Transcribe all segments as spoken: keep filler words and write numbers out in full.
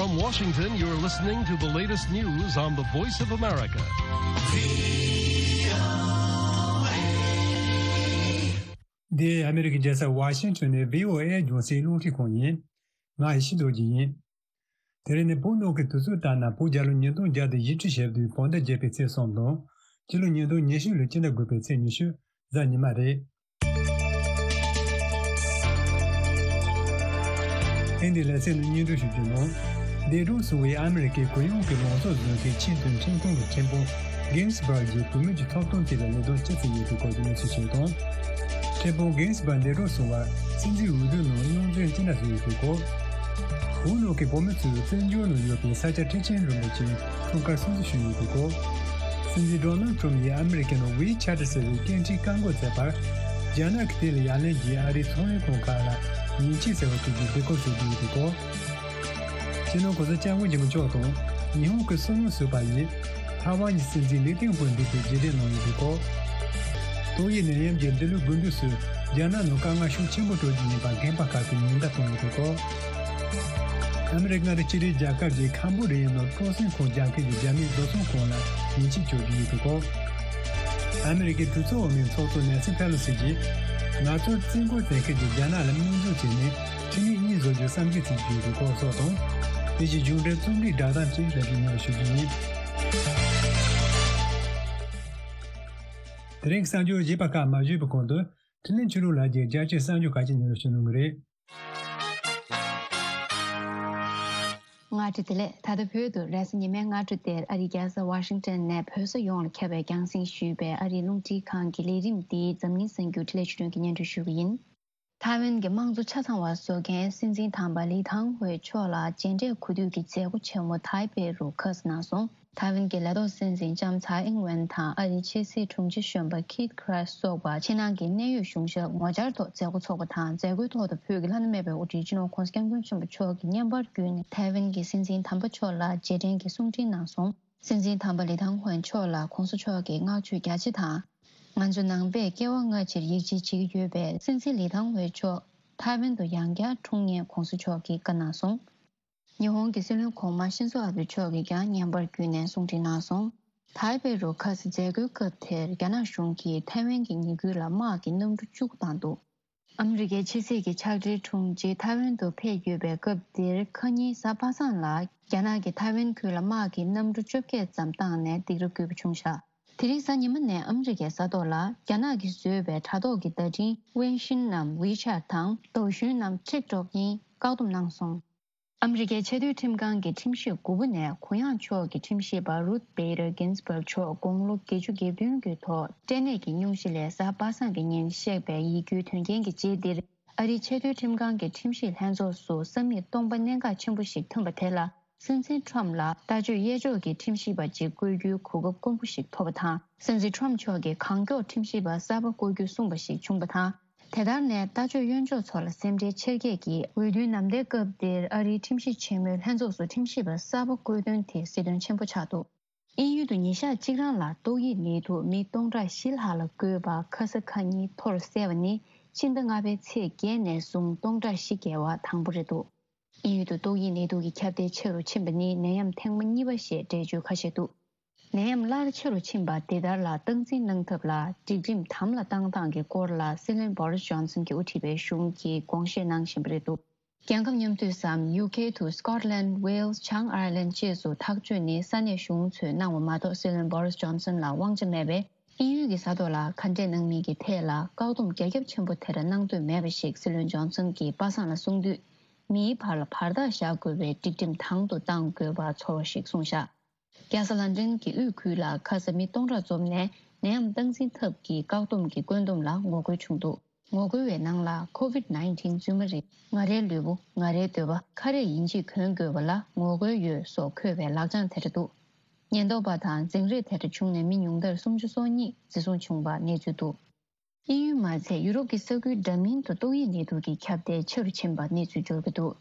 From Washington, you're listening to the latest news on the Voice of America. འདི་ཨ་མི་རི་ཀའི་རྒྱལ་ས་ཝ་ཤིང་ཊོན་ནས་བྷི་ཨོ་ཨེ་རྒྱང་སྲིང་རླུང་འཕྲིན་ཁང་ཡིན། ང་ཡེ་ཤེས་རྡོ་རྗེ་ཡིན། དེ་རིང་ནི་བོད་ནང་གི་དུས་ཚོད་ལྟར་ན་བོད་རྒྱལ་ལོ་ཉིས་སྟོང་བརྒྱ་དང་བཞི་བཅུ་ཞེ་བདུན་བོད་ཟླ་བརྒྱད་པའི་ཚེས་གསུམ་དང་། སྤྱི་ལོ་ཉིས་སྟོང་ཉི་ཤུ་ལོའི་སྤྱི་ཟླ་དགུ་པའི་ཚེས་ཉི་ཤུ། གཟའ་ཉི་མ་རེད། ཨེ་འདི་ལས་ཚན་ནི་སྙན་སྒྲོན་ཞུ་རྒྱུ་ནང་། འདས་གྲོངས་སོང་བའི་ཨ་མི་རི་ཀའི་གུ་ཡངས་ཀྱི་ལངས་ཕྱོགས་འཛིན་མཁན་ཆེས་མཐོའི་ཁྲིམས་ཁང་གི་ཁྲིམས་དཔོན་གིན་སི་བྷར་གྱི་བུད་མེད་ཀྱི་ཐོབ་ཐང་ཐད་ལ་ལས་དོན་ཅི་བྱས་ཡོད་པའི་སྐོར་གྱི་གནས་ཚུལ་ཞིག་དང་། ཁྲིམས་དཔོན་གིན་སི་བྷར་འདས་གྲོངས་སོང་བར་སྲིད་འཛིན་འོས་བསྡུ་ནང་རྙོག་འཛིང་ཅི་འདྲ་བཟོས་ཡོད་པའི་སྐོར། བོད་ནང་གི་བོད་མི་ཚོས་བཙན་བྱོལ་ནང་ཡོད་པའི་ས་སྐྱ་ཁྲི་ཆེན་རིན་པོ་ཆེའི་འཁྲུངས་སྐར་སྲུང་བརྩི་ཞུས་ཡོད་པའི་སྐོར། སྲིད་འཛིན་ཌོ་ནལ་ཊམ་ཡིས་ཨ་མི་རི་ཀའི་ནང་ཝི་ཆེ་ཊི་ཟེར་བའི་སྐད་འཕྲིན་བཀག་འགོག་མཛད་པར། རྒྱ་ནག་གིས་དེ་ལ་ཡ་ལན་གྱིས་ཨ་རིའི་ཚོང་ལས་ཁང་ཁག་ལ་ཉེས་ཆད་ཟེར་བ་གཅོད་རྒྱུའི་འབོད་སྐུལ་ཞུ་རྒྱུ་ཡིན་པའི་སྐོར། སྤྱི་ནོར་གོང་ས་སྐྱབས་མགོན་ཆེན་པོ་མཆོག་དང་ཉི་ཧོང་གི་སྲིད་བློན་ཟུར་པ་ཡིས་ཐའེ་ཝན་གྱི་སྲིད་འཛིན་ལི་ཏེང་ཧུའེ་མདུན་དུ་རྗེས་དྲན་གནང་ཡོད་པའི་སྐོར། ཏོག་དབྱིབས་ནད་ཡམས་ཀྱི་འདི་ལོའི་དགུན་དུས་སུ་རྒྱ་ནག་ནང་དཀའ་ངལ་ཤུགས་ཆེན་པོ་སྤྲོད་རྒྱུ་ཡིན་པ་རྒན་པ་ཁག་གིས་ཉེན་བརྡ་གཏོང་ཡོད་པའི་སྐོར། ཨ་མི་རི་ཀ་མངའ་སྡེ་ཕྱི་འབྲེལ་རྒྱལ་ཁབ་ཀྱི་ཁམ་བུ་ཌི་ཡའི་ནང་སྤྲོ་གསེང་ཁང་རྒྱག་མཁན་གྱི་རྒྱ་མིའི་བཟོ་ཚོང་ཁང་ལ་ཉེས་ཆད་གཅོད་རྒྱུ་ཡོད་པའི་སྐོར། ཨ་མི་རི་ཀའི་གྲོས་ཚོགས་འོག་མའི་ཚོགས་གཙོ་ནན་སི་ཕེ་ལོ་སི་གྱིས་ང་ཚོར་བཙན་རྒོལ་བྱེད་མཁན་གྱི་རྒྱ་ནག་ལ་དམིགས་འཛུགས་བྱས་ནས་ཁྲིམས་ཡིག་གཉིས་བཟོ་རྒྱུའི་བསམ་འཆར་བྱེད་ཀྱི་ཡོད་པའི་སྐོར་སོགས་དང་། དེ་བཞིན་གཞུང་འབྲེལ་རྩོམ་རིག་བསྒྲགས་གཏམ་བཅས་རྒྱབ་ཀྱི་ཉན་ཞུ་རྒྱུ་ཡིན། དེ་རིང་གི་གསར་འགྱུར་རྒྱས་པ་ཁག་མ་ཞུས་པའི་གོང་དུ། འཕྲིན་ལས་ཆོས་ལུགས་ལྷན་རྒྱས་རྒྱལ་སྤྱིའི་གསར་འགྱུར་ཁག་ཅིག་ཉན་རོགས་ཞུ་གནང་གི་རེད། སྔ་དྲོ་བདེ་ལེགས། ད་ལྟ་བོད་དུ་རེས་གཟའ་ཉི་མའི་སྔ་དྲོ་དེར་ཨ་རིའི་རྒྱལ་ས་ཝ་ཤིང་ཊོན་ནས་བོད་ས་ཡོངས་ལ་ཁྱབ་པའི་རྒྱང་སྲིང་ཞུས་པའི་ཨ་རིའི་རླུང་འཕྲིན་ཁང་གི་ལས་རིམ་འདིའི་འཛམ་གླིང་གསར་འགྱུར་འཕྲིན་ལས་ཆོས་སྒྲོན་གྱིས་སྙན་སྒྲོན་ཞུ་གི་ཡིན། ཐའེ་ཝན་གྱི་དམངས་གཙོ་ཆ་ཚང་བ་བཟོ་མཁན་སྲིད་འཛིན་དམ་པ་ལི་ཐང་ཧུའེ་མཆོག་ལ་མཇལ་འཕྲད་གོ་སྒྲིག་གི་མཛད་སྒོ་ཆེན་མོ་ཐའེ་པེ་རུ་ཁ་སང་གནང་སོང་། ཐའེ་ཝན་གྱི་ལས་ཐོག་སྲིད་འཛིན་ལྕམ་ཚའེ་ཨིང་ཝེན་དང་ཨ་རིའི་ཕྱི་སྲིད་དྲུང་ཆེ་གཞོན་པ་ཁིད་ཁྲ་སོགས་པ་ཕྱི་ནང་གི་གནད་ཡོད་གཞུང་ཞབས་ངོ་བཅར་ཐོག་མཛད་སྒོ་འཚོགས་པ་དང་། མཛད་སྒོའི་ཐོག་ཏུ་བོད་ཀྱི་ལྷ་ནུ་མེད་པའི་དབུ་ཁྲིད་སྤྱི་ནོར་༧གོང་ས་༧སྐྱབས་མགོན་ཆེན་པོ་མཆོག་གིས་བརྙན་པར་བརྒྱུད་ནས་ཐའེ་ཝན་གྱི་སྲིད་འཛིན་དམ་པ་མཆོག་ལ་རྗེས་དྲན་གྱི་གསུང་འཕྲིན་གནང་སོང་། སྲིད་འཛིན་དམ་པ་ལི་ཐང་ཧུའེ་མཆོག་ལ་༧གོང་ས་མཆོག་གིས་བསྔགས་བརྗོད་རྒྱ་ཆེ་དང་། ང་ཚོ་ནང་པས་སྐྱེ་བ་སྔ་ཕྱིར་ཡིད་ཆེས་བྱེད་ཀྱི་ཡོད་པས། སྲིད་འཛིན་ལི་ཐང་ཧུའེ་མཆོག་ཐའེ་ཝན་དུ་ཡང་བསྐྱར་འཁྲུངས་ཉེས་༧གོང་ས་མཆོག་གིས་བཀའ་གནང་སོང་། ཉི་ཧོང་གི་སྲིད་བློན་གོང་མ་ཤིན་ཛོ་ཨ་བྷེ་མཆོག་གིས་ཀྱང་བརྙན་པར་བརྒྱུད་ནས་གསུང་འཕྲིན་གནང་སོང་། ཐའེ་པེ་རུ་ཁ་སང་མཛད་སྒོའི་སྐབས་དེར་རྒྱ་ནག་གཞུང་གིས་ཐའེ་ཝན་གྱི་ཉེས་ཁུལ་ལ་དམག་གི་གནམ་གྲུ་བཅུ་བཏང་འདུག་ཨ་མི་རི་ཀའི་ཕྱི་སྲིད་ཀྱི་ཕྱག་སྦྲེལ་དྲུང་ཆེ་ཐའེ་ཝན་དུ་ཕེབས་ཡོད་པའི་སྐབས་འདིར་ཁ་ཉིན་གཟའ་པ་སངས་ལ་རྒྱ་ནག་གིས་ཐའེ་ཝན་ཁུལ་ལ་དམག་གི་གནམ་གྲུ་བཅོ་བརྒྱད་ཙམ་བཏང་ནས་སྡིགས་ར་བསྐུལ་བ་བྱུང་ཤག་དེ་རིང་གཟའ་ཉི་མ་ནས་ཨ་མི་རི་ཀའི་ས་ཐོག་ལ་རྒྱ་ནག་གིས་བཟོས་པའི་དྲ་ཐོག་གི་བརྡ་འཕྲིན་ཝེན་ཤིན་ནམ་ཝི་ཆེ་ཊི་དང་ཏའོ་ཞུན་ནམ་ཊིག་ཊོག་གཉིས་བཀག་སྡོམ་གནང་སོང་། ཨ་མི་རི་ཀའི་ཆེས་མཐོའི་ཁྲིམས་ཁང་གི་ཁྲིམས་ཞིབ་དགུ་པོ་ནས་གུ་ཡངས་ཕྱོགས་ཀྱི་ཁྲིམས་ཞིབ་པ་རུད་བེ་ར་གིན་སི་བྷག་མཆོག་དགུང་ལོ་བརྒྱད་ཅུ་གྱ་བདུན་གྱི་ཐོག་སྐྲན་ནད་ཀྱི་སྙུང་གཞི་ལས་གཟའ་པ་སངས་ཀྱི་ཉིན་གཤེགས་པའི་ཡིད་སྐྱོའི་དོན་རྐྱེན་གྱི་རྗེས་འདིར། ཨ་རིའི་ཆེས་མཐོའི་ཁྲིམས་ཁང་གི་ཁྲིམས་ཞིབ་ལྷན་ཚོགས་སུ་ས་མིག་སྟོང་པ་གནད་འགག་ཆེན་པོ་ཞིག་ཐོན་པ་དེ་ལ། སྲིད་འཛིན་ཁྲོམ་ལ་ལྟ་སྤྱོད་གཡས་ཕྱོགས་ཀྱི་ཁྲིམས་ཞིབ་པ་ཅིག་བསྐོ་རྒྱུའི་གོ་སྐབས་དཀོན་པོ་ཞིག་ཐོབ་པ་དང་། སྲིད་འཛིན་ཁྲོམ་མཆོག་གིས་གང་མགྱོགས་ཁྲིམས་ཞིབ་པ་གསར་པ་བསྐོ་རྒྱུ་གསུངས་པ་ཞིག་བྱུང་པ་དང་། དེ་ལྟར་ནས་ལྟ་སྤྱོད་གཡོན་ཕྱོགས་ཚོ་ལ་སེམས་ཁྲལ་ཆེར་སྐྱེད་ཀྱིས། འོས་བསྡུའི་ནམ་ཟླའི་སྐབས་འདིར་ཨ་རིའི་ཁྲིམས་ཞིབ་ཆེན་མོའི་ལྷན་ཚོགས་སུ་ཁྲིམས་ཞིབ་པ་གསར་པ་བསྐོ་དོན་དེ་གཟི་དོན་ཆེན་པོ་ཆགས་འདུག་དབྱིན་ཡུལ་དུ་ཉིན་ཞག་གཅིག་རང་ལ་ཏོག་དབྱིབས་ནད་དུག་མི་སྟོང་ཕྲག་བཞི་ལྷག་ལ་འགོས་པ་ཁ་ས་ཁ་ཉིན་ཐོར་བསལ་བ་ནི་ཕྱི་ཟླ་ལྔ་པའི་ཚེས་བརྒྱད་ནས་བཟུང་སྟོང་ཕྲག་བཞི་བརྒལ་བ་དང་པོ་རེད་འདུག་དབྱིན་ཡུལ་དུ་ཏོག་དབྱིབས་ནད་དུག་གི་ཁྱབ་གདལ་ཆེ་རུ་ཕྱིན་པ་ནི་ནད་ཡམས་ཐེངས་མ་གཉིས་པ་ཞེས་འགྲེལ་བརྗོད་ཁ་ཤས་འདུག་ནད་ཡམས་སླར་ཆེ་རུ་ཕྱིན་པ་འདི་ལྟར་ལ་སྟངས་འཛིན་གནང་ཐབས་ལ་སྒྲིག་ཁྲིམས་དམ་ལ་བཏང་སྟངས་ཀྱི་སྐོར་ལ་སྲིད་བློན་Boris Johnson་གྱིས་དབུ་ཁྲིད་པའི་གཞུང་གིས་དགོངས་བཞེས་གནང་བཞིན་པ་རེད་འདུག་རྒྱལ་ཁབ་མཉམ་འདུས་སམ་ཡུ་ཁེ་དུ་སི་ཀོཊ་ལན། ཝེལ་སི། བྱང་ཨའི་ལན་བཅས་སུ་ཐག་གཅོད་ནི་ས་གནས་གཞུང་ཚོས་གནང་བ་མ་གཏོགས་སྲིད་བློན་Boris Johnson་ལ་དབང་ཆ་མེད་པས། དབྱིན་ཡུལ་གྱི་ས་ཐོག་ལ་ཁ་འབྲལ་གནང་མིན་གྱི་ཐད་ལ་བཀག་སྡོམ་རྒྱ་ཁྱབ་ཆེན་པོ་དེ་འདྲ་གནང་འདོད་མེད་པ་ཞིག་སྲིད་བློན་ཇོན་སན་གྱིས་པ་སངས་ལ་གསུངས་དུས། མིའི་བར་ལ་བར་ཐག་བཞག་དགོས་པའི་སྒྲིག་ཁྲིམས་དང་དུ་གཏང་དགོས་པ་ཚོར་བ་ཞིག་གསུངས་བཞག་རྒྱལ་ས་ལན་ཀྲན་གྱི་དབུས་ཁུལ་ལ་ཁ་ས་མི་སྟོང་ཕྲག་འཛོམས་ནས་ནད་ཡམས་སྟངས་འཛིན་ཐབས་ཀྱི་བཀག་སྡོམ་གྱི་བཀོད་འདོམས་ལ་ངོ་རྒོལ་བྱུང་འདུག་ངོ་རྒོལ་བའི་ནང་ལ་COVID nineteen རྫུན་མ་རེད། ང་རའི་ལུས་པོ། ང་རའི་འདོད་པ། ཁ་རས་ཡིན་གཅིག་གོན་དགོས་པ་ལ་ངོ་རྒོལ་ཡོད་སོགས་འཁོད་པའི་ལག་བྱང་དེ་འདྲ་འདུག་ཉེན་རྟོག་པ་དང་འཛིང་རེས་དེ་འདྲ་བྱུང་ནས་མི་ཉུང་མཐར་སུམ་ཅུ་སོ་གཉིས་འཛིན་བཟུང་བྱུང་བ་གནས་ཚུལ་འདུག་དབྱིན་ཡུལ་མ་ཚད་ཡུ་རོབ་ཀྱི་ས་ཁུལ་འདྲ་མིན་དུ་ཏོག་དབྱིབས་ནད་དུག་གི་ཁྱབ་གདལ་ཆེ་རུ་ཕྱིན་པ་གནས་ཚུལ་འབྱོར་གྱི་འདུག་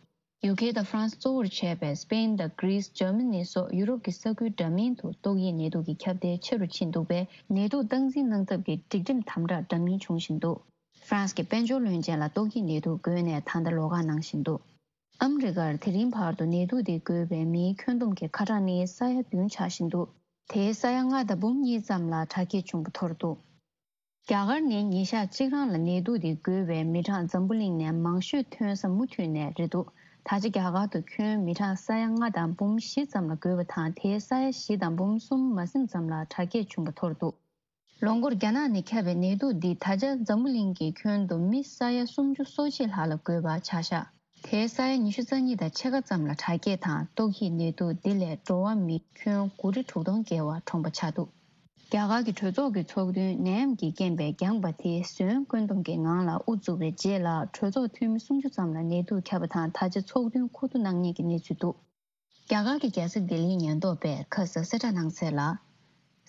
ཡུ་ཁེ་དང་ཧྥ་རན་སི་གཙོ་བོར་བྱས་པའི་སི་པེན་དང་གྷི་རི་སི། འཇར་མ་ནི་སོགས་ཡུ་རོབ་ཀྱི་ས་ཁུལ་འདྲ་མིན་དུ་ཏོག་དབྱིབས་ནད་དུག་གི་ཁྱབ་གདལ་ཆེ་རུ་ཕྱིན་འདུག་པས། ནད་དུག་སྟངས་འཛིན་གནང་ཐབས་ཀྱི་སྒྲིག་ཁྲིམས་དམ་དྲག་འདྲ་མིན་བྱུང་བཞིན་འདུག་ཧྥ་རན་སི་གི་དཔལ་འབྱོར་བློན་ཆེན་ལ་ཏོག་དབྱིབས་ནད་དུག་འགོས་ནས་ད་ལྟ་ལོགས་ཀ་གནང་བཞིན་འདུག་ཨ་མི་རི་ཀར་དེ་རིང་བར་དུ་ནད་དུག་དེ་འགོས་པའི་མིའི་ཁྱོན་བསྡོམས་ཀྱི་ཁ་གྲངས་ནི་ས་ཡ་བདུན་ཆགས་བཞིན་འདུག་དེའི་ས་ཡ་ལྔ་དང་འབུམ་གཉིས་ཙམ་ལ་དྲག་སྐྱེད་བྱུང་བ་ཐོར་འདུག་རྒྱ་གར་ནི་ཉིན་ཞག་གཅིག་རང་ལ་ནད་དུག་དེ་འགོས་པའི་མི་གྲངས་འཛམ་བུ་གླིང་ནས་མང་ཤོས་ཐོན་ས་མུ་མཐུད་ནས་རེད་འདུག་ད་ཆ་རྒྱ་གར་དུ་ཁྱོན་མི་གྲངས་ས་ཡ་ལྔ་དང་འབུམ་བཞི་ཙམ་ལ་འགོས་པ་དང་། དེའི་ས་ཡ་བཞི་དང་འབུམ་གསུམ་མ་ཟིན་ཙམ་ལ་དྲག་སྐྱེད་བྱུང་བ་ཐོར་འདུག་ལོ་འགོར་རྒྱ་ནག་ནས་ཁྱབ་པའི་ནད་དུག་འདིས་ད་ཆ་འཛམ་བུ་གླིང་གི་ཁྱོན་དུ་མི་ས་ཡ་སུམ་ཅུ་སོ་གཅིག་ལྷག་ལ་འགོས་པ་ཆ་བཞག་དེའི་ས་ཡ་ཉི་ཤུ་རྩ་གཉིས་དང་ཕྱེད་ཀ་ཙམ་ལ་དྲག་སྐྱེད་དང་ཏོག་དབྱིབས་ནད་དུག་འདི་ལས་འགྲོ་བ་མི་ཁྱོན་དགུ་ཁྲི་དྲུག་སྟོང་བརྒལ་བ་གྲོངས་པ་ཆགས་འདུག་རྒྱ་གར་གྱི་གྲོས་ཚོགས་ཀྱི་ཚོགས་འདུས་ནད་ཡམས་ཀྱི་རྐྱེན་པས་འགྱངས་པ་དེ་ཟོན་བཀོད་འདོམས་ཀྱི་ངང་ལ་དབུ་བཙུགས་པའི་རྗེས་ལ། གྲོས་ཚོགས་འཐུས་མི་སུམ་ཅུ་ཙམ་ལ་ནད་དུག་ཁྱབ་པ་དང་། ད་ཆ་ཚོགས་འདུ་མཁོ་བསྡུ་གནང་མཁན་གྱི་གནས་ཚུལ་འདུག་རྒྱ་གར་གྱི་རྒྱལ་ས་ལྡི་ལིའི་ཉེན་རྟོག་པས་ཁ་སང་གསལ་བསྒྲགས་གནང་གསལ་ལ།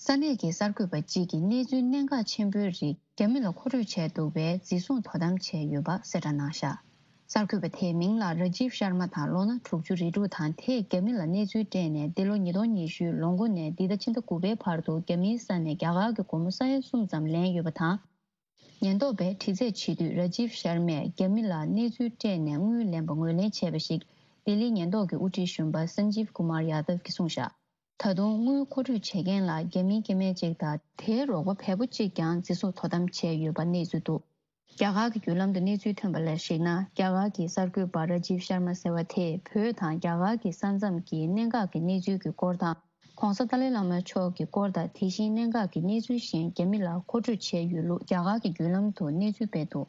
ས་གནས་ཀྱི་གསར་འགོད་པ་གཅིག་གིས་གནས་ཚུལ་གནད་འགག་ཆེན་པོའི་རིགས་རྒྱ་མི་ལ་མཁོ་སྤྲོད་བྱས་འདུག་པས་འཛིན་བཟུང་དོ་དམ་བྱས་ཡོད་པ་གསལ་བསྒྲགས་གནང་བཞག་གསར་འགོད་པ་དེའི་མིང་ལ་ར་ཇིབ་ཤར་མ་དང་། ལོ་ན་དྲུག་ཅུ་རེ་དྲུག་དང་། དེས་རྒྱ་མི་ལ་གནས་ཚུལ་སྤྲད་ནས་འདི་ལོ་ཉིས་སྟོང་ཉི་ཤུའི་ལོ་འགོ་ནས་འདི་ཟླ་ཕྱི་ཟླ་དགུ་པའི་བར་དུ་རྒྱ་མིའི་ས་ནས་རྒྱ་གར་གྱི་སྒོར་མོ་ས་ཡ་གསུམ་ཙམ་ལེན་ཡོད་པ་དང་། ཉེན་རྟོག་པས་དྲི་རྩད་བྱེད་དུས་ར་ཇིབ་ཤར་མས་རྒྱ་མི་ལ་གནས་ཚུལ་སྤྲད་ནས་དངུལ་ལེན་པ་ངོས་ལེན་བྱས་པ་ཞིག་ལྡི་ལིའི་ཉེན་རྟོག་གི་དབུ་ཁྲིད་གཞོན་པ་སན་ཇིབ་ཀུ་མར་ཡ་དབ་ཀྱིས་གསུངས་བཞག་ད་དུང་དངུལ་མཁོ་སྤྲོད་བྱེད་མཁན་ལ་རྒྱ་མིའི་སྐྱེ་དམན་གཅིག་དང་། དེའི་རོགས་པ་བལ་པོ་གཅིག་ཀྱང་འཛིན་བཟུང་དོ་དམ་བྱས་ཡོད་པ་གནས་ཚུལ་འདུག་རྒྱ་གར་གྱི་བརྒྱུད་ལམ་དུ་གནས་ཚུལ་ཐོན་པ་ལ་གཞིགས་ན། རྒྱ་གར་གྱི་གསར་འགོད་པ་ར་ཇིབ་ཤར་མ་ཟེར་བ་དེས་བོད་དང་རྒྱ་གར་གྱི་ས་མཚམས་ཀྱི་གནད་འགག་གི་གནས་ཚུལ་གྱི་སྐོར་དང་། ༸གོང་ས་ཏཱ་ལའི་བླ་མ་མཆོག་གི་སྐོར་དང་། དེ་བཞིན་གནད་འགག་གི་གནས་ཚུལ་གཞན་རྒྱ་མི་ལ་མཁོ་སྤྲོད་བྱས་ཡོད་ལུགས་རྒྱ་གར་གྱི་བརྒྱུད་ལམ་དུ་གནས་ཚུལ་སྤེལ་འདུག་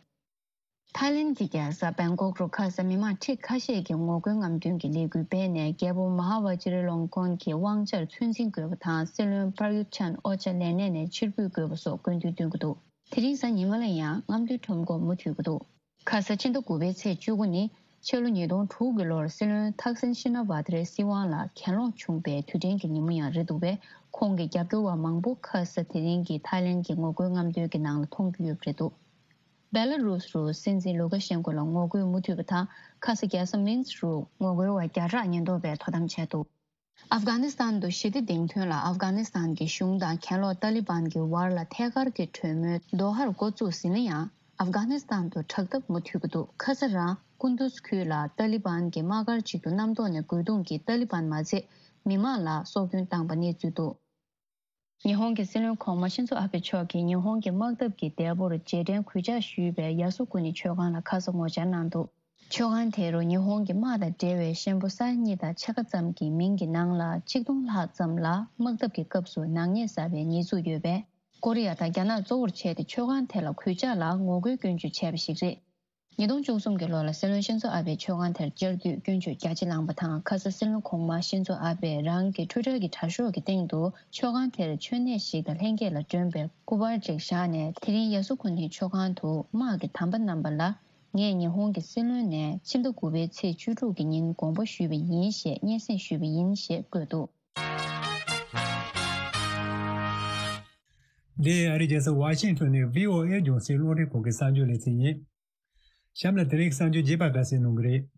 ཐའི་ལེན་གྱི་རྒྱལ་ས་བེང་ཀོག་རུ་ཁ་ས་མི་མང་ཁྲི་ཁ་ཤས་ཀྱིས་ངོ་རྒོལ་རྔམ་སྟོན་གྱི་ལས་འགུལ་སྤེལ་ནས། རྒྱལ་པོ་མ་ཧཱ་ཝ་ཅི་རི་ལོང་ཀོན་གྱི་དབང་ཆར་ཚོད་འཛིན་དགོས་པ་དང་། སྲིད་བློན་པར་ཡུད་ཆན་ཨོ་ཅཱ་ལས་གནས་ནས་ཕྱིར་འབུད་དགོས་པ་སོགས་དགོས་འདུན་བཏོན་གྱི་འདུག་དེ་རིང་གཟའ་ཉི་མ་ལ་ཡང་རྔམ་སྟོན་ཁྲོམ་སྐོར་མུ་མཐུད་ཀྱི་འདུག་ཁ་ས་ཕྱི་ཟླ་དགུ་པའི་ཚེས་བཅུ་དགུ་ནི་ཕྱི་ལོ་ཉིས་སྟོང་དྲུག་གི་ལོར་སྲིད་བློན་ཐག་སིན་ཤི་ན་ཝ་ཏི་རའི་སྲིད་དབང་ལ་གྱེན་ལོག་བྱུང་པའི་དུས་དྲན་གྱི་ཉིན་མོ་ཡང་རེད་འདུག་པས། ཁོང་གི་རྒྱབ་སྐྱོར་བ་མང་པོ་ཁ་ས་དེ་རིང་གི་ཐའི་ལེན་གྱི་ངོ་རྒོལ་རྔམ་སྟོན་གྱི་ནང་ལ་མཐོང་རྒྱུ་ཡོད་པ་རེད་འདུག་བེ་ལ་རུས་རུ་སྲིད་འཛིན་ལུ་ཀ་ཤན་ཀོ་ལ་ངོ་རྒོལ་མུ་མཐུད་པ་དང་། ཁ་ས་རྒྱལ་ས་མིན་སི་རུ་ངོ་རྒོལ་བ་བརྒྱ་ཕྲག་ཉེན་རྟོག་པས་དོ་དམ་བྱས་འདུག་ཨབ་གྷ་ནི་སི་ཐན་དུ་ཞི་བདེ་འདེང་དོན་ལ་ཨབ་གྷ་ནི་སི་ཐན་གྱི་གཞུང་དང་གྱེན་ལོག་ཏཱ་ལི་བན་གྱི་བར་ལ་ཐད་ཀར་གྱི་གྲོས་མོལ་དོ་ཧར་འགོ་བཙུགས་ཟིན་ན་ཡང་། ཨབ་གྷ་ནི་སི་ཐན་དུ་དྲག་འཐབ་མུ་མཐུད་ཀྱི་འདུག་ཁ་ས་རང་ཀུན་ཏུས་ཁུལ་ལ་ཏཱ་ལི་བན་གྱི་དམག་སྒར་ཅིག་ཏུ་གནམ་ཐོག་ནས་རྒོལ་རྡུང་གིས་ཏཱ་ལི་བན་མ་ཚད་མི་མང་ལ་སྲོག་སྐྱོན་བཏང་པ་གནས་ཚུལ་འདུག་ཉི་ཧོང་གི་སྲིད་བློན་གོང་མ་ཤིན་ཛོ་ཨ་བྷེ་མཆོག་གིས་ཉི་ཧོང་གི་དམག་འཐབ་ཀྱི་འདས་པོར་རྗེས་དྲན་གུས་ཕྱག་ཞུས་པའི་ཡ་སུ་ཀུ་ནི་མཆོད་ཁང་ལ་ཁ་ས་ངོ་བཅར་གནང་འདུག་མཆོད་ཁང་དེ་རུ་ཉི་ཧོང་གི་དམག་དང་འབྲེལ་བའི་ཤན་པོ་ས་ཡ་གཉིས་དང་ཕྱེད་ཀ་ཙམ་གྱི་མིང་གི་ནང་ལ་ཆིག་སྟོང་ལྷག་ཙམ་ལ་དམག་འཐབ་ཀྱི་སྐབས་སུ་ནག་ཉེས་བསགས་པའི་ཉེས་འཛུགས་ཡོད་པས། ཀོ་རི་ཡ་དང་རྒྱ་ནག་གཙོ་བོར་བྱས་ཏེ་མཆོད་ཁང་དེ་ལ་གུས་ཕྱག་ལ་ངོ་རྒོལ་སྐྱོན་བརྗོད་བྱས་པ་ཞིག་རེད། ཉིས་སྟོང་བཅུ་གསུམ་གྱི་ལོ་ལ་སྲིད་བློན་ཤིན་ཛོ་ཨ་བྷེ་མཆོད་ཁང་དེར་བཅར་དུས་སྐྱོན་བརྗོད་རྒྱ་ཆེ་བསླངས་པ་དང་། ཁ་ས་སྲིད་བློན་གོང་མ་ཤིན་ཛོ་ཨ་བྷེས་རང་གི་ཊུའི་ཊར་གྱི་དྲ་ཤོག་གི་སྟེང་དུ་མཆོད་ཁང་དེར་མཆོད་གནས་ཤིག་དང་ལྷན་སྐྱེས་ལ་སྒྲོན་པའི་སྐུ་པར་ཅིག་བཞག་ནས། དེ་རིང་ཡ་སུ་ཀུ་ནི་མཆོད་ཁང་དུ་དམག་གི་དམ་པ་རྣམ་པ་ལ་ངས་ཉི་ཧོང་གི་སྲིད་བློན་ནས་ཕྱི་ཟླ་དགུ་པའི་ཚེས་བཅུ་དྲུག་གི་ཉིན་དགོངས་པ་ཞུས་པ་ཡིན་ཞེས་སྙན་སེང་ཞུས་པ་ཡིན་ཞེས་བཀོད་འདུག་འདི་ཨ་རིའི་རྒྱལ་ས་ཝ་ཤིང་ཊོན་ནས་བྷི་ཨོ་ཨེ་རྒྱང་སྲིང་རླུང་འཕྲིན་ཁང་གི་གསར་འགྱུར་ལེ་ཚན་ཡིན། གཤམ་ལ་དེ་རིང་གི་གསར་འགྱུར་རྒྱས་པ་འགའ་ཞིག་གནང་གི་རེད།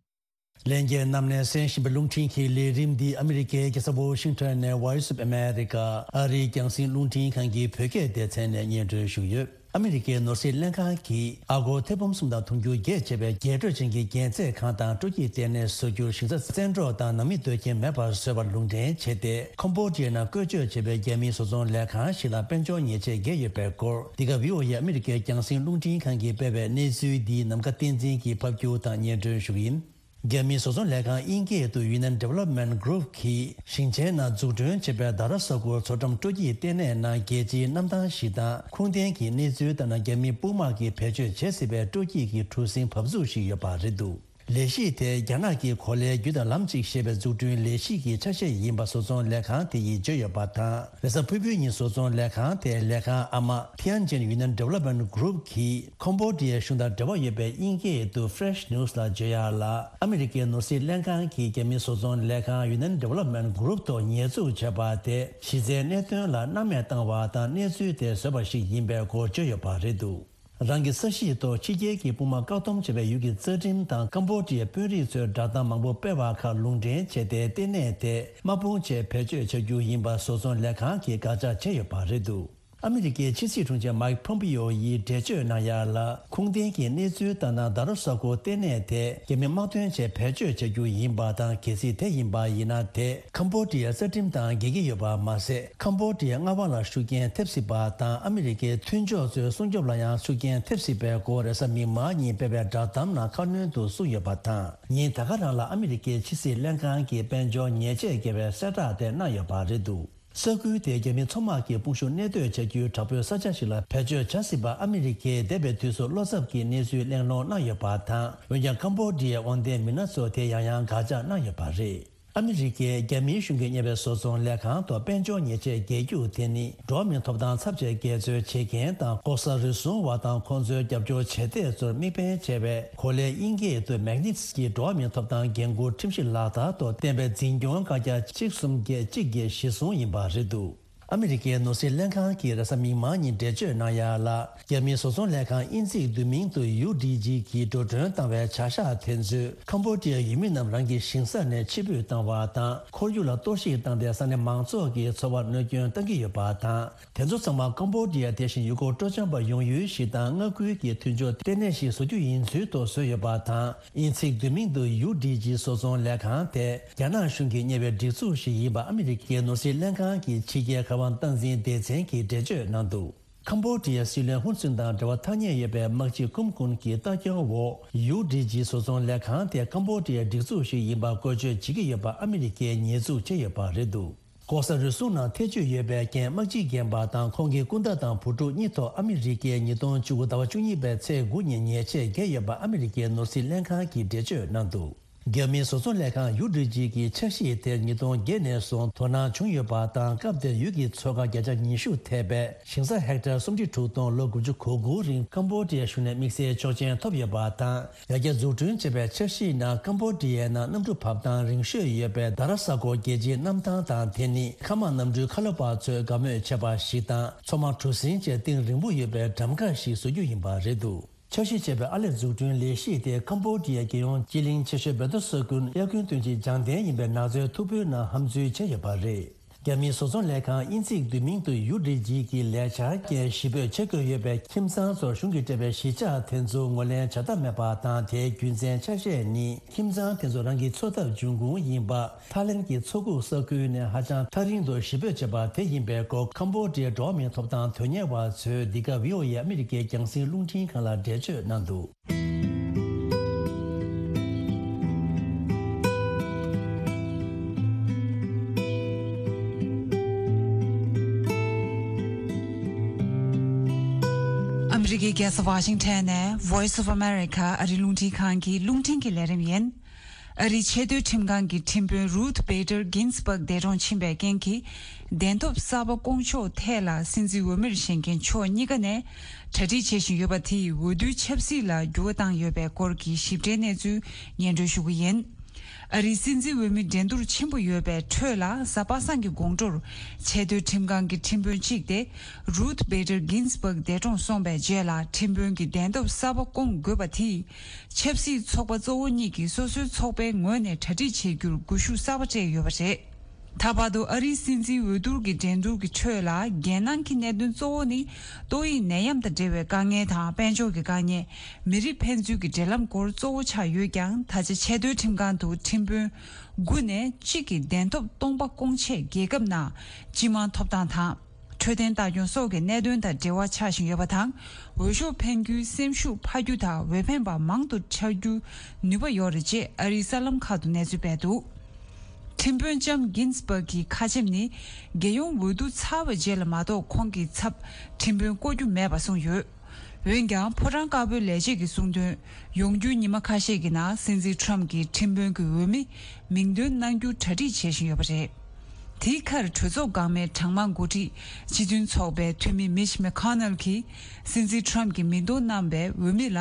ལྷན་རྒྱས་རྣམས་ནས་གསན་བཞིན་པའི་རླུང་འཕྲིན་གྱི་ལས་རིམ་འདི་ཨ་མི་རི་ཀའི་རྒྱལ་ས་ཝོ་ཤིང་ཊོན་ནས་Voice of America ཨ་རིའི་རྒྱང་སྲིང་རླུང་འཕྲིན་ཁང་གི་བོད་སྐད་སྡེ་ཚན་ནས་སྙན་སྒྲོན་ཞུས་ཡོད། ཨ་མི་རི་ཀའི་ནོར་སྲིད་ལྷན་ཁང་གིས་ཨ་སྒོར་ཐེར་འབུམ་གསུམ་དང་དུང་ཕྱུར་བརྒྱད་བྱེད་པའི་རྒྱས་སྤྲོས་ཅན་གྱི་རྒྱལ་རྩེད་ཁང་དང་སྤྲོ་སྐྱིད་ལྟེ་གནས་བཟོ་རྒྱུར་ཞིང་ས་བཙན་འཕྲོག་དང་ནང་མི་སྡོད་ཁྱིམ་མེད་པར་བཟོས་པར་ལུང་འདྲེན་བྱས་ཏེ། ཁོམ་བོ་ཌི་ཡ་ནང་བཀོལ་སྤྱོད་བྱེད་པའི་རྒྱ་མིའི་བཟོ་ཚོང་ལས་ཁང་ཞིག་ལ་དཔལ་འབྱོར་ཉེས་ཆད་འགེལ་ཡོད་པའི་སྐོར། འདི་ག་བྷི་ཨོ་ཨེ་ཨ་མི་རི་ཀའི་རྒྱང་སྲིང་རླུང་འཕྲིན་ཁང་གིས་སྤེལ་བའི་གནས་ཚུལ་འདིའི་ནམ་མཁའ་བསྟན་འཛིན་གྱིས་ཕབ་སྒྱུར་དང་སྙན་སྒྲོན་ཞུ་གི་ཡིན། རྒྱ་མིའི་བཟོ་ཚོང་ལས་ཁང་དབྱིན་སྐད་དུ་Yunnan Development Group གིས་ཞིང་ཆེན་ནང་འཛུགས་སྐྲུན་བྱས་པའི་དྷ་ར་ས་ཁུལ་མཚོ་འགྲམ་སྤྲོ་སྐྱིད་ལྟེ་གནས་ནང་རྒྱལ་སྤྱིའི་གནམ་ཐང་ཞིག་དང་། ཁུངས་ལྡན་གྱི་གནས་ཚུལ་ལྟར་ན། རྒྱ་མིའི་དཔུང་དམག་གིས་བེད་སྤྱོད་བྱེད་སྲིད་པའི་སྤྲོ་སྐྱིད་ཀྱི་གྲུ་གཟིངས་བབས་ཚུགས་ཤིག་ཡོད་པ་རེད་འདུག་ལས་གཞི་དེ་རྒྱ་ནག་གི་གོ་ལའི་རྒྱུ་དང་ལམ་གཅིག་ཞེས་པའི་འཛུགས་སྐྲུན་ལས་གཞི་གི་ཆ་ཤས་ཡིན་པ་བཟོ་ཚོང་ལས་ཁང་དེ་ཡིས་བརྗོད་ཡོད་པ་དང་། རེས་གཟའ་ཕུར་བུའི་ཉིན་བཟོ་ཚོང་ལས་ཁང་དེའི་ལས་ཁང་ཨ་མ་Tianjin Yunnan Development Group གིས་ཁོམ་བོ་ཌི་ཡའི་གཞུང་དང་འབྲེལ་བ་ཡོད་པའི་དབྱིན་སྐད་དུ་Fresh News ལ་བརྗོད་ཡག་ལ། ཨ་མི་རི་ཀའི་ནོར་སྲིད་ལྷན་ཁང་གིས་རྒྱ་མིའི་བཟོ་ཚོང་ལས་ཁང་Yunnan Development Group ཐོག་ཉེས་འཛུགས་བྱས་པ་དེ་གཞི་རྩའི་གནད་དོན་ལ་སྣང་མེད་བཏང་བ་དང་གནས་ཚུལ་དེ་བཟོས་པ་ཞིག་ཡིན་པའི་སྐོར་བརྗོད་ཡོད་པ་རེད་འདུག་རང་གི་ས་གཞིའི་ཐོག་ཕྱི་རྒྱལ་གྱི་དཔུང་དམག་བཀག་སྡོམ་བྱས་པའི་ཡུལ་གྱི་རྩ་ཁྲིམས་དང་ཀམ་བོ་ཌི་ཡའི་དཔོན་རིགས་ཚོའི་བསྒྲགས་གཏམ་མང་པོ་སྤེལ་བ་ཁག་ལུང་འདྲེན་བྱས་ཏེ། ལྟེ་གནས་དེ་དམག་དཔུང་ཆེད་བེད་སྤྱོད་བྱ་རྒྱུ་ཡིན་པ་བཟོ་ཚོང་ལས་ཁང་གིས་དགག་བྱ་བྱས་ཡོད་པ་རེད་འདུག་ཨ་མི་རི་ཀའི་ཕྱི་སྲིད་དྲུང་ཆེ་མཱིག་ཕོམ་པིའོ་ཡིས་འགྲེལ་བརྗོད་གནང་ཡ་ལ། ཁུངས་ལྡན་གྱི་གནས་ཚུལ་ལྟར་ན། རྡ་རོ་ས་ཁུལ་ལྟེ་གནས་དེ་རྒྱ་མི་དམག་དོན་ཆེད་བེད་སྤྱོད་བྱ་རྒྱུ་ཡིན་པ་དང་། གལ་སྲིད་དེ་ཡིན་པ་ཡིན་ན། དེ་ཁམ་བྷོ་ཌི་ཡའི་རྩ་ཁྲིམས་དང་འགལ་གྱི་ཡོད་པ་མ་ཟད། ཁམ་བྷོ་ཌི་ཡའི་མངའ་དབང་ལ་ཤུགས་རྐྱེན་ཐེབས་སྲིད་པ་དང་། ཨ་མི་རི་ཀའི་མཐུན་ཕྱོགས་ཚོའི་སྲུང་སྐྱོབ་ལ་ཡང་ཤུགས་རྐྱེན་ཐེབས་སྲིད་པའི་སྐོར། རེས་གཟའ་མིག་དམར་ཉིན་སྤེལ་བའི་བསྒྲགས་གཏམ་ནང་ཁ་སྣོན་དུ་གསུངས་ཡོད་པ་དང་། ཉིན་ད་ག་རང་ལ་ཨ་མི་རི་ཀའི་ཕྱི་སྲིད་ལྷན་ཁང་གིས་དཔལ་འབྱོར་ཉེས་ཆད་འགེལ་བའི་གསལ་བསྒྲགས་དེ་གནང་ཡོད་པ་རེད་འདུག། ས་ཁུལ་དེའི་རྒྱ་མི་མཚོ་དམག་གི་དཔུང་ཤུགས་གནས་སྡོད་བྱ་རྒྱུའི་དྲག་པོའི་ས་ཆ་ཞིག་ལ་བེད་སྤྱོད་བྱ་སྲིད་པ། ཨ་མི་རི་ཀས་འདས་པའི་དུས་སུ་བློ་འཚབ་ཀྱི་གནས་ཚུལ་གླེང་སློང་གནང་ཡོད་པ་དང་། འོན་ཀྱང་ཀམ་བྷོ་ཌི་ཡའི་དབང་ལྡན་མི་སྣ་ཚོ་དེ་ཡང་ཡང་དགག་བྱ་གནང་ཡོད་པ་རེད། ཨ་མི་རི་ཀས་རྒྱ་མིའི་གཞུང་གིས་གཉེར་བའི་བཟོ་ཚོང་ལས་ཁང་ཐོག་དཔལ་འབྱོར་ཉེས་ཆད་འགེལ་རྒྱུ་དེ་ནི། འགྲོ་བ་མིའི་ཐོབ་ཐང་ཚབས་ཆེ་འགལ་འཛོལ་བྱེད་མཁན་དང་། ལྐོག་ཟ་རུལ་སུངས་པ་དང་། ཁོང་ཚོའི་རྒྱབ་སྐྱོར་བྱེད་གཏེ་ཚོར་དམིགས་འབེན་བྱས་པའི། གོ་ལའི་དབྱིན་སྐད་དུ་Magnitsky འགྲོ་བ་མིའི་ཐོབ་ཐང་འགན་འཁུར་ཁྲིམས་གཞི་ལག་བསྟར་ཐོག་བཏོན་པའི་འཛིན་སྐྱོང་བཀའ་རྒྱ་གཅིག་གསུམ་བརྒྱད་གཅིག་བརྒྱད་གཞིར་བཟུང་ཡིན་པ་རེད་འདུག། ཨ་མི་རི་ཀའི་ནོར་སྲིད་ལྷན་ཁང་གིས་རེས་གཟའ་མིག་དམར་ཉིན་འགྲེལ་བརྗོད་གནང་ཡ་ལ། རྒྱ་མིའི་བཟོ་ཚོང་ལས་ཁང་དབྱིན་ཚིག་བསྡུས་མིང་དུ་ཡུ་ཌི་ཇི་གིས་འགྲོ་གྲོན་བཏང་བའི་བྱ་གཞག་དེ་ཚོས་ཁམ་བྷོ་ཌི་ཡའི་ཡུལ་མི་རྣམས་རང་གི་ཞིང་ས་ནས་ཕྱིར་འབུད་བཏང་བ་དང་། ཁོར་ཡུག་ལ་གཏོར་བཤིག་བཏང་སྟེ་ས་གནས་མང་ཚོགས་ཀྱི་འཚོ་བར་གནོད་སྐྱོན་བཏང་གི་ཡོད་པ་དང་། དེ་ཚོ་ཚང་མ་ཀམ་བྷོ་ཌི་ཡ་དེ་བཞིན་ཡུལ་སྐོར་སྤྲོ་འཆམ་པ་ཡོང་ཡུལ་ཞིག་དང་མངའ་ཁུལ་གྱི་མཐུན་ཕྱོགས་ལྟེ་གནས་ཤིག་བཟོ་རྒྱུ་ཡིན་ཚུལ་ཐོག་བཟོས་ཡོད་པ་དང་། དབྱིན་ཚིག་བསྡུས་མིང་དུ་ཡུ་ཌི་ཇི་བཟོ་ཚོང་ལས་ཁང་དེ་རྒྱ་ནག་གཞུང་གིས་གཉེར་བའི་སྒྲིག་འཛུགས་ཤིག་ཡིན་པ་ཨ་མི་རི་ཀའི་ནོར་སྲིད་ལྷན་ཁང་གི་ཕྱི་རྒྱལ་ཁ་དབང་སྟངས་འཛིན་སྡེ་ཚན་གྱིས་འགྲེལ་བརྗོད་གནང་འདུག། ཀམ་བྷོ་ཌི་ཡའི་སྲིད་བློན་ཧུན་སུན་དང་འབྲེལ་བ་ཐག་ཉེ་ཡོད་པའི་དམག་སྤྱི་ཀུམ་ཀུན་གྱི་ལྟ་སྐྱོང་འོག་ཡུ་ཌི་ཇི་བཟོ་ཚོང་ལས་ཁང་དེ་ཀམ་བྷོ་ཌི་ཡའི་སྒྲིག་འཛུགས་ཤིག་ཡིན་པ་བཀོལ་སྤྱོད་བྱེད་ཀྱི་ཡོད་པ་ཨ་མི་རི་ཀས་ཉེས་འཛུགས་བྱས་ཡོད་པ་རེད་འདུག། ལྐོག་ཟ་རུལ་སུངས་ནང་ཐེ་བྱུས་ཡོད་པའི་རྐྱེན་དམག་སྤྱི་རྒན་པ་དང་ཁོང་གི་སྐུ་ཟླ་དང་བུ་ཕྲུག་གཉིས་ཐོག་ཨ་མི་རི་ཀས་ཉིས་སྟོང་བཅུ་དགུ་ཟླ་བ་བཅུ་གཉིས་པའི་ཚེས་དགུ་ཉིན་ཉེས་ཆད་བཀལ་ཡོད་པ་ཨ་མི་རི་ཀའི་ནོར་སྲིད་ལྷན་ཁང་གིས་འགྲེལ་བརྗོད་གནང་འདུག། རྒྱ་མིའི་བཟོ་ཚོང་ལས་ཁང་ཡུ་ཌི་ཇི་གི་འཆར་གཞི་དེར་ཉིས་སྟོང་བརྒྱད་ནས་བཟུང་དོ་སྣང་བྱུང་ཡོད་པ་དང་། སྐབས་དེར་ཡུལ་གྱི་མཚོ་ཁ་བརྒྱ་ཆ་ཉི་ཤུ་ཐེབས་པའི་ཞིང་ས་ཧེག་ཊར་སུམ་ཁྲི་དྲུག་སྟོང་ལོ་དགུ་བཅུ་གོ་དགུ་རིང་ཀམ་བྷོ་ཌི་ཡའི་གཞུང་ནས་དམིགས་བསལ་ཆོག་མཆན་ཐོབ་ཡོད་པ་དང་། ཡར་རྒྱས་འཛུགས་སྐྲུན་བྱས་པའི་འཆར་གཞིའི་ནང་ཀམ་བྷོ་ཌི་ཡའི་ནང་གནམ་གྲུ་བབས་སྟངས་རིང་ཤོས་ཡོད་པའི་དཱ་ར་ས་གོ་རྒྱལ་སྤྱིའི་གནམ་ཐང་དང་། དེ་ནི་མཁའ་དམག་གནམ་གྲུའི་ཁ་ལོ་པ་ཚོས་དགའ་མོས་བྱེད་པ་ཞིག་དང་། མཚོ་དམག་གྲུ་གཟིངས་བཅས་གཏིང་རིང་པོ་ཡོད་པའི་འགྲམ་ཁ་ཞིག་བཟོ་རྒྱུ་ཡིན་པ་རེད་འདུག། འཆར་གཞི་བྱས་པའི་ཨར་ལས་འཛུགས་སྐྲུན་ལས་གཞི་དེ་ཀམ་བྷོ་ཌི་ཡའི་རྒྱལ་ཡོངས་སྤྱི་གླིང་ཆེ་ཤོས་བེ་ཏོ་ས་ཀུན་དབྱར་དགུན་སྟོན་དཔྱིད་སྦྱང་བརྟན་ཡིན་པའི་ནགས་ཚལ་མཐུག་པོའི་ནང་ཧམ་འཛུལ་བྱས་ཡོད་པ་རེད། རྒྱ་མིའི་བཟོ་ཚོང་ལས་ཁང་དབྱིན་ཚིག་བསྡུས་མིང་དུ་ཡུ་ཌི་ཇི་གི་ལས་འཆར་རྐྱེན་གཞིས་སྤོས་ཆེད་བསྐོས་ཡོད་པའི་ཁྱིམ་ཚང་ཚོར་གཞུང་གིས་སྤྲད་པའི་གཞིས་ཆགས་དེ་ཚོ་ངོས་ལེན་བྱ་ཐབས་མེད་པ་དང་། དེའི་རྒྱུ་མཚན་ཆ་ཤས་ནི་ཁྱིམ་ཚང་དེ་ཚོ་རང་གི་འཚོ་ཐབས་འབྱུང་ཁུངས་ཡིན་པ། ཐའི་ལེན་གྱི་མཚོ་ཁུག་ས་ཁུལ་ནས་ཧ་ཅང་ཐག་རིང་དུ་གཞིས་སྤོས་བྱས་པ་དེ་ཡིན་པའི་སྐོར་ཀམ་བྷོ་ཌི་ཡའི་འགྲོ་བ་མིའི་ཐོབ་ཐང་དོན་གཉེར་བ་ཚོས་འདི་ག་བྷི་ཨོ་ཨེ་ཨ་མི་རི་ཀའི་རྒྱང་སྲིང་རླུང་འཕྲིན་ཁང་ལ་འགྲེལ་བརྗོད་གནང་འདུག། ཨ་མི་རི་ཀའི་རྒྱལ་ས་ཝ་ཤིང་ཊོན་ནས་Voice of America ཨ་རིའི་རླུང་འཕྲིན་ཁང་གི་རླུང་འཕྲིན་གྱི་ལས་རིམ་ཡིན། ཨ་རིའི་ཆེས་མཐོའི་ཁྲིམས་ཁང་གི་ཁྲིམས་དཔོན་Ruth Bader Ginsburg འདས་གྲོངས་ཕྱིན་པའི་རྐྱེན་གྱིས། གདན་ཐོབ་གསར་པ་བསྐོང་ཕྱོགས་ཐད་ལ་སྲིད་འཛིན་འོས་མིར་བཞེངས་མཁན་ཕྱོགས་གཉིས་ཀ་ནས་གྲ་སྒྲིག་བྱེད་བཞིན་ཡོད་པ་དེས་འོས་བསྡུའི་ཆབ་སྲིད་ལ་འགྱུར་བ་བཏང་ཡོད་པའི་སྐོར་གྱི་ཞིབ་ཕྲའི་གནས་ཚུལ་སྙན་སྒྲོན་ཞུ་གི་ཡིན། ཨ་རིའི་སྲིད་འཛིན་འོས་མི་འགྲན་བསྡུར་ཆེན་པོ་ཡོད་པའི་ཁྲོད་ལ། གཟའ་པ་སངས་ཀྱི་དགོང་དྲོར་ཆེས་མཐོའི་ཁྲིམས་ཁང་གི་ཁྲིམས་དཔོན་གཅིག་སྟེ། Ruth Bader Ginsburg འདས་གྲོངས་སོང་བའི་རྗེས་ལ། ཁྲིམས་དཔོན་གྱི་གདན་ཐོབ་གསར་པ་བསྐོང་དགོས་པ་དེས། ཆབ་སྲིད་ཚོགས་པ་གཙོ་བོ་གཉིས་ཀྱིས་སོ་སོའི་ཚོགས་པའི་ངོས་ནས་གྲ་སྒྲིག་བྱེད་རྒྱུར་སྒུལ་ཤུགས་གསར་པ་སྤྲད་ཡོད་པ་རེད། ད་བར་དུ་ཨ་རིའི་སྲིད་འཛིན་འོས་བསྡུར་གྱི་འགྲན་བསྡུར་གྱི་ཁྲོད་ལ། རྒྱལ་ནང་གི་གནད་དོན་གཙོ་བོ་ནི་ཏོག་དབྱིབས་ནད་ཡམས་དང་འབྲེལ་བའི་དཀའ་ངལ་དང་། དཔལ་འབྱོར་གྱི་དཀའ་ངལ། མི་རིགས་ཕན་ཚུན་གྱི་འབྲེལ་ལམ་སྐོར་གཙོ་བོ་ཆགས་ཡོད་ཀྱང་། ད་ཆ་ཆེས་མཐོའི་ཁྲིམས་ཁང་དུ་ཁྲིམས་དཔོན་དགུ་ནས་གཅིག་གི་གདན་ཐོབ་སྟོང་པ་བསྐོང་ཆེད། རྒྱལ་ཁབ་ནང་སྤྱི་དམངས་ཐོབ་ཐང་དང་། འཕྲོད་བསྟེན་ལྟ་སྐྱོང་སོགས་ཀྱི་གནད་དོན་དང་འབྲེལ་བ་ཆགས་བཞིན་ཡོད་པ་དང་། འོས་ཤོག་འཕེན་རྒྱུའི་སེམས་ཤུགས་འཕར་རྒྱུ་དང་། འོས་འཕེན་པ་མང་དུ་འཆར་རྒྱུའི་ནུས་པ་ཡོད་རེད་ཅེས་ཨ་རིའི་གསར་ལམ་ཁག་ཏུ་གནས་ཚུལ་སྤེལ་འདུག། ཁྲིམས་དཔོན་ལྕམ་གིན་སི་བྷག་གི་ཁ་ཆེམས་ནི། རྒྱལ་ཡོངས་འོས་བསྡུ་ཚར་བའི་རྗེས་ལ་མ་གཏོགས་ཁོང་གི་ཚབ་ཁྲིམས་དཔོན་བསྐོ་རྒྱུ་མེད་པ་གསུངས་ཡོད། འོན་ཀྱང་། ཕོ་བྲང་དཀར་པོའི་ལས་བྱེད་ཀྱིས་གསུངས་དོན། ཡོང་རྒྱུའི་ཉི་མ་ཁ་ཤས་ཀྱི་ནང་སྲིད་འཛིན་ཁྲོམ་གྱིས་ཁྲིམས་དཔོན་གྱི་འོས་མི་མིང་འདོན་གནང་རྒྱུར་གྲ་སྒྲིག་བྱེད་བཞིན་ཡོད་པ་རེད། དེའི་ཁར། གྲོས་ཚོགས་འགག་མའི་གྲངས་མང་འགོ་ཁྲིད་སྤྱི་མཐུན་ཚོགས་པའི་འཐུས་མི་མིཆ་མེ་ཁོ་ནལ་གྱིས། སྲིད་འཛིན་ཁྲོམ་གྱིས་མིང་འདོན་གནང་པའི་འོས་མི་ལ།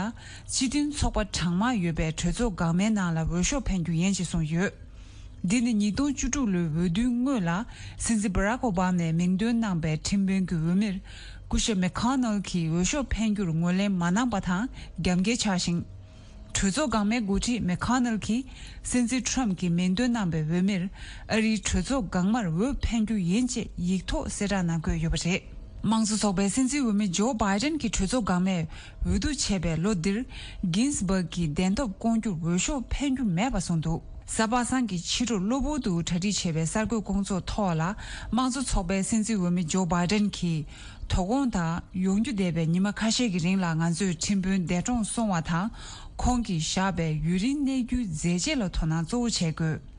སྤྱི་མཐུན་ཚོགས་པ་གྲངས་མང་ཡོད་པའི་གྲོས་ཚོགས་འགག་མའི་ནང་ལ་འོས་ཤོག་འཕེན་རྒྱུ་ཡིན་ཞེས་གསུངས་ཡོད། འདི་ནི་ཉིས་སྟོང་བཅུ་དྲུག་ལོའི་འོས་བསྡུའི་སྔོན་ལ། སྲིད་འཛིན་བྷ་རག་ཨོ་བྷ་མས་མིང་འདོན་གནང་པའི་ཁྲིམས་དཔོན་གྱི་འོས་མིར། སྐུ་ཞབས་མེ་ཁོ་ནལ་གྱིས་འོས་ཤོག་འཕེན་རྒྱུར་ངོས་ལེན་མ་གནང་པ་དང་། རྒྱབ་འགལ་ཆགས་ཤིང་། གྲོས་ཚོགས་འགག་མའི་འགོ་ཁྲིད་མེ་ཁོ་ནལ་གྱིས། སྲིད་འཛིན་ཁྲོམ་གྱིས་མིང་འདོན་གནང་པའི་འོས་མིར། ཨ་རིའི་གྲོས་ཚོགས་འགག་མར་འོས་འཕེན་རྒྱུ་ཡིན་ཅེས་ཡིག་ཐོག་གསལ་བསྒྲགས་གནང་དགོས་ཡོད་པ་རེད། དམངས་གཙོ་ཚོགས་པའི་སྲིད་འཛིན་འོས་མི་ཇོ་བྷའི་ཌེན་གྱི་གྲོས་ཚོགས་འགག་མེད་འོས་བསྡུ་བྱས་པའི་ལོ་འདིར། གིན་སི་སྦག་གི་བདེན་སྟོབས་སྐོང་རྒྱུར་འོས་ཤོག་འཕེན་རྒྱུ་མེད་པ་བཟུང་འདུག་གཟའ་པ་སངས་ཀྱི་ཕྱི་དྲོར་གློ་བུར་དུ་གྲ་སྒྲིག་བྱས་པའི་གསར་འགོད་སྐོང་ཚོགས་ཐོག་ལ། དམངས་གཙོ་ཚོགས་པའི་སྲིད་འཛིན་འོས་མི་ཇོ་བྷའི་ཌེན་གྱིས། དོ་དགོང་དང་ཡོང་རྒྱུ་བསྡད་པའི་ཉི་མ་ཁ་ཤས་ཀྱི་རིང་ལ་ང་ཚོས་ཁྲིམས་དཔོན་འདས་གྲོངས་སོང་བ་དང་། ཁོང་གིས་བཞག་པའི་ཡུན་རིང་གནས་རྒྱུའི་མཛད་རྗེས་ལ་དོ་སྣང་གཙོ་བོ་བྱེད་དགོས།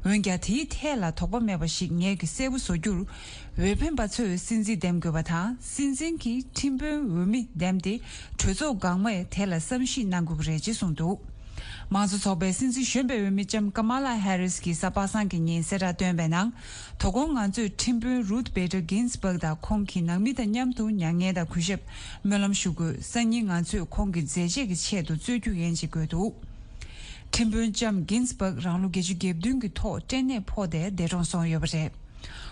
འོན་ཀྱང་། དེའི་ཐད་ལ་དོགས་པ་མེད་པ་ཞིག་ངེད་ཀྱིས་གསལ་པོ་བཟོ་རྒྱུར། འོས་འཕེན་པ་ཚོས་སྲིད་འཛིན་འདེམས་དགོས་པ་དང་། སྲིད་འཛིན་གྱིས་ཁྲིམས་དཔོན་འོས་མི་འདེམས་ཏེ། གྲོས་ཚོགས་འགག་མེད་དེ་ལ་བསམ་གཞིག་གནང་དགོས་ཀྱི་རེད་ཅེས་གསུངས་འདུག་དམངས་གཙོ་ཚོགས་པའི་སྲིད་འཛིན་གཞོན་པའི་འོས་མི་ལྕམ་ཀ་མ་ལ་ཧེ་རིས་ཀྱིས་གཟའ་པ་སངས་ཀྱི་ཉིན་གསལ་བསྒྲགས་བཏོན་པའི་ནང་། དོ་དགོང་ང་ཚོས་ཁྲིམས་དཔོན་རུཐ་བེ་ཏར་གིན་སི་སྦག་དང་ཁོང་གི་ནང་མི་དང་མཉམ་དུ་མྱ་ངན་དང་གུས་ཞབས་སྨོན་ལམ་ཞུ་དགོས། སང་ཉིན་ང་ཚོས་ཁོང་གི་མཛད་རྗེས་ཀྱི་ཆེད་དུ་རྩོད་རྒྱུ་ཡིན་ཅེས་བཀོད་འདུག་ཁྲིམས་དཔོན་ལྕམ་གིན་སི་སྦག་རང་ལོ་བརྒྱད་ཅུ་གྱ་བདུན་གྱི་ཐོག་སྐྲན་ནད་ཕོག་སྟེ་འདས་གྲོངས་སོང་ཡོད་པ་རེད།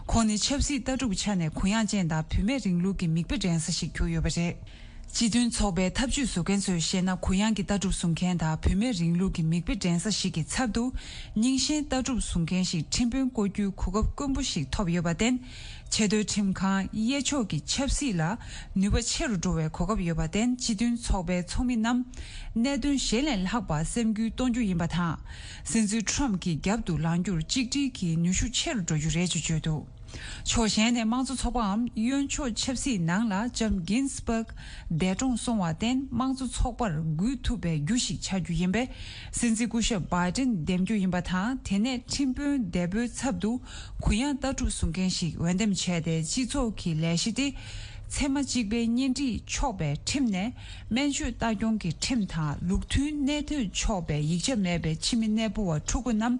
ཁོང་ནི་ཆབ་སྲིད་ལྟ་གྲུབ་ཆ་ནས་གུ་ཡངས་ཅན་དང་བུད་མེད་རིང་ལུགས་ཀྱི་མིག་དཔེ་འགྲན་ས་ཞིག་གྱུར་ཡོད་པ་རེད། སྤྱི་མཐུན་ཚོགས་པའི་ཐབས་ཇུས་བཟོ་མཁན་ཚོས་བཤད་ན། གུ་ཡངས་ཀྱི་ལྟ་གྲུབ་བཟུང་མཁན་དང་བུད་མེད་རིང་ལུགས་ཀྱི་མིག་དཔེ་འགྲན་ས་ཞིག་གི་ཚབ་ཏུ། རྙིང་ཞེན་ལྟ་གྲུབ་བཟུང་མཁན་ཞིག་ཁྲིམས་དཔོན་བསྐོ་རྒྱུའི་གོ་སྐབས་དཀོན་པོ་ཞིག་ཐོབ་ཡོད་པར་བརྟེན། ཆེས་མཐོའི་ཁྲིམས་ཁང་གཡས་ཕྱོགས་ཀྱི་ཆབ་སྲིད་ལ་ནུས་པ་ཆེ་རུ་འགྲོ་བའི་གོ་སྐབས་ཡོད་པར་བརྟེན། སྤྱི་མཐུན་ཚོགས་པའི་ཚོགས་མི་རྣམས་གནད་དོན་གཞན་ལས་ལྷག་པ་སེམས་འགུལ་གཏོང་རྒྱུ་ཡིན་པ་དང་། སྲིད་འཛིན་ཊམ་གྱི་རྒྱབ་ཏུ་ལངས་རྒྱུར་གཅིག་སྒྲིལ་གྱི་ནུས་ཤུགས་ཆེ་རུ་འགྲོ་རྒྱུ་རེད་ཅེས་བརྗོད་འདུག་ཕྱོགས་གཞན་ནས། དམངས་གཙོ་ཚོགས་པའམ་གཡོན་ཕྱོགས་ཆབ་སྲིད་ནང་ལ་ལྕམ་གིན་སི་སྦག་འདས་གྲོངས་སོང་བར་བརྟེན། དམངས་གཙོ་ཚོགས་པར་འགུལ་ཐུབ་པའི་རྒྱུ་ཞིག་ཆགས་རྒྱུ་ཡིན་པས། སྲིད་འཛིན་སྐུ་ཞབས་བྷའི་ཏིན་འདེམས་རྒྱུ་ཡིན་པ་དང་། དེ་ནས་ཁྲིམས་དཔོན་འདས་པོའི་ཚབ་ཏུ་གུ་ཡངས་ལྟ་གྲུབ་བཟུང་མཁན་ཞིག་འོས་འདེམས་བྱས་ཏེ། སྤྱི་ཚོགས་ཀྱི་ལས་གཞི་སྟེ། ཚད་མ་གཅིག་པའི་གཉེན་སྒྲིག་ཆོག་པའི་ཁྲིམས་ནས། སྨན་བཅོས་ལྟ་སྐྱོང་གི་ཁྲིམས་དང་། ལུགས་མཐུན་གནས་སྡོད་ཆོག་པའི་ཡིག་ཆ་མེད་པའི་ཕྱི་མི་གནས་སྤོ་བ་ཕྲུ་གུ་རྣམས།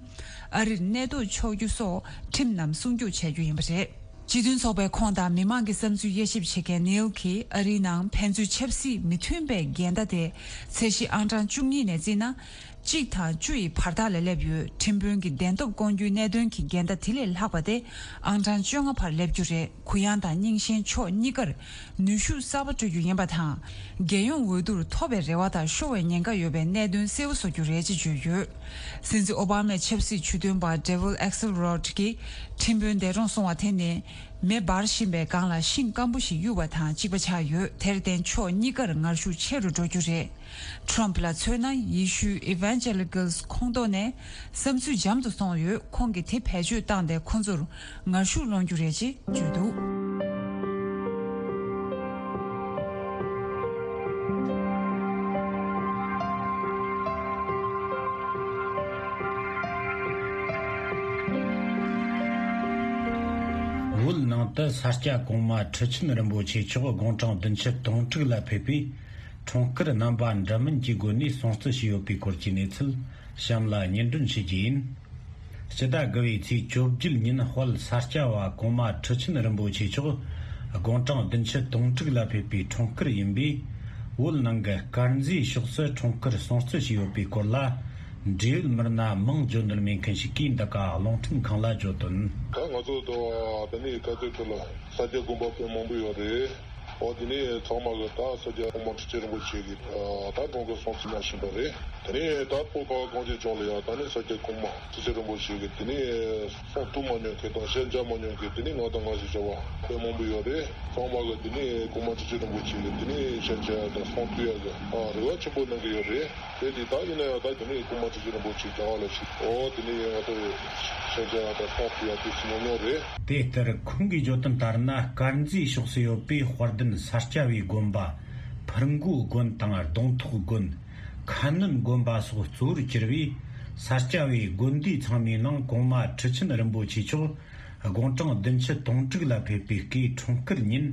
ཨ་རིར་གནས་སྡོད་ཆོག་རྒྱུ་སོགས་ཁྲིམས་རྣམས་སྲུང་སྐྱོབ་བྱ་རྒྱུ་ཡིན་པ་རེད། སྤྱི་མཐུན་ཚོགས་པའི་ཁོངས་དང་མི་མང་གི་བསམ་ཚུལ་དབྱེ་ཞིབ་བྱེད་མཁན་ནིལ་གྱིས། ཨ་རིའི་ནང་ཕན་ཚུན་ཆབ་སྲིད་མི་མཐུན་པའི་འགལ་ཟླ་དེ་ཚད་གཞི་ཨང་གྲངས་བཅུ་གཉིས་ནས་བརྩིས་ན། གཅིག་དང་བཅུ་ཡི་བར་ཐག་ལ་སླེབས་ཡོད། ཁྲིམས་དཔོན་གྱི་བདེན་སྟོབས་སྐོང་རྒྱུའི་གནད་དོན་གྱི་འགལ་ཟླ་དེ་ལས་ལྷག་པ་དེ་ཨང་གྲངས་བཅོ་ལྔ་བར་སླེབས་རྒྱུ་རེད། གུ་ཡངས་དང་རྙིང་ཞེན་ཕྱོགས་གཉིས་ཀར་ནུས་ཤུགས་གསར་པ་སྤྲོད་རྒྱུ་ཡིན་པ་དང་། རྒྱལ་ཡོངས་འོས་བསྡུར་ཐོབ་པའི་རེ་བ་དང་ཤོར་བའི་ཉེན་ཁ་ཡོད་པའི་གནད་དོན་གསལ་པོ་བཟོ་རྒྱུ་རེད་ཅེས་བརྗོད་ཡོད། སྲིད་འཛིན་ཨོ་བྷ་མའི་ཆབ་སྲིད་ཇུས་འདོན་པ་ཌེ་ཝིཌ་ཨེག་སེལ་རོཌ་ཀྱིས། ཁྲིམས་དཔོན་འདས་གྲོངས་སོང་བ་དེ་ནི། མེ་འབར་བཞིན་པའི་སྒང་ལ་ཤིང་སྐམ་པོ་ཞིག་གཡུགས་པ་དང་གཅིག་པ་ཆགས་ཡོད། དེར་བརྟེན་ཕྱོགས་གཉིས་ཀར་ངར་ཤུགས་ཆེ་རུ་འགྲོ་རྒྱུ་རེད། ཊམ་ལ་མཚོན་ན། ཡེ་ཤུའི་ཨི་ཝན་ཇེ་ལི་ཀལ་ཁོངས་གཏོགས་ནས་བསམ་ཚུལ་འཇམ་དུ་སོང་ཡོད། ཁོང་གིས་དེ་བེད་སྤྱོད་བཏང་སྟེ་ཁོ་ཚོར་ངར་ཤུགས་སློང་རྒྱུ་རེད་ཅེས་བརྗོད་འདུག་བོད་ནང་དུ་ས་སྐྱ་གོང་མ་ཁྲི་ཆེན་རིན་པོ་ཆེ་མཆོག་དགུང་གྲངས་བདུན་ཅུ་དོན་དྲུག་ལ་ཕེབས་པའི་འཁྲུངས་སྐར་རྣམ་པ་འདྲ་མིན་གྱི་སྒོ་ནས་སྲུང་བརྩི་བྱས་ཡོད་པའི་སྐོར་གྱི་གནས་ཚུལ་གཤམ་ལ་སྙན་སྒྲོན་ཞུ་རྒྱུ་ཡིན། སྤྱི་ཟླ་དགུ་བའི་ཚེས་བཅོ་བརྒྱད་ཉིན་དཔལ་ས་སྐྱ་བ་གོང་མ་ཁྲི་ཆེན་རིན་པོ་ཆེ་མཆོག་དགུང་གྲངས་བདུན་ཅུ་དོན་དྲུག་ལ་ཕེབས་པའི་འཁྲུངས་སྐར་ཡིན་པས། བོད་ནང་གི་དཀར་མཛེས་ཕྱོགས་སུ་འཁྲུངས་སྐར་སྲུང་བརྩི་བྱས་ཡོད་པའི་སྐོར་ལ། འབྲེལ་ཡོད་མི་སྣ་མང་འབྱོན་ནོར་མེད་མཁན་ཞིག་གིས་འདི་ག་རླུང་འཕྲིན་ཁང་ལ་བརྗོད་དོན། ད་ང་ཚོ་དང་དེ་ནས་སྐབས་དེ་དུས་ལ་ས་སྐྱ་དགོན་པ་དཔེ་མང་པོ་ཡོད་རེད། འོ་དེ་ནས་ཚང་མ་གི་ད་ས་སྐྱ་གོང་མ་ཁྲི་ཆེན་རིན་པོ་ཆེ་གི་ད་འཁྲུངས་སྐར་སྲུང་བརྩི་གནང་བཞིན་པ་རེད། དེ་ནས་ད་བོད་ཁ་བ་གངས་ཅན་ལྗོངས་ལ་ཡང་ད་ནི་ས་སྐྱ་གོང་མ་ཁྲི་ཆེན་རིན་པོ་ཆེ་གི་དེ་ནས་སྲུང་ཐུབ་མ་མྱོང་མཁན་དང་ཞལ་མཇལ་མ་མྱོང་མཁན་དེ་ནས་ང་དང་ང་ཞེས་བྱ་བ་དཔེ་མང་པོ་ཡོད་རེད། ཚང་མ་གི་དེ་ནས་གོང་མ་ཁྲི་ཆེན་རིན་པོ་ཆེ་གི་དེ་ནས་ཞལ་མཇལ་ཡག་དང་སྲུང་ཐུབ་ཡག་གི་རེ་བ་ཆེན་པོ་གནང་གི་ཡོད་རེད། དེ་དེ་ད་ཡིན་ན་ཡང་ད་དེ་ནས་གོང་མ་ཁྲི་ཆེན་རིན་པོ་ཆེ་རྒྱ་གར་ལ་ཞིག་འོ་དེ་ནས་ང་ཚོ་ཞལ་མཇལ་ཡག་དང་སྲུང་ཐུབ་ཡག་དེ་ཚོ་མང་ཉུང་རེད། དེ་ལྟར་ཁོང་གིས་བརྗོད་དོན་ལྟར་ན། དཀར་མཛེས་ཕྱོགས་སུ་ཡོད་པའི་དཔལ་ལྡན་ས་སྐྱ་བའི་དགོན་པ་ཕུར་མགོ་དགོན་དང་གདོང་ཐོག་དགོན། ཁ་སྣོན་དགོན་པ་སོགས་གཙོ་བོར་གྱུར་པའི་ས་སྐྱ་བའི་དགོན་སྡེ་ཚང་མའི་ནང་གོང་མ་ཁྲི་ཆེན་རིན་པོ་ཆེ་མཆོག་དགུང་གྲངས་བདུན་ཅུ་དོན་དྲུག་ལ་ཕེབས་པའི་སྐུའི་འཁྲུངས་སྐར་ཉིན།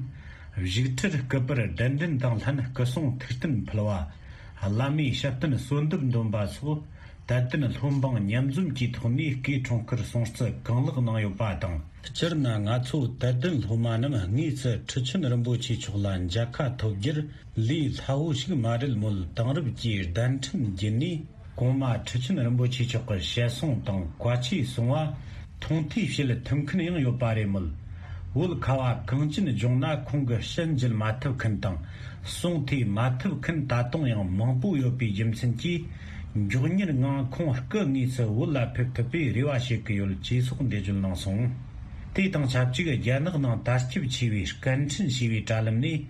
བཞུགས་ཁྲིར་སྐུ་པར་གདན་འདྲེན་དང་ལྷན་སྐུ་གསུང་ཐུགས་རྟེན་ཕུལ་བ། བླ་མའི་ཞབས་བརྟན་གསོལ་འདེབས་འདོན་པ་སོགས་དད་ལྡན་སློབ་འབངས་མཉམ་འཛོམས་ཀྱི་ཐོག་ནས་སྐུའི་འཁྲུངས་སྐར་སྲུང་བརྩི་གང་ལེགས་གནང་ཡོད་པ་དང་། སྤྱིར་ན་ང་ཚོ་དད་ལྡན་སློབ་མ་རྣམས་དངོས་སུ་ཁྲི་ཆེན་རིན་པོ་ཆེ་མཆོག་ལ་མཇལ་ཁ་ཐོབ་རྒྱུར་ལས་སླ་བོ་ཞིག་མ་རེད་མོད། དེང་རབས་ཀྱི་གདན་འདྲེན་བརྒྱུད་ནས་གོང་མ་ཁྲི་ཆེན་རིན་པོ་ཆེ་མཆོག་གི་ཞལ་གསུང་དང་བཀའ་ཆོས་གསུང་བ་མཐོང་ཐོས་བྱེད་ཐུབ་མཁན་ཡང་ཡོད་པ་རེད་མོད། བོད་ཁ་བ་གངས་ཅན་ལྗོངས་ན་ཁོང་གི་ཞལ་མཇལ་མ་ཐུབ་མཁན་དང་གསུང་ཐོས་མ་ཐུབ་མཁན་ད་དུང་ཡང་མང་པོ་ཡོད་པའི་རྒྱུ་མཚན་གྱིས། མགྱོགས་མྱུར་ངང་ཁོང་སྐུ་དངོས་སུ་བོད་ལ་ཕེབས་ཐུབ་པའི་རེ་བ་བྱེད་ཀྱི་ཡོད་ཅེས་སོགས་འགྲེལ་བརྗོད་གནང་སོང་། དེ་དང་ཆབས་ཅིག་རྒྱ་ནག་ནང་དར་ཁྱབ་ཆེ་བའི་སྐད་འཕྲིན་ཞེས་པའི་དྲ་ལམ་ནས་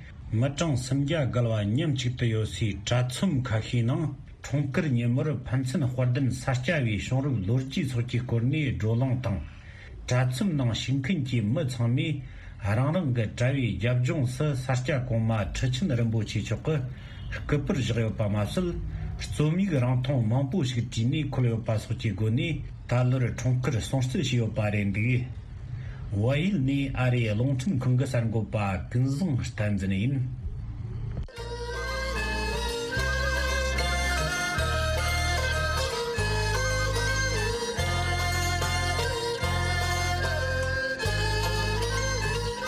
མི་གྲངས་སུམ་བརྒྱ་བརྒལ་བ་མཉམ་གཅིག་ཏུ་ཡོད་སའི་དྲ་ཚོམས་ཁ་ཤས་ནང་། འཁྲུངས་སྐར་ཉིན་མོར་ཕན་ཚུན་དཔལ་ལྡན་ས་སྐྱ་བའི་བྱུང་རབས་ལོ་རྒྱུས་སོགས་ཀྱི་སྐོར་ནས་བགྲོ་གླེང་དང་། དྲ་ཚོམས་ནང་ཞུགས་མཁན་གྱི་མི་ཚང་མས་རང་རང་གི་དྲ་བའི་རྒྱབ་ལྗོངས་སུ་ས་སྐྱ་གོང་མ་ཁྲི་ཆེན་རིན་པོ་ཆེ་མཆོག་གི་སྐུ་པར་བཞག་ཡོད་པ་མ་ཟད། རྩོམ་ཡིག་རིང་ཐུང་མང་པོ་ཞིག་བྲིས་ནས་འཁོད་ཡོད་པ་སོགས་ཀྱི་སྒོ་ནས་ད་ལོར་འཁྲུངས་སྐར་སྲུང་བརྩི་བྱས་ཡོད་པ་རེད་འདུག། བལ་ཡུལ་ནས་ཨ་རིའི་རླུང་འཕྲིན་ཁང་གི་གསར་འགོད་པ་ཀུན་བཟང་བསྟན་འཛིན་ཡིན།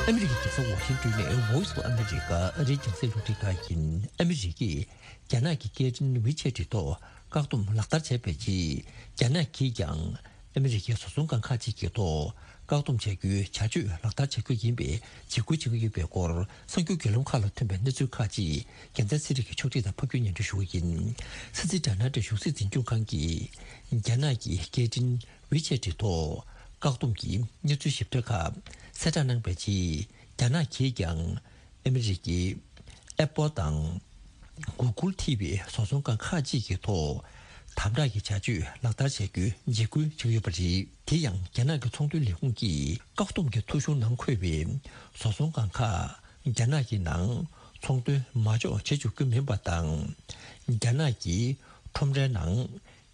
ཨ་མི་རི་ཀའི་རྒྱལ་ས་ཝ་ཤིང་ཏོན་ནས་Voice of America ཨ་རིའི་རྒྱང་སྲིང་རླུང་འཕྲིན་ཁང་ཡིན། ཨ་མི་རི་ཀས་རྒྱ་ནག་གི་སྐད་འཕྲིན་ཝི་ཆེ་ཊི་ཐོག་བཀག་སྡོམ་ལག་བསྟར་བྱས་པའི་རྗེས། རྒྱ་ནག་གིས་ཀྱང་ཨ་མི་རི་ཀའི་བཟོ་ཚོང་ཁང་ཁག་ཅིག་གི་ཐོག་བཀག་སྡོམ་བྱ་རྒྱུའི་བྱ་སྤྱོད་ལག་བསྟར་བྱ་རྒྱུ་ཡིན་པའི་འཇིགས་སྐུལ་བྱེད་ཀྱི་ཡོད་པའི་སྐོར། གསར་འགྱུར་བརྒྱུད་ལམ་ཁག་ལ་ཐོན་པའི་གནས་ཚུལ་ཁག་ཅིག་རྒྱལ་མཚན་ཚེ་རིང་གིས་ཕྱོགས་སྒྲིག་དང་ཕབ་སྒྱུར་སྙན་སྒྲོན་ཞུ་གི་ཡིན། སྲིད་འཛིན་ཌོ་ནལ་ཊམ་གཞུང་སྲིད་འཛིན་སྐྱོང་ཁང་གིས་རྒྱ་ནག་གི་སྐད་འཕྲིན་ཝི་ཆེ་ཊི་ཐོག་བཀག་སྡོམ་གྱི་གནས་ཚུལ་ཞིབ་ཕྲ་ཁག་གསལ་བསྒྲགས་གནང་པའི་རྗེས། རྒྱ་ནག་གིས་ཀྱང་ཨ་མི་རི་ཀའི་ཨེ་པོལ་དང་གུ་གུལ་ཐི་བའི་བཟོ་ཚོང་ཁང་ཁག་ཅིག་གི་ཐོག་དམ་དྲག་གི་བྱ་སྤྱོད་ལག་བསྟར་བྱ་རྒྱུའི་འཇིགས་སྐུལ་བྱེད་ཀྱི་ཡོད་པ་རེད། དེ་ཡང་རྒྱ་ནག་གི་ཚོང་དོན་ལས་ཁུངས་ཀྱིས་བཀག་སྡོམ་གྱི་ཐོ་གཞུང་ནང་འཁོད་པའི་བཟོ་ཚོང་ཁང་ཁག་རྒྱ་ནག་གི་ནང་ཚོང་དོན་མ་འཇོག་བྱེད་བཅུག་རྒྱུ་མིན་པ་དང་། རྒྱ་ནག་གི་ཁྲོམ་རའི་ནང་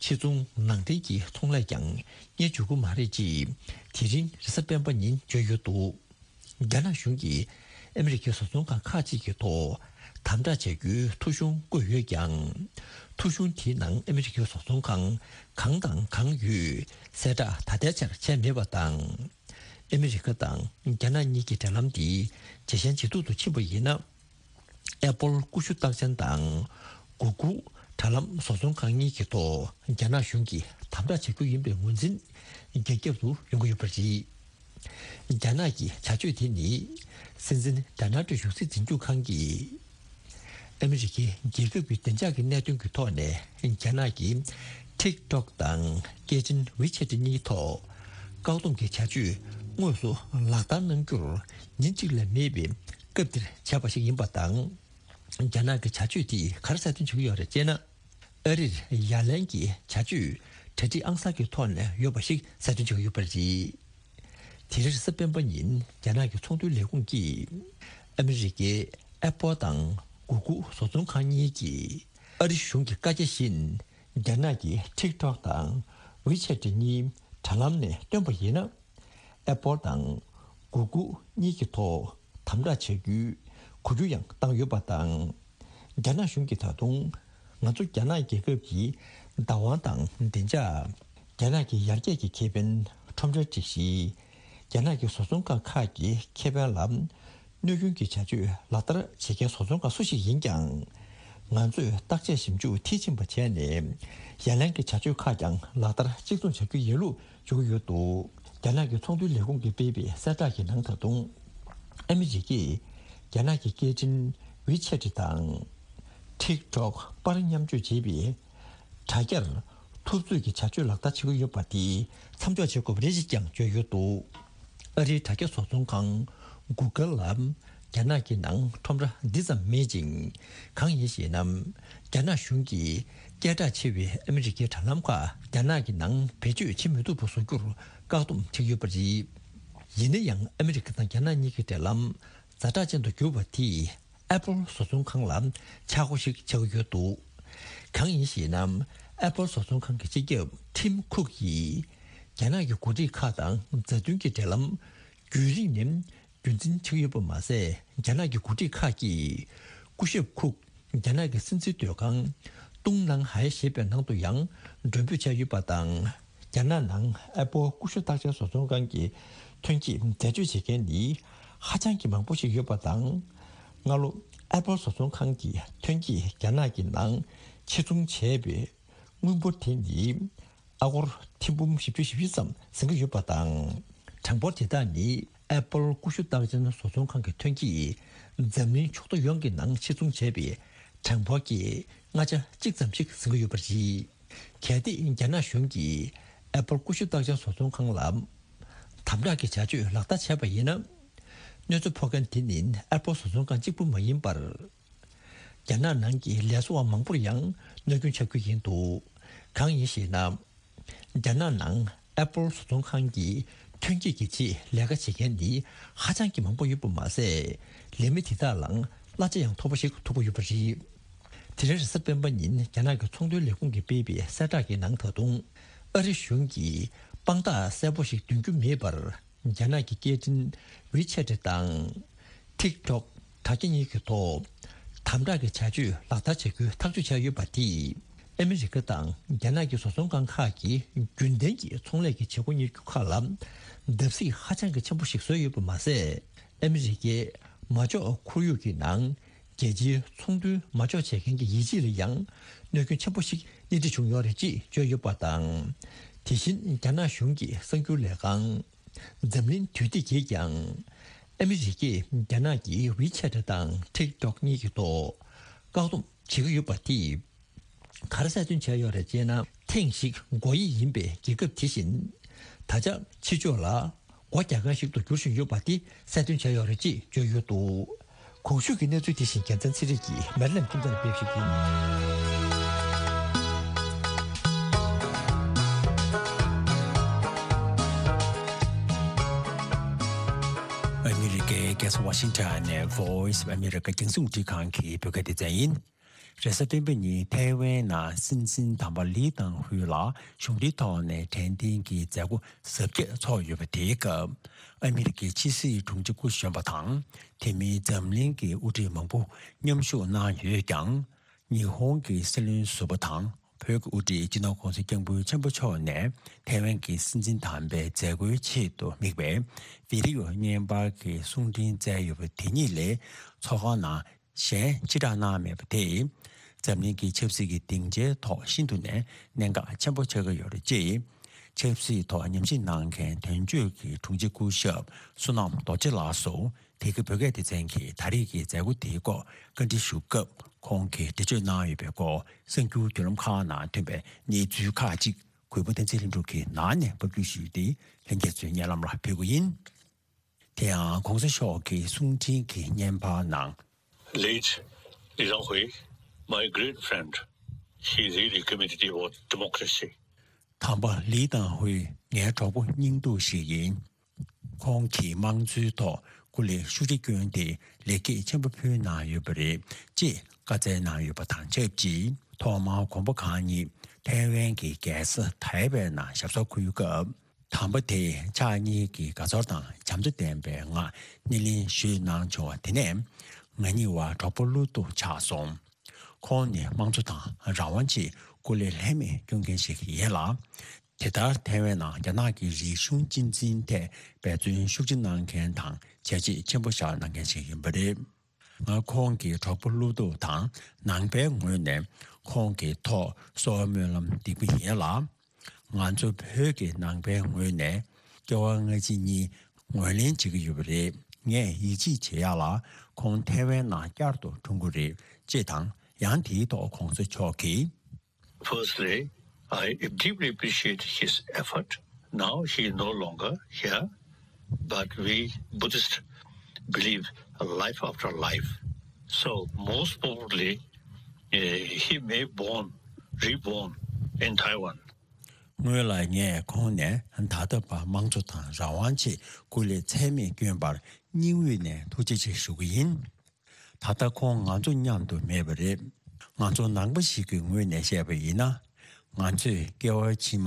ཕྱི་ཚོང་ནང་འདྲེན་གྱི་ཚོང་ལས་ཀྱང་གཉེར་འཇུག་གི་མ་རེད་ཅེས་དེ་རིང་རེས་གཟའ་སྤེན་པ་ཉིན་བརྗོད་ཡོད་འདུག། རྒྱ་ནག་གཞུང་གིས་ཨ་མི་རི་ཀའི་བཟོ་ཚོང་ཁང་ཁག་ཅིག་གི་ཐོག་དམ་དྲག་བྱ་རྒྱུའི་ཐོ་གཞུང་བཀོད་ཡོད་ཀྱང་། ཐོ་གཞུང་དེའི་ནང་ཨ་མི་རི་ཀའི་བཟོ་ཚོང་ཁང་གང་དང་གང་ཡོད་གསལ་བསྒྲགས་ད་ལྟའི་ཆར་བྱས་མེད་པ་དང་། ཨ་མི་རི་ཀ་དང་རྒྱ་ནག་གཉིས་ཀྱི་འབྲེལ་ལམ་དེ་ཇེ་ཞན་ཇེ་སྡུག་ཏུ་ཕྱིན་པ་ཡིན་ན། ཨེ་པོལ་ཀུ་ཤུ་རྟགས་ཅན་དང་གུ་གུལ་དྲ་ལམ་བཟོ་ཚོང་ཁང་གཉིས་ཀྱི་ཐོག་རྒྱ་ནག་གཞུང་གིས་དམ་དྲག་བྱེད་རྒྱུ་ཡིན་པའི་ངོས་འཛིན་རྒྱ་ཁྱབ་ཏུ་ཡོང་གི་ཡོད་པ་རེད། རྒྱ་ནག་གི་བྱ་སྤྱོད་དེ་ནི་སྲིད་འཛིན་ཌོ་ནལ་ཊམ་གཞུང་སྲིད་འཛིན་སྐྱོང་ཁང་གིས་ཨ་མི་རི་ཀའི་རྒྱལ་ཁབ་ཀྱི་བདེ་འཇགས་ཀྱི་གནད་དོན་གྱི་ཐོག་ནས་རྒྱ་ནག་གི་ཊིག་ཊོག་དང་སྐད་འཕྲིན་ཝི་ཆེ་ཊི་གཉིས་ཐོག་བཀག་སྡོམ་གྱི་བྱ་སྤྱོད་དངོས་སུ་ལག་བསྟར་གནང་རྒྱུར་ཉིན་གཅིག་ལས་མེད་པའི་སྐབས་འདིར་བྱས་པ་ཞིག་ཡིན་པ་དང་། རྒྱ་ནག་གི་བྱ་སྤྱོད་དེས་ག་རེ་གསལ་སྟོན་བྱེད་ཀྱི་ཡོད་རེད་ཅེ་ན། ཨ་རིར་ཡ་ལན་གྱི་བྱ་སྤྱོད་གྲ་སྒྲིག་ཨང་གསར་གྱི་ཐོག་ནས་ཡོད་པ་ཞིག་གསལ་སྟོན་བྱེད་ཀྱི་ཡོད་པ་རེད། དེ་རིང་རེས་གཟའ་སྤེན་པ་ཉིན་རྒྱ་ནག་གི་ཚོང་དོན་ལས་ཁུངས་ཀྱིས་ཨ་མི་རི་ཀའི་ཨེ་པོལ་དང་གུ་གུལ་བཟོ་ཚོང་ཁང་གཉིས་ཀྱིས་ཨ་རི་གཞུང་གི་བཀའ་རྒྱ་བཞིན་རྒྱ་ནག་གི་ཊིག་ཊོག་དང་ཝི་ཆེ་ཊི་གཉིས་དྲ་ལམ་ནས་བཏོན་པ་ཡིན་ན། ཨེ་པོལ་དང་གུ་གུལ་གཉིས་ཀྱི་ཐོག་དམ་དྲག་བྱ་རྒྱུའི་གོ་རྒྱུ་ཡང་བཏང་ཡོད་པ་དང་། རྒྱ་ནག་གཞུང་གིས་ད་དུང་ང་ཚོ་རྒྱ་ནག་རྒྱལ་ཁབ་ཀྱི་བདག་དབང་དང་བདེ་འཇགས། རྒྱ་ནག་གི་ཡར་རྒྱས་ཀྱི་ཁེ་ཕན། ཁྲོམ་རའི་སྒྲིག་གཞི། རྒྱ་ནག་གི་བཟོ་ཚོང་ཁང་ཁག་གི་ཁེ་ཕན་ལ་གནོད་སྐྱོན་གྱི་བྱ་སྤྱོད་ལག་བསྟར་བྱེད་མཁན་བཟོ་ཚོང་ཁང་སུ་ཞིག་ཡིན་ཀྱང་། ང་ཚོས་བརྟག་དཔྱད་ཞིབ་འཇུག་མཐིལ་ཕྱིན་པ་བྱས་ནས། ཡ་ལན་གྱི་བྱ་སྤྱོད་ཁག་ཀྱང་ལག་བསྟར་གཅིག་མཚུངས་བྱ་རྒྱུ་ཡིན་ལུགས། བྱུང་ཡོད་འདུག། རྒྱ་ནག་གི་ཚོང་དོན་ལས་ཁུངས་ཀྱིས་སྤེལ་བའི་གསལ་བསྒྲགས་ཀྱི་ནང་། ད་དུང་ཨ་མི་རི་ཀས་རྒྱ་ནག་གི་སྐད་འཕྲིན་ཝི་ཆེ་ཊི་དང་ཊིག་ཊོག་པར་མཉམ་སྤྱོད་བྱེད་པའི་དྲ་རྒྱར་འཐབ་རྩོད་ཀྱི་བྱ་སྤྱོད་ལག་བསྟར་བྱེད་ཀྱི་ཡོད་པ་དེ་མཚམས་འཇོག་བྱེད་དགོས་པ་རེད་ཅེས་ཀྱང་བརྗོད་ཡོད་འདུག། ཨ་རིའི་དྲ་རྒྱ་བཟོ་ཚོང་ཁང་གུ་གལ་ལ་རྒྱ་ནག་གི་ནང་ཁྲོམ་ར་འདི་ཙམ་མེད་ཅིང་། གང་ཡིན་ཞེ་ན། རྒྱ་ནག་གཞུང་གིས་སྐད་གྲགས་ཆེ་བའི་ཨ་མི་རི་ཀའི་དྲ་ལམ་ཁག་རྒྱ་ནག་གི་ནང་བེད་སྤྱོད་བྱེད་མི་ཐུབ་པ་བཟོ་རྒྱུར་བཀག་སྡོམ་བྱེད་ཀྱི་ཡོད་པ་རེད། ཡིན་ན་ཡང་ཨ་མི་རི་ཀ་དང་རྒྱ་ནག་གཉིས་ཀྱི་འབྲེལ་ལམ་ཛ་དྲག་ཅན་དུ་གྱུར་པ་དེས་ཨེ་པོལ་བཟོ་ཚོང་ཁང་ལ་ཆག་སྒོ་ཞིག་ཆགས་ཀྱི་ཡོད་འདུག། གང་ཡིན་ཞེ་ན། ཨེ་པོལ་བཟོ་ཚོང་ཁང་གི་སྤྱི་ཁྱབ་ཊིམ་ཁུག་གིས་རྒྱ་ནག་གི་འགོ་ཁྲིད་ཁག་དང་མཛའ་མཐུན་གྱི་འབྲེལ་ལམ་རྒྱུན་རིང་ནས་རྒྱུན་འཛིན་བྱེད་ཀྱི་ཡོད་པ་མ་ཟད། རྒྱ་ནག་གི་འགོ་ཁྲིད་ཁག་གིས་སྐུ་ཞབས་ཁུག་རྒྱ་ནག་གི་སྲིད་འཛིན་སྡོད་ཁང་ཏུང་ནང་ཧའེ་ཞེས་པའི་ནང་དུ་ཡང་མགྲོན་འབོད་བྱས་ཡོད་པ་དང་། རྒྱ་ནག་ནང་ཨེ་པོལ་ཀུ་ཤུ་རྟགས་ཅན་བཟོ་ཚོང་ཁང་གི་ཐོན་སྐྱེད་འཛད་སྤྱོད་བྱེད་མཁན་ནི་ཧ་ཅང་གི་མང་པོ་ཞིག་ཡོད་པ་དང་། སྔ་ལོ་ཨེ་པོལ་བཟོ་ཚོང་ཁང་གི་ཐོན་སྐྱེད་རྒྱ་ནག་གི་ནང་ཕྱིར་ཚོང་བྱས་པའི་དངུལ་འབོར་དེ་ནི་ཨ་སྒོར་ཐེར་འབུམ་བཞི་བཅུ་ཞེ་བཞི་ཙམ་ཟིན་གྱི་ཡོད་པ་དང་། གྲངས་འབོར་དེ་དག་ནི་ཨེ་པོལ་ཀུ་ཤུ་རྟགས་ཅན་བཟོ་ཚོང་ཁང་གི་ཐོན་སྐྱེད་འཛམ་གླིང་ཕྱོགས་བསྡུས་ཡོངས་ཀྱི་ནང་ཕྱིར་ཚོང་བྱས་པའི་གྲངས་འབོར་གྱི་ལྔ་ཆ་གཅིག་ཙམ་ཞིག་ཟིན་གྱི་ཡོད་པ་རེད། གལ་ཏེ་རྒྱ་ནག་གཞུང་གིས་ཨེ་པོལ་ཀུ་ཤུ་རྟགས་ཅན་བཟོ་ཚོང་ཁང་ལ། ད་ དམ་དྲག་གི་བྱ་སྤྱོད་ལག་བསྟར་བྱས་པ་ཡིན་ན། གནོད་འཚེ་ཕོག་མཁན་དེ་ནི་ཨེ་པོལ་བཟོ་ཚོང་ཁང་གཅིག་པུ་མ་ཡིན་པར། རྒྱ་ནག་ནང་གི་ལས་བཟོ་བ་མང་པོར་ཡང་གནོད་སྐྱོན་ཆགས་ཀྱི་ཡིན་འདུག། གང་ཡིན་ཞེ་ན། རྒྱ་ནག་ནང་ཨེ་པོལ་བཟོ་ཚོང་ཁང་གི་ཐོན་སྐྱེད་ཀྱི་ཆེད་ལས་ཀ་བྱེད་མཁན་ནི་ཧ་ཅང་གི་མང་པོ་ཡོད་པ་མ་ཟད། ལས་མི་དེ་དག་ལའང་གླ་ཆ་ཡང་མཐོ་པོ་ཞིག་ཐོབ་ཀྱི་ཡོད་པ་རེད། དེ་རིང་རེས་གཟའ་སྤེན་པ་ཉིན་རྒྱ་ནག་གི་ཚོང་དོན་ལས་ཁུངས་ཀྱིས་སྤེལ་བའི་གསལ་བསྒྲགས་ཀྱི་ནང་། ད་དུང་ཨ་རི་གཞུང་གིས་དཔང་རྟགས་གསལ་པོ་ཞིག་འདོན་རྒྱུ་མེད་པར། རྒྱ་ནག་གི་སྐད་འཕྲིན་ཝི་ཆེ་ཊི་དང་ཊིག་ཊོག་དྲ་རྒྱ་གཉིས་ཀྱི་ཐོག་དམ་དྲག་གི་བྱ་སྤྱོད་ལག་བསྟར་བྱ་རྒྱུའི་ཐག་གཅོད་བྱས་ཡོད་པ་དེས། ཨ་མི་རི་ཀ་དང་རྒྱ་ནག་གི་བཟོ་ཚོང་ཁང་ཁག་གིས་རྒྱུན་ལྡན་གྱི་ཚོང་ལས་ཀྱི་བྱེད་སྒོ་གཉེར་རྒྱུ་ཁག་ལ་བརྡབ་གསིག་ཧ་ཅང་གི་ཆེན་པོ་ཞིག་བཟོས་ཡོད་པ་མ་ཟད། ཨ་མི་རི་ཀའི་མ་འཇོག་ཁོར་ཡུག་གི་ནང་རྒྱལ་སྤྱིའི་ཚོང་དོན་མ་འཇོག་བྱེད་མཁན་གྱི་ཡིད་ཆེས་ལ་ཡང་གནོད་སྐྱོན་ཆེན་པོ་ཞིག་སྣེ་ཁྲིད་བྱུང་ཡོད་རེད་ཅེས་བརྗོད་ཡོད་པ་དང་། དེ་བཞིན་རྒྱ་ནག་གཞུང་གི་གསར་འགྱུར་ལས་ཁང་འཛམ་གླིང་དུས་དེབ་ཀྱིས་ཀྱང་། ཨ་མི་རི་ཀས་རྒྱ་ནག་གི་ཝི་ཆེ་ཊི་དང་ཊིག་ཊོག་གཉིས་ཀྱི་ཐོག་བཀག་སྡོམ་བྱེད་ཀྱི་ཡོད་པ་དེས། ག་རེ་གསལ་སྟོན་བྱས་ཡོད་རེད་ཅེ་ན། ཐེངས་ཤིག་སྒོ་དབྱེ་ཡིན་པའི་རྒྱལ་ཁབ་དེ་བཞིན། ད་ཆ་ཕྱི་ཕྱོགས་ལ་སྒོ་རྒྱག་མཁན་ཞིག་ཏུ་འགྱུར་བཞིན་ཡོད་པ་དེ་གསལ་སྟོན་བྱས་ཡོད་རེད་ཅེས་བརྗོད་ཡོད་འདུག། གོང་ཞུས་ཀྱི་གནས་ཚུལ་དེ་བཞིན་རྒྱལ་མཚན་ཚེ་རིང་གིས་མེ་རི་ལན་ཁྱིམ་ཚང་ལ་སྤེལ་བ་ཞིག་ཡིན། ཨ་མི་རི་ཀའི་རྒྱལ་ས་ཝ་ཤིང་ཊོན་ནས་Voice of America རྒྱང་སྲིང་རླུང་འཕྲིན་ཁང་གི་བོད་སྐད་སྡེ་ཚན་ཡིན། རེས་གཟའ་སྤེན་པ་ཉིན་ཐའེ་ཝན་ནང་སྲིད་འཛིན་དམ་པ་ལི་ཏང་ཧུའེ་ལགས་གཞུང་འབྲེལ་ཐོག་ནས་དྲན་རྟེན་གྱི་མཛད་སྒོ་གཟབ་རྒྱས་ཚོགས་ཡོད་པ་དེའི་སྐབས། ཨ་མི་རི་ཀའི་ཕྱི་སྲིད་དྲུང་ཆེ་སྐུ་གཞོན་པ་དང་། དེ་མིན་འཛམ་གླིང་གི་དབུ་ཁྲིད་མང་པོ་མཉམ་ཞུགས་གནང་ཡོད་ཀྱང་། ཉི་ཧོང་གི་སྲིད་བློན་ཟུར་པ་དང་། བོད་ཀྱི་དབུ་ཁྲིད་སྤྱི་ནོར་གོང་ས་སྐྱབས་མགོན་ཆེན་པོ་མཆོག་ནས་ཐའེ་ཝན་གྱི་སྲིད་འཛིན་དམ་པའི་མཛད་སྒོའི་ཆེད་དུ་དམིགས་པའི་བི་ཌི་ཡོ་བརྙན་པར་གྱི་གསུང་འཕྲིན་བསྩལ་ཡོད་པ་དེ་ཉིད་ལས། ཚོགས་ཁང་ནང་གཞན་ཕྱིར་བསྒྲགས་གནང་མེད་པ་དེས། འཛམ་གླིང་གི་ཆབ་སྲིད་ཀྱི་སྡིངས་ཆའི་ཐོག་ཤིན་ཏུ་ནས་གནད་འགག་ཆེན་པོ་ཆགས་ཀྱི་ཡོད་རེད་ཅེས། ཆབ་སྲིད་ཐོག་ཉམས་ཞིབ་གནང་མཁན་དོན་གཅོད་ཀྱི་དྲུང་ཆེ་སྐུ་ཞབས་བསོད་ནམས་རྡོ་རྗེ་ལགས་སུ། དེ་གའི་བོད་སྐད་སྡེ་ཚན་གྱིས་ད་རེས་ཀྱི་མཛད་སྒོ་དེའི་སྐོར་བཀའ་འདྲི་ཞུ་སྐབས། ཁོང་གིས་འགྲེལ་བརྗོད་གནང་ཡོད་པའི་སྐོར། གསར་འགྱུར་བརྒྱུད་ལམ་ཁག་ནང་ཐོན་པའི་གནས་ཚུལ་ཁག་ཅིག་གུས་པ་བསྟན་འཛིན་ལྷུན་གྲུབ་ཀྱིས་ནང་ནས་ཕབ་བསྒྱུར་ཞུས་ཏེ། ལྷན་རྒྱས་ཚོའི་སྙན་ལམ་ལ་ཕུལ་གྱི་ཡིན། དེ་ཡང་གོང་ས་མཆོག་གི་གསུང་འཕྲིན་གྱི་བརྙན་པར་ནང་། Late Li Tanghui, my great friend, he really committed about democracy. དམ་པ་ལི་ཏང་ཧུའེ་ངའི་གྲོགས་པོ་སྙིང་སྡུག་ཞིག་ཡིན། ཁོང་གིས་དམངས་གཙོའི་ཐོག་སྐུ་ལས་ཤུགས་ཆེ་བསྐྱོན་ཏེ་ལེགས་སྐྱེས་ཆེན་པོ་ཕུལ་གནང་ཡོད་པ་རེད་ཅེས་བཀའ་སྩལ་གནང་ཡོད་པ་དང་ཆབས་ཅིག་ཐོག་མར་དགོངས་པ་གང་ཉིད་ཐའེ་ཝན་གྱི་རྒྱལ་ས་ཐའེ་པེ་ནང་ཞབས་སོར་འཁོད་སྐབས། དམ་པ་དེས་ཕྱག་གཉིས་ཀྱི་དགའ་ཚོར་དང་བྱམས་བརྩེ་ལྡན་པའི་ངང་སྣེ་ལེན་ཞུས་གནང་བྱུང་བ་དེ་ནས། ང་གཉིས་བར་གྲོགས་པོ་བློ་སྟོབས་ཆགས་སོང་། ཁོང་ནི་དམངས་གཙོ་དང་རང་དབང་ཆེད་སྐུ་ལས་ལྷད་མེད་སྐྱོང་མཁན་ཞིག་ཡིན་ལ། དེ་ལྟར་ཐའེ་ཝན་ནང་རྒྱ་ནག་གི་རིག་གཞུང་གཅེས་འཛིན་ཐད་འབད་བརྩོན་ཤུགས་ཆེ་གནང་མཁན་དང་བྱས་རྗེས་ཆེན་པོ་བཞག་གནང་མཁན་ཞིག་ཡིན་པ་རེད། ང་ཁོང་གི་གྲོགས་པོ་བློ་སྟོབས་དང་ནང་པའི་ངོས་ནས་ཁོང་གི་ཐོག་གསོལ་བ་སྨོན་ལམ་འདེགས་པ་ཡིན་ལ། ང་ཚོ་བོད་ཀྱི་ནང་པའི་ངོས་ནས་སྐྱེ་བ་སྔ་ཕྱི་གཉིས་ངོས་ལེན་བྱེད་ཀྱི་ཡོད་པ་རེད། ངས་ཡིད་ཆེས་བྱེད་ཡག་ལ་ཁོང་ཐའེ་ཝན་ནང་བསྐྱར་དུ་འཁྲུངས་ཀྱི་རེད་ཅེས་དང་། ཡང་དེའི་ཐོག་གོང་ས་མཆོག་གིས། Firstly, I deeply appreciate his effort. Now he is no longer here, but we Buddhists believe life after life. So most probably, eh, he may born, reborn in Taiwan. སྔོན་ལ་ངས་ཁོང་ནས་ད་ལྟ་བར་དམངས་གཙོ་དང་རང་དབང་ཆེད་སྐུ་ལས་ཚད་མེད་བསྐྱོན་པར་སྙིང་དབུས་ནས་ཐུགས་རྗེ་ཆེ་ཞུ་གི་ཡིན། ད་ལྟ་ཁོང་ང་ཚོ་མཉམ་དུ་མེད་པ་རེད། ང་ཚོ་ནང་པ་ཞིག་གི་ངོས་ནས་བཤད་པ་ཡིན་ན། ང་ཚོས་སྐྱེ་བ་ཕྱི་མ་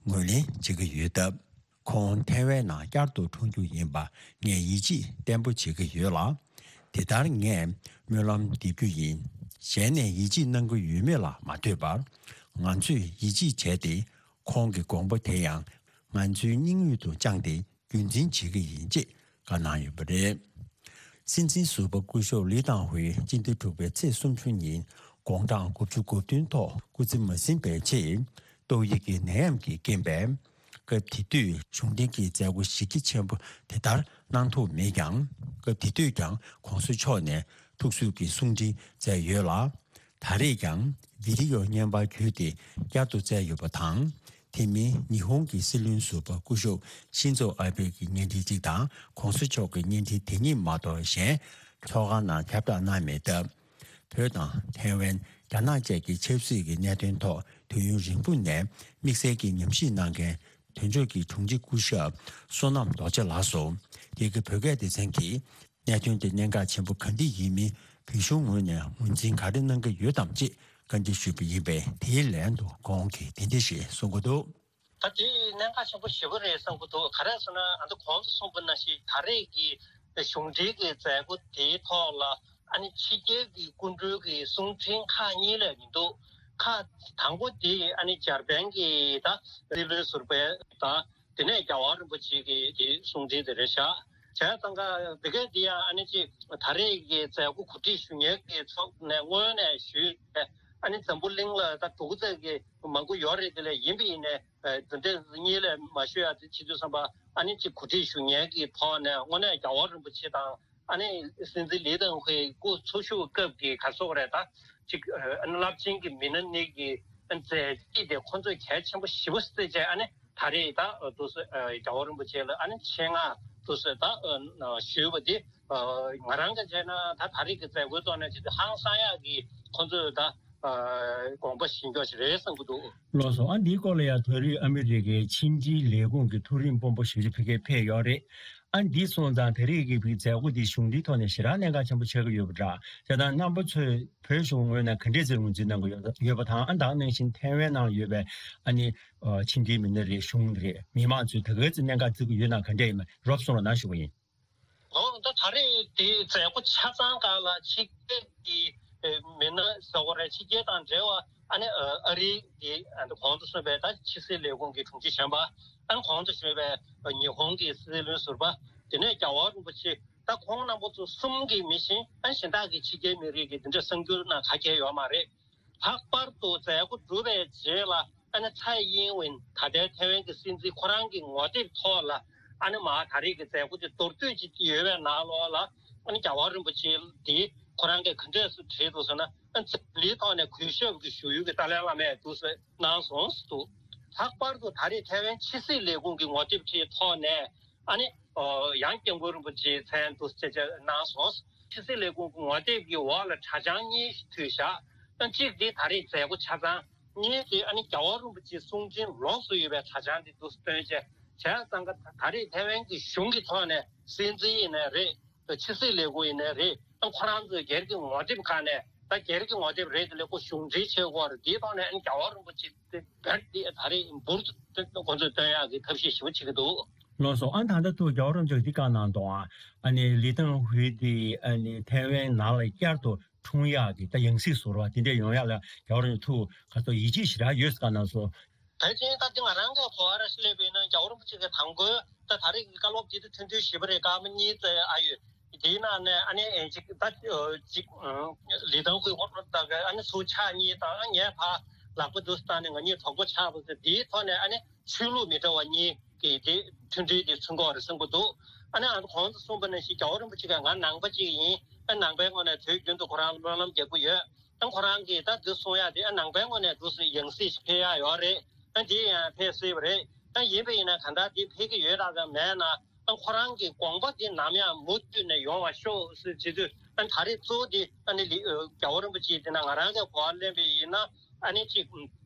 ངོས་ལེན་བྱེད་ཀྱི་ཡོད་སྟབས། ཁོང་ཐའེ་ཝན་ནང་བསྐྱར་དུ་འཁྲུངས་རྒྱུ་ཡིན་པ་ངས་ཡིད་ཆེས་བརྟན་པོ་བྱེད་ཀྱི་ཡོད་ལ། དེ་ལྟར་ངས་སྨོན་ལམ་འདེབས་རྒྱུ་ཡིན། གཞན་ནས་ཡིད་ཆེས་གནང་གི་ཡོད་མེད་ལ་མ་ལྟོས་པར། ང་ཚོས་ཡིད་ཆེས་བྱས་ཏེ། ཁོང་གི་དགོངས་པ་དེ་ཡང་ང་ཚོའི་སྙིང་དབུས་སུ་བཅངས་ཏེ། རྒྱུན་འཛིན་བྱེད་ཀྱི་ཡིན་ཅེས་བཀའ་གནང་ཡོད་པ་རེད། སྲིད་འཛིན་ཟུར་པ་སྐུ་ཞབས་ལི་ཏང་ཧུའེ་སྤྱི་ཟླ་དྲུག་པའི་ཚེས་སུམ་ཅུ་ཉིན་དགུང་གྲངས་དགུ་བཅུ་གོ་བདུན་ཐོག་སྐུ་ཚེ་མ་ཟིན་པའི་ཆེད་ཏོག་དབྱིབས་ཀྱི་ནད་ཡམས་ཀྱི་རྐྱེན་པས། སྐབས་དེ་དུས་གཞུང་འབྲེལ་གྱི་མཛད་སྒོ་གཞི་རྒྱ་ཆེན་པོ་དེ་ལྟར་གནང་ཐུབ་མེད་ཀྱང་། སྐབས་དེ་དུས་ཀྱང་གོང་ས་མཆོག་ནས་ཐུགས་གསོས་ཀྱི་གསུང་འཕྲིན་བསྩལ་ཡོད་ལ། ད་རེས་ཀྱང་བི་ཌི་ཡོ་བརྙན་པར་བརྒྱུད་དེ་བསྐྱར་དུ་བསྩལ་ཡོད་པ་དང་། དེ་མིན་ཉི་ཧོང་གི་སྲིད་བློན་ཟུར་པ་སྐུ་ཞབས་ཤིན་ཛོ་ཨ་བྷེ་གི་བརྙན་འཕྲིན་གཅིག་དང་གོང་ས་མཆོག་གི་བརྙན་འཕྲིན་དེ་གཉིས་མ་གཏོགས་གཞན་ཚོགས་ཁང་ནང་ཁྱབ་བསྒྲགས་གནང་མེད་སྟབས། བོད་དང་ཐའེ་ཝན། རྒྱ་ནག་བཅས་ཀྱི་ཆབ་སྲིད་ཀྱི་གནད་དོན་ཐོག་དུས་ཡུན་རིང་པོ་ནས་དམིགས་བསལ་གྱི་ཉམས་ཞིབ་གནང་མཁན་དོན་གཅོད་ཀྱི་དྲུང་ཆེ་སྐུ་ཞབས་བསོད་ནམས་རྡོ་རྗེ་ལགས་སུ། དེ་གའི་བོད་སྐད་སྡེ་ཚན་གྱིས་གནད་དོན་དེ་གནད་འགག་ཆེན་པོ་ག་འདྲ་ཡིན་མིན་བོད་གཞུང་ངོས་ནས་ངོས་འཛིན་ག་རེ་གནང་གི་ཡོད་དམ་ཅེས་བཀའ་འདྲི་ཞུས་པ་ཡིན་པས། དེའི་ལན་དུ་ཁོང་གིས་དེ་འདྲ་ཞིག་གསུང་གི་འདུག། ད་དེ་གནད་འགག་ཆེན་པོ་ཞེ་པོ་རེད་བསམ་གྱི་འདུག། ག་རེ་ཟེར་ན། ཨ་ནི་གོང་དུ་གསུངས་པ་ནང་བཞིན་ད་རེས་ཀྱི་གཞུང་འབྲེལ་གྱི་མཛད་སྒོ་དེའི་ཐོག་ལ། ཨ་ནི་ཕྱི་རྒྱལ་གྱི་སྐུ་མགྲོན་གྱི་གསུང་འཕྲིན་ཁག་གཉིས་ལས་མི་འདུག། ཁག་དང་པོ་དེ་ཨ་ནི་འཇར་པན་གྱི་ད་སྲིད་བློན་ཟུར་པ་དང་། དེ་ནས་རྒྱལ་བ་རིན་པོ་ཆེ་གི་དེ་གསུང་འཕྲིན་དེ་རེད་ཤག། བྱས་ཙང་ཀ་དེ་གས་དེ་ཡང་ཨ་ནི་ཅིག་ད་རེས་ཀྱི་མཛད་སྒོ་གོ་སྒྲིག་ཞུ་མཁན་གྱི་ཚོགས་ནས་སྔོན་ནས་ཞུས་ཏེ། ཨ་ནི་འཛམ་བུ་གླིང་ལ་ད་འདུག་ཚད་ཀྱི་མང་པོ་ཡོད་རེད། དེ་ལས་ཡིན་པ་ཡིན་ནས། ཨ། འདི་འདྲ་གཉིས་ལས་མ་ཞུ་ཡ་དེ་བྱེད་དུས་ཙམ་པ། ཨ་ནི་ཅིག་གོ་སྒྲིག་ཞུ་མཁན་གྱི་ཐོག་ནས་དངོས་གནས་རྒྱལ་བ་རིན་པོ་ཆེ་དང་། ཨ་ནི་སྲིད་འཛིན་ལི་ཏང་ཧུའེ་སྐུ་འཚོ་བཞུགས་སྐབས་ཀྱི་ག་སོགས་རེད། ད་ཅིག་ཨ་ནི་རླབས་ཆེན་གྱི་མི་སྣ་གཉིས་ཀྱི་མཛད་རྗེས་དེ་ཁོང་ཚོས་གལ་ཆེན་པོ་ཞེ་པོ་བརྩིས་བྱས། ཨ་ནི་ད་རེས་ད་འདུག་སེ་རྒྱལ་བ་རིན་པོ་ཆེ་ལ་ཨ་ནི་ཆེད་མངགས་འདུག་སེ་ད་ཞུས་པ་དེ། ང་རང་གིས་བྱས་ན་ད་ད་རེས་ཀྱི་མཛད་སྒོའི་ཐོག་ནས་ཅིག་ཧང་སང་ཡག་གི་ཁོང་ཚོས་ད་དགོངས་པ་བཞེས་རྒྱུ་ཞིག་རེད་བསམ་གྱི་འདུག། ལགས་སོ། ཨ་འདིའི་སྐོར་ལ་ཡང་ད་རེས་ཨ་མི་རི་ཀའི་ཕྱི་འབྲེལ་ལས་ཁུངས་ཀྱི་མཐོ་རིམ་དཔོན་པོ་ཞིག་ཕ་གིར་ཕེབས་ཡོད་རེད། ཨ་འདི་སོང་ཙང་ད་རེས་ཀྱི་མཛད་སྒོ་འདི་གཞུང་འབྲེལ་ཐོག་ནས་ཞེ་དྲག་གནད་འགག་ཆེན་པོ་ཆགས་ཀྱི་ཡོད་པ་འདྲ། བྱས་ཙང་རྣམ་པ་ཚོས་བོད་གཞུང་ངོས་ནས་ག་འདྲས་ཟེར་ངོས་འཛིན་གནང་གི་ཡོད་ཡོད་པ་དང་། ཨ་ད་ག་ནང་བཞིན་ཐའེ་ཝན་ནང་ཡོད་པའི་ཨ་ནི་ཕྱི་འབྲེལ་མི་སྣ་རེད། གཞུང་རེད། མི་མང་ཚོས་ད་ག་ཚོད་གནད་འགག་བརྩི་གི་ཡོད་ན་ག་འདྲས་ཡིན་མིན་རོབ་གསུང་རོགས་གནང་ཞུ་གི་ཡིན། ཨོ། ད་ད་རེས་དེ་མཛད་སྒོ་ཆ་ཚང་སྒང་ལ་ཕྱི་རྒྱལ་གྱི་མི་སྣ་ཟེར་དགོས་རེད། ཕྱི་རྒྱལ་དང་འབྲེལ་བ། ཨ་ནི་ཨ་རི་གི་ཨ་ནི་གོང་དུ་གསུངས་པའི་ད་ཕྱི་སྲིད་ལས་ཁུངས་ཀྱི་དྲུང་ཆེ་གཞོན་པ། ཨ་ནི་གོང་དུ་ཞུས་པའི་ཉི་ཧོང་གི་སྲིད་བློན་ཟུར་པ། དེ་ནས་རྒྱལ་བ་རིན་པོ་ཆེ། ད་ཁོང་རྣམ་པ་ཚོ་གསུམ་གྱིས་མི་ཤེས། ཨ་ནི་གཞན་དག་གི་ཕྱི་རྒྱལ་མི་རིགས་ཀྱི་དེ་འདྲ་གསར་འགྱུར་ནང་ག་གེ་ཡོད་མ་རེད། ལྷག་པར་དུ་མཛད་སྒོ་གྲུབ་པའི་རྗེས་ལ། ཨ་ནི་ཚའེ་ཡིན་ཝིན་ད་ལྟའི་ཐའེ་ཝན་གྱི་སྲིད་འཛིན་ཁོ་རང་གི་ངོ་དེབ་ཐོག་ལ། ཨ་ནི་མ་ད་རེས་ཀྱི་མཛད་སྒོ་དེ་མདོར་བསྡུས་ཅིག་ཡོད་པའི་ནང་ལོགས་ལ། ཨ་ནི་རྒྱལ་བ་རིན་པོ་ཆེ་དེ་ཁོ་རང་གིས་ག་འདྲས་སེ་བྲིས་འདུག་ཟེར་ན། ཨ་ནི་འཛམ་གླིང་ཐོག་ནས་གུས་ཞབས་ཀྱི་ཞུ་ཡུལ་གྱི་ཏཱ་ལའི་བླ་མས་འདུག་སེ་གནང་སོང་ཟེར་འདུག། ལྷག་པར་དུ་ད་རེས་ཐའེ་ཝན་ཕྱི་སྲིད་ལས་ཁུངས་ཀྱི་ངོ་དེབ་དེའི་ཐོག་ནས། ཨ་ནི་ཨོ། ཡང་སྐྱབས་མགོན་རིན་པོ་ཆེའི་མཚན་དུ་ཆེ་ཆེ་གནང་སོང་། ཕྱི་སྲིད་ལས་ཁུངས་ཀྱི་ངོ་དེབ་ཀྱི་འོག་ལ་དྲ་བྱང་གཉིས་ཤིག་བྲིས་བཞག། ཨ་གཅིག་དེ་ད་རེས་མཛད་སྒོ་ཆ་ཚང་། གཉིས་དེ་ཨ་ནི་རྒྱལ་བ་རིན་པོ་ཆེའི་གསུང་འཕྲིན་ལོགས་སུ་ཡོད་པའི་དྲ་བྱང་དེ་འདུག་སྟོན་བྱས། བྱས་ཙང་ཀ་ད་རེས་ཐའེ་ཝན་གྱི་གཞུང་གི་ཐོག་ནས་སྲིད་འཛིན་ཡིན་ནའི་རེད། ཕྱི་སྲིད་ལས་ཁུངས་ཡིན་ནའི་རེད། ཨ་ཁོ་རང་ཚོའི་སྒེར་གྱི་ངོ་དེབ་ཁག་ནས། ད་སྒེར་གྱི་ངོ་དེབ་རེད། དེ་ལས་ཁོ་གཞུང་འབྲེལ་བྱེད་དགོས་རེད། དེའི་ཐོག་ནས་ཨ་ནི་རྒྱལ་བ་རིན་པོ་ཆེ་དེ་བེད་དེ་ད་རེས་འབུར་དུ་ཁོ་ཚོས་སྟོན་ཡག་གི་ཐབས་ཤེས་ཞེ་པོ་བྱེད་ཀྱི་འདུག། ལགས་སོ། ཨ་ད་ལྟ་ཐུག་རྒྱལ་བ་རིན་པོ་ཆེས་འདི་བཀའ་གནང་འདུག། ཨ་ནི་ལི་ཏང་ཧུའེ་དེ་ཨ་ནི་ཐའེ་ཝན་ནང་ལ་བསྐྱར་དུ་འཁྲུངས་ཡག་གི་ད་ཡང་སྲིད་ཟུར་པ་དེ་འདྲས་ཡོང་ཡག་ལ་རྒྱལ་བ་རིན་པོ་ཆེ་ཐུགས་ཁ་ཐུག་ཡིད་ཆེས་ཞེ་དྲག་ཡོད་ཟེར་བཀའ་གནང་སོང་། ད་ཅིང་ད་འདི་ང་རང་གི་གོ་བ་ར་ཞིག་སླེབས་པ་ཡིན་ན། རྒྱལ་བ་རིན་པོ་ཆེ་གི་དང་པོའི་ད་ད་རེས་ཀྱི་བཀའ་སློབ་དེ་དུས་ཐུང་ཐུང་ཞེ་པོ་རེད། སྐར་མ་གཉིས་ཙམ་ཨ་ཡོད། དེའི་ནང་ནས་ཨ་ནི་ཨེ་ཅིག་ད་ཅིག་ལི་ཏང་ཧུའེ་ཁོ་ད་ག་ཨ་ནི་ཚུར་ཕྱག་གཉིས་དང་། ངས་ཕར་ལག་པ་འདུག་སེ་བཏང་ནས་ང་གཉིས་གྲོགས་པོ་ཆགས་པ་ཟེར། དེའི་ཐོག་ནས་ཨ་ནི་ཆོས་ལུགས་མི་འདྲ་བ་གཉིས་ཀྱི་དེ་མཐུན་སྒྲིལ་དེ་ཚུགས་ཀྱི་ཡོད་རེད་བསམ་གྱི་འདུག། ཨ་ནི་ཨ་ནི་གོང་དུ་གསུངས་པ་ནང་བཞིན་རྒྱལ་བ་རིན་པོ་ཆེ་གིས་ང་ནང་པ་ཅིག་ཡིན། ཨ་ནང་པའི་ངོས་ནས་དུས་རྒྱུན་དུ་ཁོ་རང་སྨོན་ལམ་རྒྱག་གི་ཡོད། ཨ་ཁོ་རང་གིས་ད་འདི་གསུང་ཡག་དེ། ཨ་ནང་པའི་ངོས་ནས་འདུག་སེ་ཡང་སྲིད་ཞིག་ཕེབས་ཡག་ཡོད་རེད། ཨ་འདི་ཡང་ཕེབས་སྲིད་པ་རེད། ཨ་ཡིན་པ་ཡིན་ན་གང་ལྟར་འདི་ཕེབས་ཀྱི་ཡོད་ར་ག་མེད་ན། ཨ་ཁོ་རང་གི་དགོངས་པ་འདི་ནམ་ཡང་མུ་མཐུད་ནས་ཡོང་བ་ཤོག་ཟེར་བྱེད་དུས། ཨ་ད་རེས་གཙོ་བོ་འདི་ཨ་ནི་ལི་ཨ་རྒྱལ་བ་རིན་པོ་ཆེ་འདི་ན་ང་རང་གི་གོ་བ་ལེན་པ་ཡིན་ན། ཨ་ནི་གཅིག་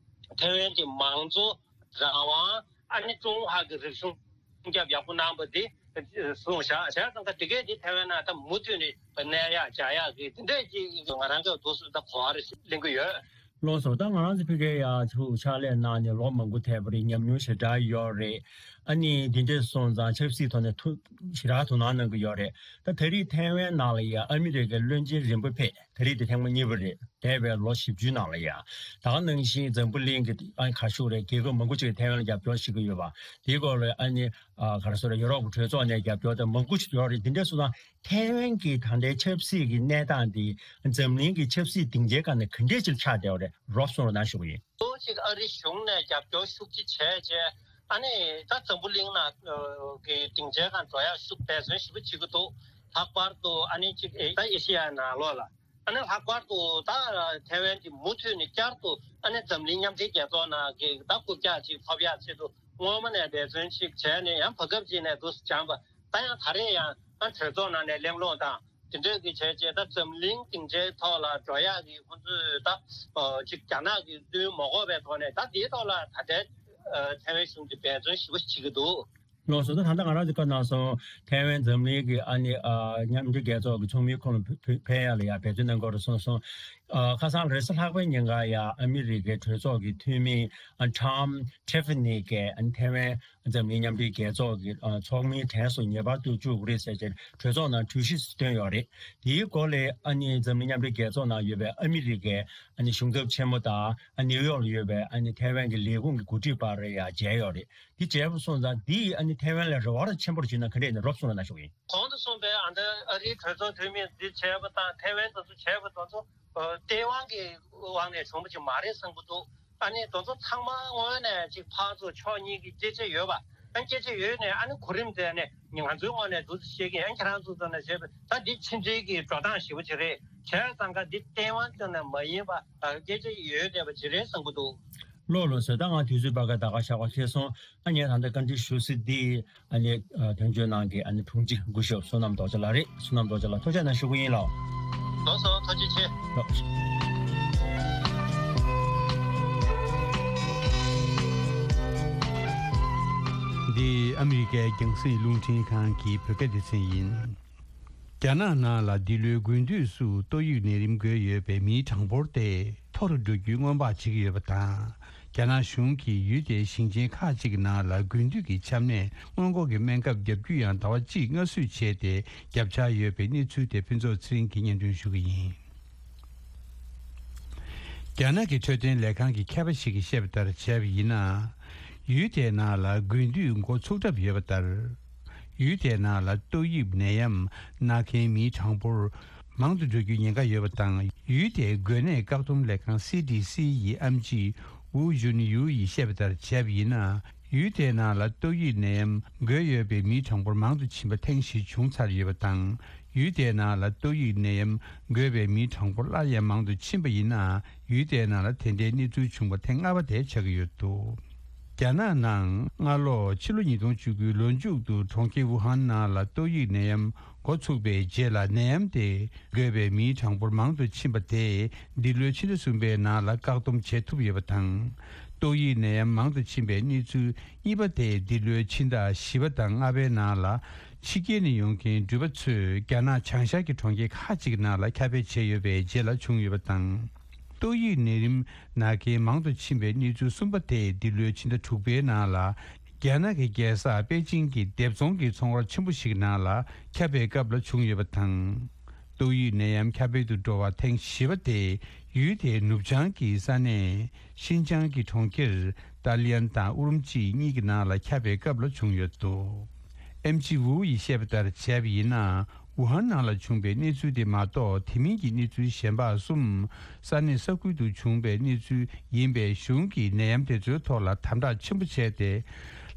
ཐའེ་ཝན་གྱི་མང་གཙོ། རང་དབང་། ཨ་ནི་ཀྲུང་ཧྭ་གི་རིག་གཞུང་སྲུང་སྐྱོབ་ཡག་པོ་གནང་བ་འདི་གསུངས་བཞག། བྱས་ཙང་ཀ་དེ་གས་འདི་ཐའེ་ཝན་ནང་ད་མུ་མཐུད་ནས་གནས་ཡག་བྱ་ཡག་གི་དེ་འདྲས་ཅིག་ང་རང་གི་འདུག་སེ་ད་གོ་བ་རེ་ཞིག་ལེན་གྱི་ཡོད། ལགས་སོ། ད་ང་རང་ཚོ་ཕ་གིར་ཡ་ཕྱག་ལས་གནང་ནས་ལོ་མང་པོ་ཐལ་བ་རེད། ཉམས་མྱོང་ཞེ་དྲག་ཡོད་རེད། ཨ་ནི་འདི་འདྲས་སོང་ཙང་ཆབ་སྲིད་ཐོག་ནས་ཐུགས་ཞེ་དྲག་དོ་སྣང་གནང་གི་ཡོད་རེད། ད་ད་རེས་ཐའེ་ཝན་ནང་ལ་ཡ་ཨ་མི་རི་ཀའི་བློན་ཆེན་རིམ་པ་ཕེབས། ད་རེས་དེ་ཐེངས་མ་གཉིས་པ་རེད། འདས་པའི་ལོ་བཞི་བཅུའི་ནང་ལ་ཡ། ད་ག་ནང་བཞིན་འཛམ་བུ་གླིང་གི་ཨ་ནི་ག་ཞུ་རེད། རྒྱལ་ཁབ་མང་པོ་ཅིག་གིས་ཐའེ་ཝན་ལ་རྒྱབ་སྐྱོར་བྱེད་ཀྱི་ཡོད་པ། དེའི་སྐོར་ལ་ཨ་ནི་ཨ་ག་རེ་ཟེར། ཡུ་རོབ་ཀྱི་གྲོས་ཚོགས་ནས་རྒྱབ་སྐྱོར་དེ་མང་པོ་ཞིག་ཡོད་རེད། འདི་འདྲས་སོང་ཙང་ཐའེ་ཝན་གྱི་ད་ལྟའི་ཆབ་སྲིད་ཀྱི་གནས་སྟངས་འདི་འཛམ་གླིང་གི་ཆབ་སྲིད་སྡིངས་ཆའི་སྒང་ནས་ག་འདྲས་ཅིག་ཆགས་བསྡད་པ་རེད། རོབ་གསུང་རོགས་གནང་ཞུ་གི་ཡིན། གཙོ་བོ་གཅིག་ཨ་རི་གཞུང་ནས་རྒྱབ་སྐྱོར་ཤུགས་ཆེ་བྱས་བྱས། ཨ་ནི་ད་འཛམ་བུ་གླིང་ནང་གི་སྡིངས་ཆའི་སྒང་འགྲོ་ཡག་ཤུགས་འབད་བརྩོན་ཞེ་པོ་བྱེད་ཀྱི་འདུག། ལྷག་པར་དུ་ཨ་ནི་གཅིག་ཨེ་ད་ཨེ་ཤི་ཡའི་ནང་ལོགས་ལ། ཨ་ནི་ལྷག་པར་དུ་ད་ཐའེ་ཝན་གྱི་མུ་མཐུད་ནས་བསྐྱར་དུ་ཨ་ནི་འཛམ་གླིང་མཉམ་འབྲེལ་རྒྱལ་ཚོགས་ནང་གི་ད་རྐུབ་བཀྱག་ཅིག་ཐོབ་ཡག་ཆེད་དུ་སྔོན་མ་ནས་འབད་བརྩོན་ཅིག་བྱས་ནས་ཡང་བར་སྐབས་ཅིག་ནས་འདུག་སེ་སྦྱངས་པ། ད་ཡང་ད་རེས་ཡང་ཨ་གྲོས་ཚོགས་ནང་ནས་གླེང་སློང་དང་དེ་འདྲ་གི་བྱས་རྗེས་ད་འཛམ་གླིང་སྡིངས་ཆའི་ཐོག་ལ་འགྲོ་ཡག་གི་ཁོང་ཚོས་ད་ཅིག་རྒྱ་ནག་གི་བཙུན་མ་དགོས་པའི་ཐོག་ནས་ད་དེའི་ཐོག་ལ་ད་ལྟའི་ཐའེ་ཝན་གཞུང་གིས་འབད་བརྩོན་ཞེ་པོ་བྱེད་ཀྱི་འདུག། ལགས་སོ། ད་ད་ལྟ་ང་རང་ཚོ་བཀའ་གནང་སོང་། ཐའེ་ཝན་འཛམ་གླིང་གི་ཨ་ནི་ཨ་མཉམ་འབྲེལ་རྒྱལ་ཚོགས་ཀྱི་ཚོགས་མིའི་ཁོངས་ལ་ཕེ་ཕེ་ཕེབས་ཡག་ལ་ཡང་འབད་བརྩོན་གནང་དགོས་རེད་གསུངས་སོང་། ཨ་ཁ་སང་རེས་གཟའ་ལྷག་པའི་ཉིན་ཀ་ཡང་ཨ་མི་རི་ཀའི་གྲོས་ཚོགས་ཀྱི་འཐུས་མི་ཨ་Tom Tiffany་གིས་ཨ་ནི་ཐའེ་ཝན་འཛམ་གླིང་མཉམ་འབྲེལ་རྒྱལ་ཚོགས་ཀྱི་ཨ་ཚོགས་མིའི་གྲས་སུ་ངེས་པར་དུ་བཅུག་དགོས་རེད་ཟེར་བྱས་གྲོས་ཚོགས་ནང་གྲོས་གཞི་བཏོན་ཡོད་རེད། དེའི་སྐོར་ལ་ཨ་ནི་འཛམ་གླིང་མཉམ་འབྲེལ་རྒྱལ་ཚོགས་ནང་ཡོད་པའི་ཨ་མི་རི་ཀའི་ཨ་ནི་གཞུང་ཚབ་ཆེན་མོ་དང་ཨ་ནིའུ་ཡོག་ལ་ཡོད་པའི་ཨ་ནི་ཐའེ་ཝན་གྱི་ལས་ཁུངས་ཀྱི་འགོ་ཁྲིད་བར་ཡང་མཇལ་ཡོད་རེད། འདི་བྱས་པ་སོང་ཙང་འདིས་ཨ་ནི་ཐའེ་ཝན་ལ་རེ་བ་ར་ཆེན་པོར་བྱུང་ན་ག་འདྲས་ཡིན་ན་རོབ་གསུངས་རོགས་གནང་ཞུ་གི་ཡིན། གོང་དུ་གསུངས་པའི་ཨ་ནི་ཨ་རིའི་གྲོས་ཚོགས་འཐུས་མིས་འདི་བྱས་པ་དང་ཐའེ་ཝན་དེ་ཚོ་བྱས་པ་དེ་ཚོ་ཨ་ལྟེ་བ་གི་དབང་ནས་བྱུང་བ་ཅིག་མ་རེད་བསམ་གྱི་འདུག། ཨ་ནི་དེ་ཚོ་ཚང་མ་དངོས་གནས་ཅིག་ཕར་ཚུར་ཕྱོགས་གཉིས་ཀྱི་སྐད་ཆ་ཡོད་པ། ཨ་སྐད་ཆ་ཡོད་ནས་ཨ་ནི་གོ་རིམ་བསྡད་ནས་ང་ཚོའི་ངོས་ནས་འདུག་སེ་བཤད་ཀྱི། ཨ་ཁྱེད་རང་ཚོ་ཚོ་ནས་བྱས་པ་ད་འདི་ཕྱི་འབྲེལ་གྱི་འགྲོ་སྟངས་ཞེ་པོ་ཅིག་རེད། བྱས་ཙང་ཀ་འདི་ལྟེ་བ་ཙམ་ནས་མ་ཡིན་པ་སྐད་ཆ་ཡོད་བསྡད་པ་ཅིག་རེད་བསམ་གྱི་འདུག། ལགས་ལགས་སོ། ད་ང་དུས་ཚོད་ཕར་ཁ་ད་ག་ཞག་པ་སླེབས་སོང་། ཨ་ངས་ད་ལྟ་བཀའ་འདྲི་ཞུ་སྲིད་འདི་ཨ་ནི་ཨ་དོན་གཅོད་ནང་གི་ཨ་ནི་དྲུང་ཆེ་སྐུ་ཞབས་བསོད་ནམས་རྡོ་རྗེ་ལགས་རེད། བསོད་ནམས་རྡོ་རྗེ་ལགས་ཐུགས་རྗེ་གནང་ཞུ་གི་ཡིན་ལགས། ལགས་སོ་ཐུགས་རྗེ་ཆེ། ལགས། འདི་ཨ་མི་རི་ཀའི་རྒྱང་སྲིང་རླུང་འཕྲིན་ཁང་གི་བོད་སྐད་སྡེ་ཚན་ཡིན། རྒྱ་ནག་ནང་ལ་འདི་ལོའི་དགུན་དུས་སུ་ཏོག་དབྱིབས་ནད་རིམས་འགོས་ཡོད་པའི་མིའི་གྲངས་འབོར་དེ་མཐོ་རུ་འགྲོ་རྒྱུའི་སྔོན་དཔག་བྱེད་ཀྱི་ཡོད་པ་དང་། རྒྱ་ནག་གཞུང་གིས་ཡུལ་དེའི་ཞིང་ཆེན་ཁག་ཅིག་གི་ནང་ལ་དགུན་དུས་ཀྱི་ཆམ་ནད་སྔོན་འགོག་གི་སྨན་ཁབ་བརྒྱབ་རྒྱུ་ཡང་ཟླ་བ་གཅིག་སྔ་བསུས་བྱས་ཏེ་བརྒྱབ་འཆར་ཡོད་པའི་གནས་ཚུལ་དེ་ཕུན་ཚོགས་ཚེ་རིང་གིས་སྙན་སྒྲོན་ཞུ་གི་ཡིན། རྒྱ་ནག་གི་འཕྲོད་བསྟེན་ལས་ཁང་གི་མཁས་པ་ཞིག་གིས་བཤད་པ་ལྟར་བྱས་པ་ཡིན་ན། ཡུལ་དེའི་ནང་ལ་དགུན་དུས་འགོ་ཚུགས་གྲབས་ཡོད་པ་ལྟར། ཡུལ་དེའི་ནང་ལ་ཏོག་དབྱིབས་ནད་ཡམས་ན་མཁན་མིའི་གྲངས་འབོར་མང་དུ་འགྲོ་རྒྱུའི་ཉེན་ཁ་ཡོད་པ་དང་། ཡུལ་དེའི་འགོས་ནད་བཀག་སྡོམ་ལས་ཁང་སི་ཌི་སི་ཡི་ཨེམ་ཆི་ཝུའུ་ཞུན་ཡུའུ་ཡིས་བཤད་པ་ལྟར་བྱས་པ་ཡིན་ན། ཡུལ་དེའི་ནང་ལ་ཏོག་དབྱིབས་ནད་ཡམས་འགོས་ཡོད་པའི་མིའི་གྲངས་འབོར་མང་དུ་ཕྱིན་པ་ཐེངས་བཞི་བྱུང་ཚར་ཡོད་པ་དང་། ཡུལ་དེའི་ནང་ལ་ཏོག་དབྱིབས་ནད་ཡམས་འགོས་པའི་མིའི་གྲངས་འབོར་སླར་ཡང་མང་དུ་ཕྱིན་པ་ཡིན་ན། ཡུལ་དེའི་ནང་ལ་དེ་འདྲའི་གནས་ཚུལ་བྱུང་བ་ཐེངས་ལྔ་པ་དེ་ཆགས་ཀྱི་ཡོད་འདུག། རྒྱ་ནག་ནང་སྔ་ལོ་ཕྱི་ལོ་ཉིས་སྟོང་བཅུ་དགུའི་ལོ་མཇུག་ཏུ་གྲོང་ཁྱེར་ཝུ་ཧན་ནང་ལ་ཏོག་དབྱིབས་ནད་ཡམས་འགོ་ཚུགས་པའི་རྗེས་ལ་ནད་ཡམས་དེ་འགོས་པའི་མིའི་གྲངས་འབོར་མང་དུ་ཕྱིན་པ་དེས་འདི་ལོའི་ཕྱི་ཟླ་གསུམ་པའི་ནང་ལ་བཀག་སྡོམ་བྱེད་ཐུབ་ཡོད་པ་དང་། ཏོག་དབྱིབས་ནད་ཡམས་མང་དུ་ཕྱིན་པའི་གནས་ཚུལ་གཉིས་པ་དེ་འདི་ལོའི་ཕྱི་ཟླ་བཞི་པ་དང་ལྔ་པའི་ནང་ལ་ཕྱི་རྒྱལ་ནས་ཡོང་མཁན་འགྲུལ་པ་ཚོས་རྒྱ་ནག་བྱང་ཤར་གྱི་གྲོང་ཁྱེར་ཁག་ཅིག་ནང་ལ་ཁྱབ་སྤེལ་བྱས་ཡོད་པའི་རྗེས་ལ་བྱུང་ཡོད་པ་དང་། ཏོག་དབྱིབས་ནད་རིམས་ན་མཁན་མང་དུ་ཕྱིན་པའི་གནས་ཚུལ་གསུམ་པ་དེ་འདི་ལོའི་ཕྱི་ཟླ་དྲུག་པའི་ནང་ལ་རྒྱ་ནག་གི་རྒྱལ་ས་པེ་ཅིང་གི་སྡེབ་ཚོང་གི་ཚོང་ར་ཆེན་པོ་ཞིག་ནང་ལ་ཁྱབ་པའི་སྐབས་ལ་བྱུང་ཡོད་པ་དང་། ཏོག་དབྱིབས་ནད་ཡམས་ཁྱབ་སྤེལ་དུ་འགྲོ་བ་ཐེངས་བཞི་པ་དེ་ཡུལ་དེའི་ནུབ་བྱང་གི་ས་གནས་ཤིན་ཅང་གི་གྲོང་ཁྱེར་ཏཱ་ལི་ཡན་དང་ཨུ་རུམ་ཅི་གཉིས་ཀྱི་ནང་ལ་ཁྱབ་པའི་སྐབས་ལ་བྱུང་ཡོད་འདུག། ཨེམ་ཆི་ཝུའུ་ཡིས་བཤད་པ་ལྟར་བྱས་པ་ཡིན་ན། ཝུ་ཧན་ནང་ལ་བྱུང་པའི་གནས་ཚུལ་དེ་མ་གཏོགས་དེ་མིན་གྱི་གནས་ཚུལ་གཞན་པ་གསུམ་ས་གནས་ས་ཁུལ་དུ་བྱུང་པའི་གནས་ཚུལ་ཡིན་པས་གཞུང་གིས་ནད་ཡམས་དེ་ཚོའི་ཐོག་ལ་དམ་དྲག་ཆེན་པོ་བྱས་ཏེ་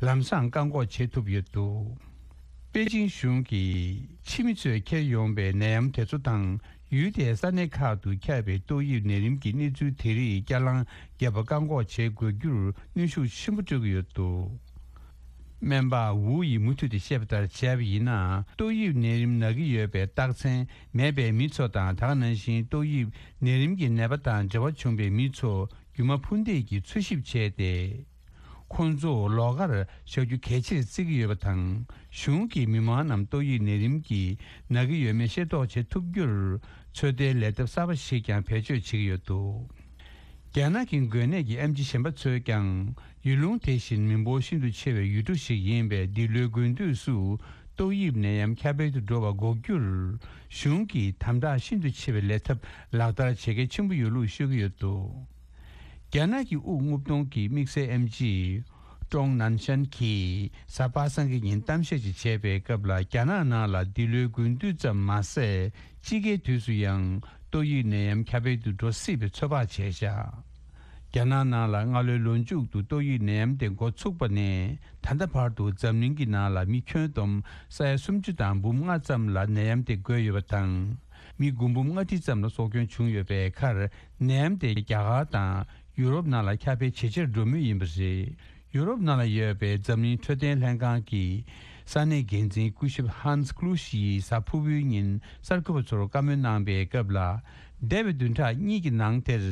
ལམ་སང་བཀག་འགོག་བྱེད་ཐུབ་ཡོད་འདུག། པེ་ཅིང་གཞུང་གིས་ཕྱི་མི་ཚོས་འཁྱེར་ཡོང་པའི་ནད་ཡམས་དེ་ཚོ་དང་ཡུལ་དེའི་ས་གནས་ཁག་ཏུ་ཁྱབ་པའི་ཏོག་དབྱིབས་ནད་རིམས་ཀྱི་གནས་ཚུལ་དེ་རིགས་བསྐྱར་ལངས་བརྒྱབ་པ་བཀག་འགོག་བྱེད་དགོས་རྒྱུར་གནོན་ཤུགས་ཆེན་པོ་སྤྲོད་ཀྱི་ཡོད་འདུག། སྨན་པ་ཝུའུ་ཡིས་མུ་མཐུད་དེ་བཤད་པ་ལྟར་བྱས་པ་ཡིན་ན། ཏོག་དབྱིབས་ནད་རིམས་ན་གི་ཡོད་པའི་རྟགས་མཚན་མེད་པའི་མི་ཚོ་དང་། ད་ག་ནང་བཞིན་ཏོག་དབྱིབས་ནད་རིམས་ཀྱི་ནད་པ་དང་འབྲེལ་བ་བྱུང་པའི་མི་ཚོ་རྒྱུ་མ་འཕུར་མདེལ་གྱིས་འཚོལ་ཞིབ་བྱས་ཏེ། ཁོང་ཚོ་ལོགས་ཀར་བཞག་རྒྱུ་གལ་ཆེར་བརྩི་གི་ཡོད་པ་དང་། གཞུང་གིས་མི་མང་རྣམས་ཏོག་དབྱིབས་ནད་རིམས་ཀྱིས་ན་གི་ཡོད་མེད་ཤེས་རྟོགས་བྱེད་ཐུབ་རྒྱུར་ཚོད་ལྟའི་ལས་སྟབས་གསར་པ་ཞིག་ཀྱང་བེད་སྤྱོད་བྱེད་ཀྱི་ཡོད་འདུག། རྒྱ་ནག་གི་འགོས་ནད་ཀྱི་ཨེམ་ཆི་གཞན་པ་ཚོས་ཀྱང་ཡུལ་ལུང་དེ་བཞིན་མི་འབོར་ཤིན་ཏུ་ཆེ་བའི་ཡུལ་གྲུ་ཞིག་ཡིན་པས། འདི་ལོའི་དགུན་དུས་སུ་ཏོག་དབྱིབས་ནད་ཡམས་ཁྱབ་སྤེལ་དུ་འགྲོ་བ་འགོག་རྒྱུར་གཞུང་གིས་དམ་དྲག་ཤིན་ཏུ་ཆེ་བའི་ལས་ཐབས་ལག་བསྟར་བྱེད་གལ་ཆེན་པོ་ཡོད་ལུགས་ཤོད་ཀྱི་ཡོད་འདུག། རྒྱ་ནག་གི་དབུགས་རྔུབ་གཏོང་གི་དམིགས་བསལ་ཨེམ་ཆི་ཀྲོང་ནན་ཤན་གྱིས་གཟའ་པ་སངས་ཀྱི་ཉིན་གཏམ་བཤད་ཅིག་བྱས་པའི་སྐབས་ལ། རྒྱ་ནག་ནང་ལ་འདི་ལོའི་དགུན་དུས་ཙམ་མ་ཟད་དཔྱིད་ཀའི་དུས་སུ་ཡང་ཏོག་དབྱིབས་ནད་ཡམས་ཁྱབ་སྤེལ་དུ་འགྲོ་སྲིད་པའི་ཚོད་དཔག་བྱས་བཞག། རྒྱ་ནག་ནང་ལ་སྔ་ལོའི་ལོ་མཇུག་ཏུ་ཏོག་དབྱིབས་ནད་ཡམས་དེ་འགོ་ཚུགས་པ་ནས་ད་ལྟ་བར་དུ་འཛམ་གླིང་གི་ནང་ལ་མི་ཁྱོན་བསྡོམས་ས་ཡ་སུམ་ཅུ་དང་འབུམ་ལྔ་ཙམ་ལ་ནད་ཡམས་དེ་འགོས་ཡོད་པ་དང་། མི་དགུ་འབུམ་ལྔ་ཁྲི་ཙམ་ལ་སྲོག་སྐྱོན་བྱུང་ཡོད་པའི་ཁར། ནད་ཡམས་དེ་རྒྱ་གར་དང་ཡུ་རོབ་ནང་ལ་ཁྱབ་སྤེལ་ཇེ་ཆེར་འགྲོ་མུས་ཡིན་པ་རེད། ཡུ་རོབ་ནང་ལ་ཡོད་པའི་འཛམ་གླིང་འཕྲོད་བསྟེན་ལྷན་ཁང་གི་ས་གནས་འགན་འཛིན་སྐུ་ཞབས་ཧན་སི་ཀླུ་ཤི་ཡིས་གཟའ་ཕུར་བུའི་ཉིན་གསར་འགོད་པ་ཚོར་བཀའ་མོལ་གནང་པའི་སྐབས་ལ། འདས་པའི་བདུན་ཕྲག་གཉིས་ཀྱི་ནང་དེར།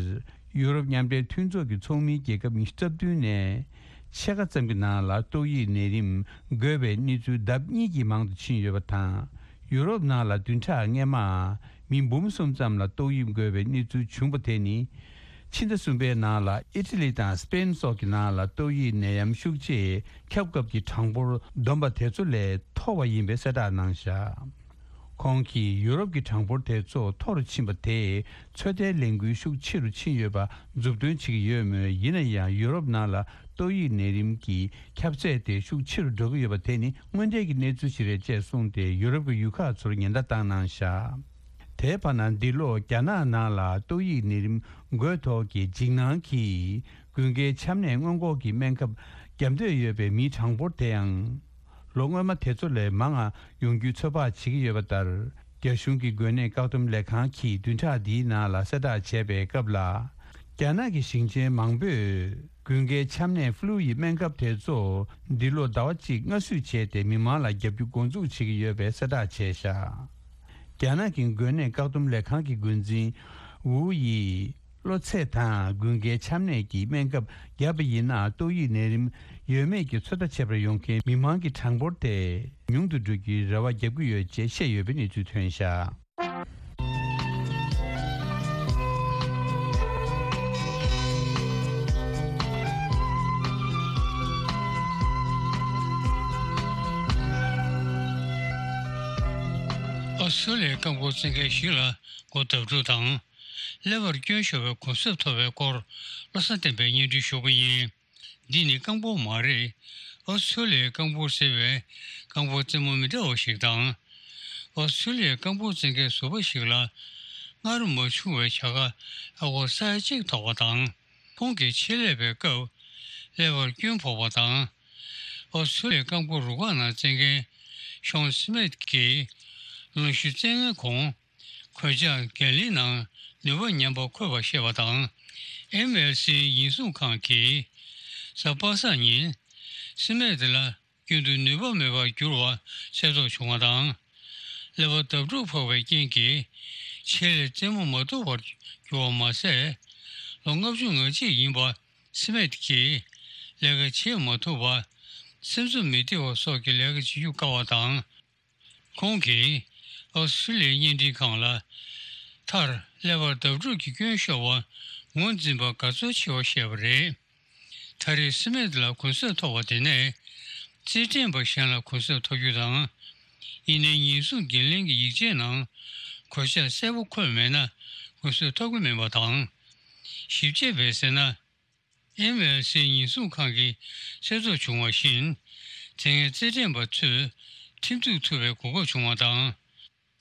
ཡུ་རོབ་མཉམ་འབྲེལ་མཐུན་ཚོགས་ཀྱི་ཚོགས་མི་རྒྱལ་ཁབ་ཉི་ཤུ་རྩ་བདུན་ནས། ཕྱེད་ཀ་ཙམ་གྱི་ནང་ལ་ཏོག་དབྱིབས་ནད་རིམས་འགོས་པའི་གནས་ཚུལ་ལྡབ་གཉིས་ཀྱིས་མང་དུ་ཕྱིན་ཡོད་པ་དང་། ཡུ་རོབ་ནང་ལ་བདུན་ཕྲག་སྔོན་མ་མི་འབུམ་གསུམ་ཙམ་ལ་ཏོག་དབྱིབས་འགོས་པའི་གནས་ཚུལ་བྱུང་པ་དེ་ནི། ཕྱི་ཟླ་གསུམ་པའི་ནང་ལ་ཨི་ཊ་ལི་དང་སི་པེན་སོགས་ཀྱི་ནང་ལ་ཏོག་དབྱིབས་ནད་ཡམས་ཤུགས་ཆེ་ཁྱབ་སྐབས་ཀྱི་གྲངས་འབོར་བསྡོམས་པ་དེ་ཚོ་ལས་མཐོ་བ་ཡིན་པའི་གསལ་བསྒྲགས་གནང་བཞག་ཁོང་གིས་ཡུ་རོབ་ཀྱི་གྲངས་འབོར་དེ་ཚོ་མཐོ་རུ་ཕྱིན་པ་དེས་ཚོད་ལྟའི་ལས་འགུལ་ཤུགས་ཆེ་རུ་ཕྱིན་ཡོད་པ་མཛུབ་སྟོན་བྱེད་ཀྱི་ཡོད་མོད། ཡིན་ན་ཡང་ཡུ་རོབ་ནང་ལ་ཏོག་དབྱིབས་ནད་རིམས་ཀྱི་ཁྱབ་ཚད་དེ་ཤུགས་ཆེ་རུ་འགྲོ་གི་ཡོད་པ་དེ་ནི་དངོས་འབྲེལ་གྱི་གནས་ཚུལ་ཞིག་རེད་ཅེས་གསུངས་ཏེ། ཡུ་རོབ་ཀྱི་ཡུལ་ཁག་ཚོར་ཉེན་བརྡ་བཏང་གནང་བཞག་དེའི་བར་ན། འདི་ལོ་རྒྱ་ནག་ནང་ལ་ཏོག་དབྱིབས་ནད་རིམས་འགོས་ཐོག་གི་འཇིགས་སྣང་གིས་དགུན་ཁའི་ཆམ་ནད་སྔོན་འགོག་གི་སྨན་ཁབ་བརྒྱབ་འདོད་ཡོད་པའི་མིའི་གྲངས་འབོར་དེའང་། ལོ་སྔོན་མ་དེ་ཚོ་ལས་མང་ང་ཡོང་རྒྱུའི་ཚོད་དཔག་བྱེད་ཀྱི་ཡོད་པ་ལྟར། རྒྱ་གཞུང་གི་འགོས་ནད་བཀག་སྡོམ་ལས་ཁང་གིས་བདུན་ཕྲག་འདིའི་ནང་ལ་གསལ་བསྒྲགས་བྱས་པའི་སྐབས་ལ། རྒྱ་ནག་གི་ཞིང་ཆེན་མང་པོས་དགུན་ཁའི་ཆམ་ནད་ཧྥུ་ལུ་ཡི་སྨན་ཁབ་དེ་ཚོ་འདི་ལོ་ཟླ་བ་གཅིག་སྔ་བསུས་བྱས་ཏེ། མི་མང་ལ་བརྒྱབ་རྒྱུ་འགོ་འཛུགས་བྱེད་ཀྱི་ཡོད་པའི་གསལ་བསྒྲགས་བྱས་བཞག་རྒྱ་ནག་གི་འགོས་ནད་བཀག་སྡོམ་ལས་ཁང་གི་འགོ་འཛིན་ཝུའུ་ཡིས། གློ་ཚད་དང་དགུན་ཁའི་ཆམ་ནད་ཀྱི་སྨན་ཁབ་བརྒྱབ་པ་ཡིན་ན། ཏོག་དབྱིབས་ནད་རིམས་ཡོད་མེད་ཀྱི་ཚོད་ལྟ་བྱེད་པར་ཡོང་མཁན་མི་མང་གི་གྲངས་འབོར་དེ་ཉུང་དུ་འགྲོ་རྒྱུའི་རེ་བ་བརྒྱབ་ཀྱི་ཡོད་ཅེས་བཤད་ཡོད་པའི་གནས་ཚུལ་ཐོན་བཞག་ཨོ་སི་ཀྲོ་ལི་ཡའི་རྐང་འཁོར་བཙན་མཁན་ཞིག་ལ་སྒོ་བརྡབ་འཁྲུག་དང་། ཀླད་པར་སྐྱོན་ཤོར་བའི་གུང་གསེབ་ཐོབ་པའི་སྐོར་བློ་བཟང་བསྟན་པས་སྙན་སྒྲོན་ཞུ་གི་ཡིན། འདི་ནི་རྐང་འཁོར་མ་རེད། ཨོ་སི་ཀྲོ་ལི་ཡའི་རྐང་འཁོར་ཟེར་བའི་རྐང་འཁོར་རྩེད་མོ་མི་འདྲ་བ་ཞིག་དང་། ཨོ་སི་ཀྲོ་ལི་ཡའི་རྐང་འཁོར་རྩེད་མཁན་ཟུར་པ་ཞིག་ལ་སྔར་མ་བྱུང་བའི་བྱ་དགའ་ཨ་སྒོར་ས་ཡ་གཅིག་ཐོབ་པ་དང་། ཁོང་གིས་ཆེད་ལས་པའི་སྐབས་ཀླད་པར་སྐྱོན་ཕོག་པ་དང་། ཨོ་སི་ཀྲོ་ལི་ཡའི་རྐང་འཁོར་རུ་ཁག་ནང་རྩེད་མཁན་ཤོན་སི་མིད་ཀྱིས་ལོ་བཞི་རྩེད་མཁན་ཁོང་གོད་ཆག་འགན་ལེན་ནང་ནུས་པ་ཉམས་པ་འཁོད་པ་བཤད་པ་དང་། ཨེམ་ཨེལ་སི་ཉེན་སྲུང་ཁང་གིས་གཟའ་པ་སངས་ཉིན་སི་མིད་ལ་རྒྱུན་དུ་ནུས་པ་མེད་པར་གྱུར་བ་གསལ་རྟོགས་བྱུང་བ་དང་། ཀླད་པ་བརྡབ་འཁྲུག་ཕོག་པའི་རྐྱེན་གྱིས་ཆེད་ལས་རྩེད་མོ་མ་ཐུབ་པར་གྱུར་བ་མ་ཟད། ལོ་ལྔ་བཅུ་ང་གཅིག་ཡིན་པ་སི་མིད་ཀྱིས་ལས་ཀ་བྱེད་མ་ཐུབ་པ། སེམས་ཚོར་མི་བདེ་བ་སོགས་ཀྱི་ལས་ཀ་བྱེད་རྒྱུ་དཀའ་བ་དང་། ཁོང་གིས་ཨོ་སི་ཀྲོ་ལི་ཡའི་བརྙན་འཕྲིན་ཁང་ལ། མཐར་ཀླད་པར་བརྡབ་འཁྲུག་གི་སྐྱོན་ཤོར་བ་ངོས་འཛིན་པར་དགའ་ཚོར་ཆེ་བ་བཤད་པ་རེད། ད་རེས་སི་མིད་ལ་གུང་གསེབ་ཐོབ་པ་དེ་ནས་རྩེད་འགྲན་པ་གཞན་ལ་གུང་གསེབ་ཐོབ་རྒྱུ་དང་། ཡིན་ནའི་ཉེན་སྲུང་འགན་ལེན་གྱི་ཡིག་ཆའི་ནང་གོད་ཆག་གསལ་པོ་འཁོད་མེད་ན་གུང་གསེབ་ཐོབ་ཀྱི་མིན་པ་དང་། ཞིབ་དཔྱད་པས་ཟེར་ན། ཨེམ་ཨེལ་སི་ཉེན་སྲུང་ཁང་གིས་གསལ་རྟོགས་བྱུང་བ་བཞིན། དེ་སྔའི་རྩེད་འགྲན་པ་ཚོས་ཁྲིམས་གཏུག་ཐུབ་པའི་གོ་སྐབས་བྱུང་བ་དང་།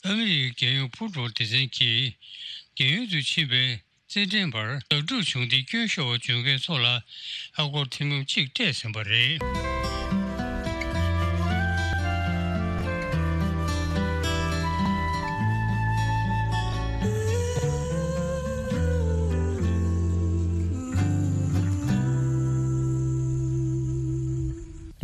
ཨ་མི་རི་ཀའི་རྒྱལ་ཡོངས་ཕུཊ་བྷོལ་སྡེ་ཚན་གྱིས་རྒྱལ་ཡོངས་སུ་ཕྱིན་པའི་རྩེད་འགྲན་པར་བརྡབ་འཁྲུག་བྱུང་སྟེ་སྐྱོན་ཤོར་བ་བྱུང་མཁན་ཚོ་ལ་ཨ་སྒོར་ཐེར་འབུམ་གཅིག་སྤྲད་ཟིན་པ་རེད།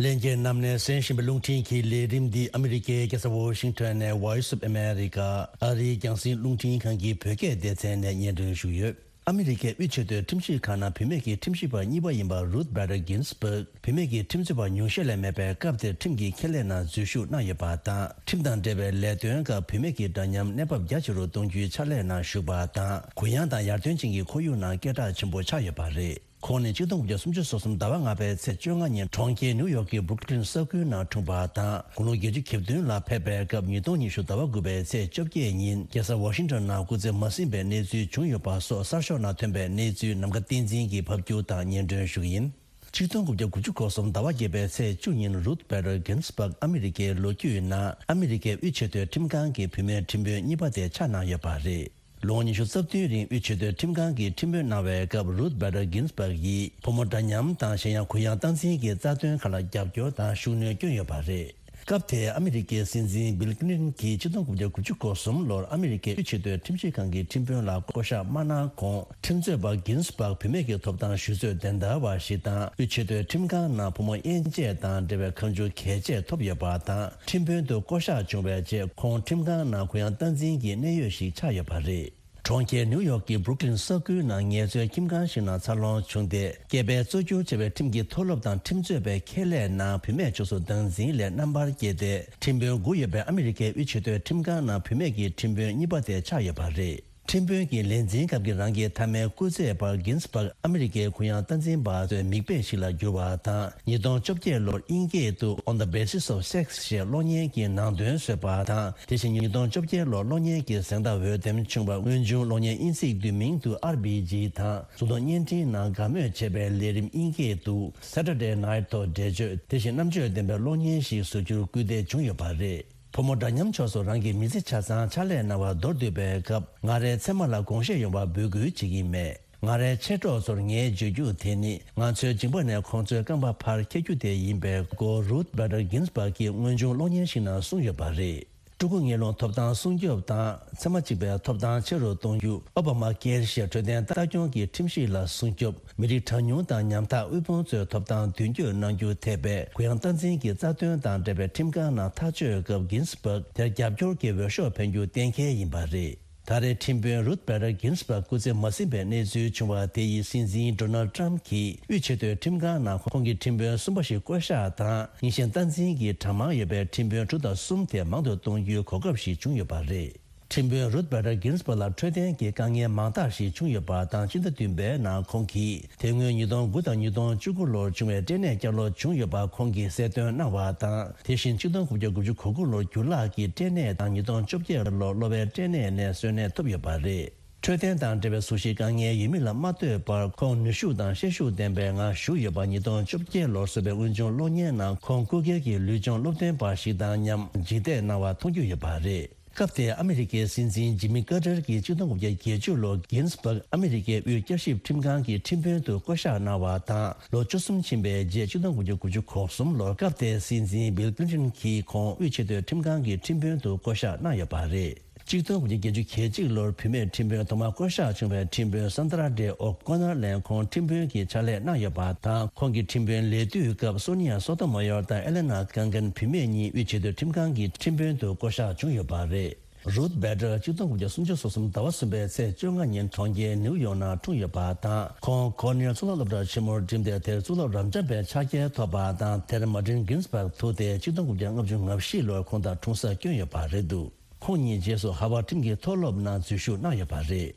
ལྷན་རྒྱས་རྣམས་ནས་གསན་བཞིན་པའི་རླུང་འཕྲིན་གྱི་ལས་རིམ་འདི་ཨ་མི་རི་ཀའི་རྒྱལ་ས་ཝོ་ཤིང་ཊོན་ནས་Voice of America ཨ་རིའི་རྒྱང་སྲིང་རླུང་འཕྲིན་ཁང་གི་བོད་སྐད་སྡེ་ཚན་ནས་སྙན་སྒྲོན་ཞུས་ཡོད། ཨ་མི་རི་ཀའི་དབུས་ཆེས་མཐོའི་ཁྲིམས་ཞིབ་ཁང་ནང་བུད་མེད་ཀྱི་ཁྲིམས་ཞིབ་པ་གཉིས་པ་ཡིན་པ་Ruth Bader Ginsburg བུད་མེད་ཀྱི་ཁྲིམས་རྩོད་པ་ཉུང་ཤས་ལས་མེད་པའི་སྐབས་དེར་ཁྲིམས་ཀྱི་ཁྱད་ལས་ནང་འཛུལ་ཞུགས་གནང་ཡོད་པ་དང་། ཁྲིམས་དང་འབྲེལ་བའི་ལས་དོན་སྐབས་བུད་མེད་ཀྱི་འདྲ་མཉམ་གནས་བབ་རྒྱ་ཆེ་རུ་གཏོང་རྒྱུའི་ཕྱག་ལས་ནང་ཞུགས་པ་དང་། གུ་ཡངས་དང་ཡར་ཐོན་ཅན་གྱི་ཁོར་ཡུག་ནང་སྐད་གྲགས་ཆེན་པོ་ཆགས་ཡོད་པ་རེད། ཁོང་ནི་ཆིག་སྟོང་དགུ་བརྒྱ་སུམ་ཅུ་སོ་གསུམ་ཟླ་བ་ལྔ་པའི་ཚེས་བཅོ་ལྔ་ཉིན་གྲོང་ཁྱེར་ནིའུ་ཡོག་གི་Brooklyn ས་ཁུལ་ནང་འཁྲུངས་པ་དང་། དགུང་ལོ་བརྒྱད་ཅུ་གྱ་བདུན་ལ་ཕེབས་པའི་སྐབས་ཉིས་སྟོང་ཉི་ཤུ་ཟླ་བ་དགུ་པའི་ཚེས་བཅོ་བརྒྱད་ཉིན་རྒྱལ་ས་ཝ་ཤིང་ཊོན་ནང་སྐུ་ཚེ་མ་ཟིན་པའི་གནས་ཚུལ་བྱུང་ཡོད་པ་སོགས་གསར་ཤོག་ནང་ཐོན་པའི་གནས་ཚུལ་ནམ་མཁའ་བསྟན་འཛིན་གྱིས་ཕབ་སྒྱུར་དང་སྙན་སྒྲོན་ཞུ་གི་ཡིན། ཆིག་སྟོང་དགུ་བརྒྱ་དགུ་བཅུ་གོ་གསུམ་ཟླ་བ་བརྒྱད་པའི་ཚེས་བཅུ་ཉིན་Ruth Bader Ginsburg ཨ་མི་རི་ཀའི་ལོ་རྒྱུས་ནང་ཨ་མི་རི་ཀའི་དབུས་ཆེས་མཐོའི་ཁྲིམས་ཁང་གི་བུད་མེད་ཁྲིམས་དཔོན་གཉིས་པ་དེ་ཆགས་གནང་ཡོད་པ་རེད། ལོ་ངོ་ཉི་ཤུ་རྩ་བདུན་རིང་དབུས་ཆེས་མཐོའི་ཁྲིམས་ཁང་གི་ཁྲིམས་དཔོན་གནང་བའི་སྐབས་Ruth Bader Ginsburg ཡིས་ཕོ་མོ་འདྲ་མཉམ་དང་གཞན་ཡང་གུ་ཡངས་སྟངས་འཛིན་གྱི་རྩ་དོན་ཁག་ལ་རྒྱབ་སྐྱོར་དང་ཤུགས་སྣོན་བསྐྱོན་ཡོད་པ་རེད། སྐབས་དེའི་ཨ་མི་རི་ཀའི་སྲིད་འཛིན་བིལ་ཀི་ལིན་ཊོན་གྱིས་ཆིག་སྟོང་དགུ་བརྒྱ་དགུ་བཅུ་གོ་གསུམ་ལོར་ཨ་མི་རི་ཀའི་དབུས་ཆེས་མཐོའི་ཁྲིམས་ཞིབ་ཁང་གི་ཁྲིམས་དཔོན་ལ་བསྐོ་གཞག་མ་གནང་གོང་། ཁྲིམས་རྩོད་པ་གིན་སི་བྷག་བུད་མེད་ཀྱི་ཐོབ་ཐང་ཞུ་རྩོད་བདེན་བདའ་བ་ཞིག་དང་། དབུས་ཆེས་མཐོའི་ཁྲིམས་ཁང་ནང་བུ་མོ་དབྱེ་འབྱེད་དང་འབྲེལ་བའི་ཁ་མཆུ་གལ་ཆེ་ཐོབ་ཡོད་པ་དང་། ཁྲིམས་དཔོན་དུ་བསྐོ་གཞག་བྱུང་བའི་རྗེས་ཁོང་ཁྲིམས་ཁང་ནང་གུ་ཡངས་སྟངས་འཛིན་གྱི་གནད་ཡོད་ཞིག་ཆགས་ཡོད་པ་རེད། གྲོང་ཁྱེར་ནིའུ་ཡོག་གི་བྷུ་རུག་ལིན་ས་ཁུལ་ནང་ངལ་རྩོལ་ཁྱིམ་ཁང་ཞིག་ནང་འཚར་ལོངས་བྱུང་སྟེ། སྐྱེས་པའི་གཙོ་གྱུར་བྱ་བའི་ཁྲིམས་ཀྱི་མཐོ་སློབ་དང་ཁྲིམས་རྩོད་པའི་ཁེ་ལས་ནང་བུད་མེད་ཕྱོགས་སུ་སྟངས་འཛིན་ལས་རྣམ་པར་རྒྱལ་ཏེ། ཁྲིམས་དཔོན་དགུ་ཡོད་པའི་ཨ་མི་རི་ཀའི་དབུས་ཆེས་མཐོའི་ཁྲིམས་ཁང་ནང་བུད་མེད་ཀྱི་ཁྲིམས་དཔོན་གཉིས་པ་དེ་ཆགས་ཡོད་པ་རེད། ཁྲིམས་དཔོན་གྱི་ལས་འཛིན་སྐབས་ཀྱི་རང་གི་མཐའ་མའི་སྐུ་ཚེའི་བར་གིན་སི་བྷག་ཨ་མི་རི་ཀའི་གུ་ཡངས་སྟངས་འཛིན་པ་ཚོའི་མིག་དཔེ་ཞིག་ལ་གྱུར་བ་དང་། ཉིས་སྟོང་བཅོ་བརྒྱད་ལོར་དབྱིན་སྐད་དུ་On the Basis of Sex ཞེས་གློག་བརྙན་གྱི་ནང་དོན་བཟོས་པ་དང་། དེ་བཞིན་ཉིས་སྟོང་བཅོ་བརྒྱད་ལོར་གློག་བརྙན་གྱི་གཟེངས་རྟགས་འོས་འདེམས་བྱུང་བ། དངོས་བྱུང་གློག་བརྙན་དབྱིན་ཚིག་བསྡུས་མིང་དུ་ཨར་བྷི་ཇི་དང་། གཟུགས་མཐོང་བརྙན་འཕྲིན་ནང་དགའ་མོས་བྱེད་པའི་ལས་རིམ་དབྱིན་སྐད་དུ་Saturday Night ཐོག་འགྲེལ་བརྗོད། དེ་བཞིན་རྣམ་དཔྱོད་ལྡན་པའི་གློག་བརྙན་ཞིག་བཟོ་རྒྱུར་སྐུལ་འདེད་བྱུང་ཡོད་པ་རེད། ཕོ་མོ་འདྲ་མཉམ་ཕྱོགས་སུ་རང་གི་མི་ཚེ་ཆ་ཚང་ཕྱག་ལས་གནང་བར་མདོར་བསྡུས་པའི་སྐབས། ང་རའི་མཚན་མ་ལ་དགོངས་བཞེས་ཡོང་བར་འབོད་སྐུལ་བྱེད་ཀྱིན་མེད། ང་རའི་མཆེད་གྲོགས་ཚོར་ངས་བརྗོད་རྒྱུ་དེ་ནི། ང་ཚོའི་མཇིང་པ་ནས་ཁོང་ཚོའི་རྐང་པ་ཕར་འཁྱེར་རྒྱུ་དེ་ཡིན་པའི་སྐོར། རུཐ་བྷེ་ཏར་གིན་སི་བྷག་གིས་དངོས་བྱུང་གློག་བརྙན་ཞིག་ནང་གསུངས་ཡོད་པ་རེད། ཕྲུ་གུ་ངན་སློང་ཐོབ་ཐང་སྲུང་སྐྱོབ་དང་། མཚན་མ་གཅིག་པའི་ཐོབ་ཐང་ཆེ་རུ་གཏོང་རྒྱུ། ཨོ་བྷ་མ་ཀེར་ཞེས་འཕྲོད་བསྟེན་ལྟ་སྐྱོང་གི་ཁྲིམས་གཞི་ལ་སྲུང་སྐྱོབ། མི་རིགས་གྲངས་ཉུང་དང་ཉམ་ཐག་དབུལ་ཕོངས་ཚོའི་ཐོབ་ཐང་མདུན་སྐྱོད་གནང་རྒྱུ་ཐེ་བའི་གུ་ཡངས་སྟངས་འཛིན་གྱི་རྩ་དོན་དང་འབྲེལ་བའི་ཁྲིམས་ཁང་ནང་ཐག་གཅོད་སྐབས། གིན་སི་བྷག་དེར་རྒྱབ་སྐྱོར་གྱི་འོས་ཤོག་འཕེན་རྒྱུ་གཏན་འཁེལ་ཡིན་པ་རེད། ད་རེས་ཁྲིམས་དཔོན་རུཐ་བྷེ་ཏར་གིན་སི་བྷག་སྐུ་ཚེ་མ་ཟིན་པའི་གནས་ཚུལ་བྱུང་བ་དེ་ཡིས། སྲིད་འཛིན་ཌོ་ནལ་ཏྲམ་གྱིས་དབུས་ཆེས་མཐོའི་ཁྲིམས་ཁང་ནང་ཁོང་གི་ཁྲིམས་དཔོན་གསུམ་པ་ཞིག་བསྐོ་གཞག་དང་། རྙིང་ཞེན་སྟངས་འཛིན་གྱི་གྲངས་མང་ཡོད་པའི་ཁྲིམས་དཔོན་དྲུག་དང་གསུམ་དེ་མང་དུ་གཏོང་རྒྱུའི་གོ་སྐབས་ཤིག་བྱུང་ཡོད་པ་རེད། ཁྲིམས་དཔོན་རུཐ་བྷེ་ཏར་གིན་སི་བྷག་ལ་འཕྲོད་བསྟེན་གྱི་དཀའ་ངལ་མང་དག་ཞིག་བྱུང་ཡོད་པ་དང་། སྤྱི་ཟླ་བདུན་པའི་ནང་ཁོང་གིས་དེ་སྔོན་ཉིས་སྟོང་དགུ་དང་ཉིས་སྟོང་བཅུ་དགུ་ལོར་བྱུང་བའི་སྐྲན་ནད་བསྐྱར་ལོག་བྱུང་ཡོད་པ་ཁོང་གིས་གསལ་སྟོན་གནང་བ་དང་། དེ་བཞིན་ཆིག་སྟོང་དགུ་བརྒྱ་དགུ་བཅུ་གོ་དགུ་ལོར་འགྱུར་ལྷག་གི་སྐྲན་ནད་དང་། ཉིས་སྟོང་བཅོ་བརྒྱད་ལོར་གློ་བའི་སྐྲན་ནད་ནས་གསོན་གནས་ཐོབ་ཡོད་པ་རེད། འཕྲོད་བསྟེན་དང་འབྲེལ་བའི་གཟུགས་གཞི་དཀའ་ངལ་ཡོད་མིན་ལ་མ་ལྟོས་པར། ཁོང་ནུས་ཤུགས་དང་ཤེད་ཤུགས་ལྡན་པའི་ངང་བཞུགས་ཡོད་པ། ཉིས་སྟོང་བཅོ་བརྒྱད་ལོར་བཟོས་པའི་དངོས་བྱུང་གློག་བརྙན་ནང་ཁོང་སྐུ་སྒེར་གྱི་ལུས་སྦྱོང་སློབ་སྟོན་པ་ཞིག་དང་མཉམ་ལྗིད་ཏེ་གནང་བ་མཐོང་རྒྱུ་ཡོད་པ་རེད། སྐབས་དེའི་ཨ་མི་རི་ཀའི་སྲིད་འཛིན་ཇི་མི་ཀར་ཏར་གྱིས་ཆིག་སྟོང་དགུ་བརྒྱ་བརྒྱད་ཅུ་ལོར་གིན་སི་བྷག་ཨ་མི་རི་ཀའི་དབུས་བསྐྱར་ཞིབ་ཁྲིམས་ཁང་གི་ཁྲིམས་དཔོན་དུ་བསྐོ་གཞག་གནང་བ་དང་། ལོ་བཅུ་གསུམ་ཕྱིན་པའི་རྗེས་ཆིག་སྟོང་དགུ་བརྒྱ་དགུ་བཅུ་གོ་གསུམ་ལོར་སྐབས་དེའི་སྲིད་འཛིན་བིལ་ཀི་ལིན་ཊོན་གྱིས་ཁོང་དབུས་ཆེས་མཐོའི་ཁྲིམས་ཁང་གི་ཁྲིམས་དཔོན་དུ་བསྐོ་གཞག་གནང་ཡོད་པ་རེད། ཆིག་སྟོང་དགུ་བརྒྱ་བརྒྱད་ཅུ་གྱ་གཅིག་ལོར་བུད་མེད་ཁྲིམས་དཔོན་ཐོག་མར་བསྐོ་གཞག་བྱུང་བའི་ཁྲིམས་དཔོན་སན་དྲ་ཌེ་ཨོ་ཀོ་ནར་ལན་ཁོང་ཁྲིམས་དཔོན་གྱི་ཕྱག་ལས་གནང་ཡོད་པ་དང་། ཁོང་གི་ཁྲིམས་དཔོན་ལས་དུས་སྐབས་སོ་ནི་ཡ་སོ་ཏོ་མ་ཡོར་དང་ཨེ་ལེ་ན་ཀང་ཀན་བུད་མེད་གཉིས་དབུས་ཆེས་མཐོའི་ཁྲིམས་ཁང་གི་ཁྲིམས་དཔོན་དུ་བསྐོ་གཞག་བྱུང་ཡོད་པ་རེད། རུཐ་བྷེ་ཏར་ཆིག་སྟོང་དགུ་བརྒྱ་སུམ་ཅུ་སོ་གསུམ་ཟླ་བ་གསུམ་པའི་ཚེས་བཅོ་ལྔ་ཉིན་གྲོང་ཁྱེར་ནིའུ་ཡོག་ནང་འཁྲུངས་ཡོད་པ་དང་། ཁོང་ཀོར་ནེལ་གཙུག་ལག་སློབ་གྲྭར་ཆེན་མོར་འགྲིམས་ཏེ། དེར་གཙུག་ལག་རབ་འབྱམས་པའི་ཕྱག་འཁྱེར་ཐོབ་པ་དང་། དེར་མར་ཊིན་གིན་སི་བྷག་ཐུག་སྟེ་ཆིག་སྟོང་དགུ་བརྒྱ་ལྔ་བཅུ་ང་བཞི་ལོར་ཁོང་དང་འཁྲུངས་སར་བསྐྱོན་ཡོད་པ་རེད་འདུག་ཁོང་གཉིས་རྗེས་སུ་ཧར་ཝརཌ་ཁྲིམས་ཀྱི་མཐོ་སློབ་ནང་འཛུལ་ཞུགས་གནང་ཡོད་པ་རེད།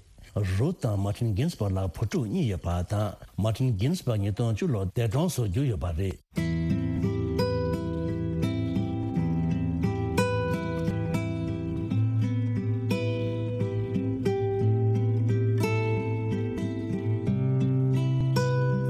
རུཐ་དང་མར་ཊིན་གིན་སི་བྷག་ལ་བུ་ཕྲུག་གཉིས་ཡོད་པ་དང་། མར་ཊིན་གིན་སི་བྷག་ཉིས་སྟོང་བཅུ་ལོར་འདས་གྲོངས་སུ་གྱུར་ཡོད་པ་རེད།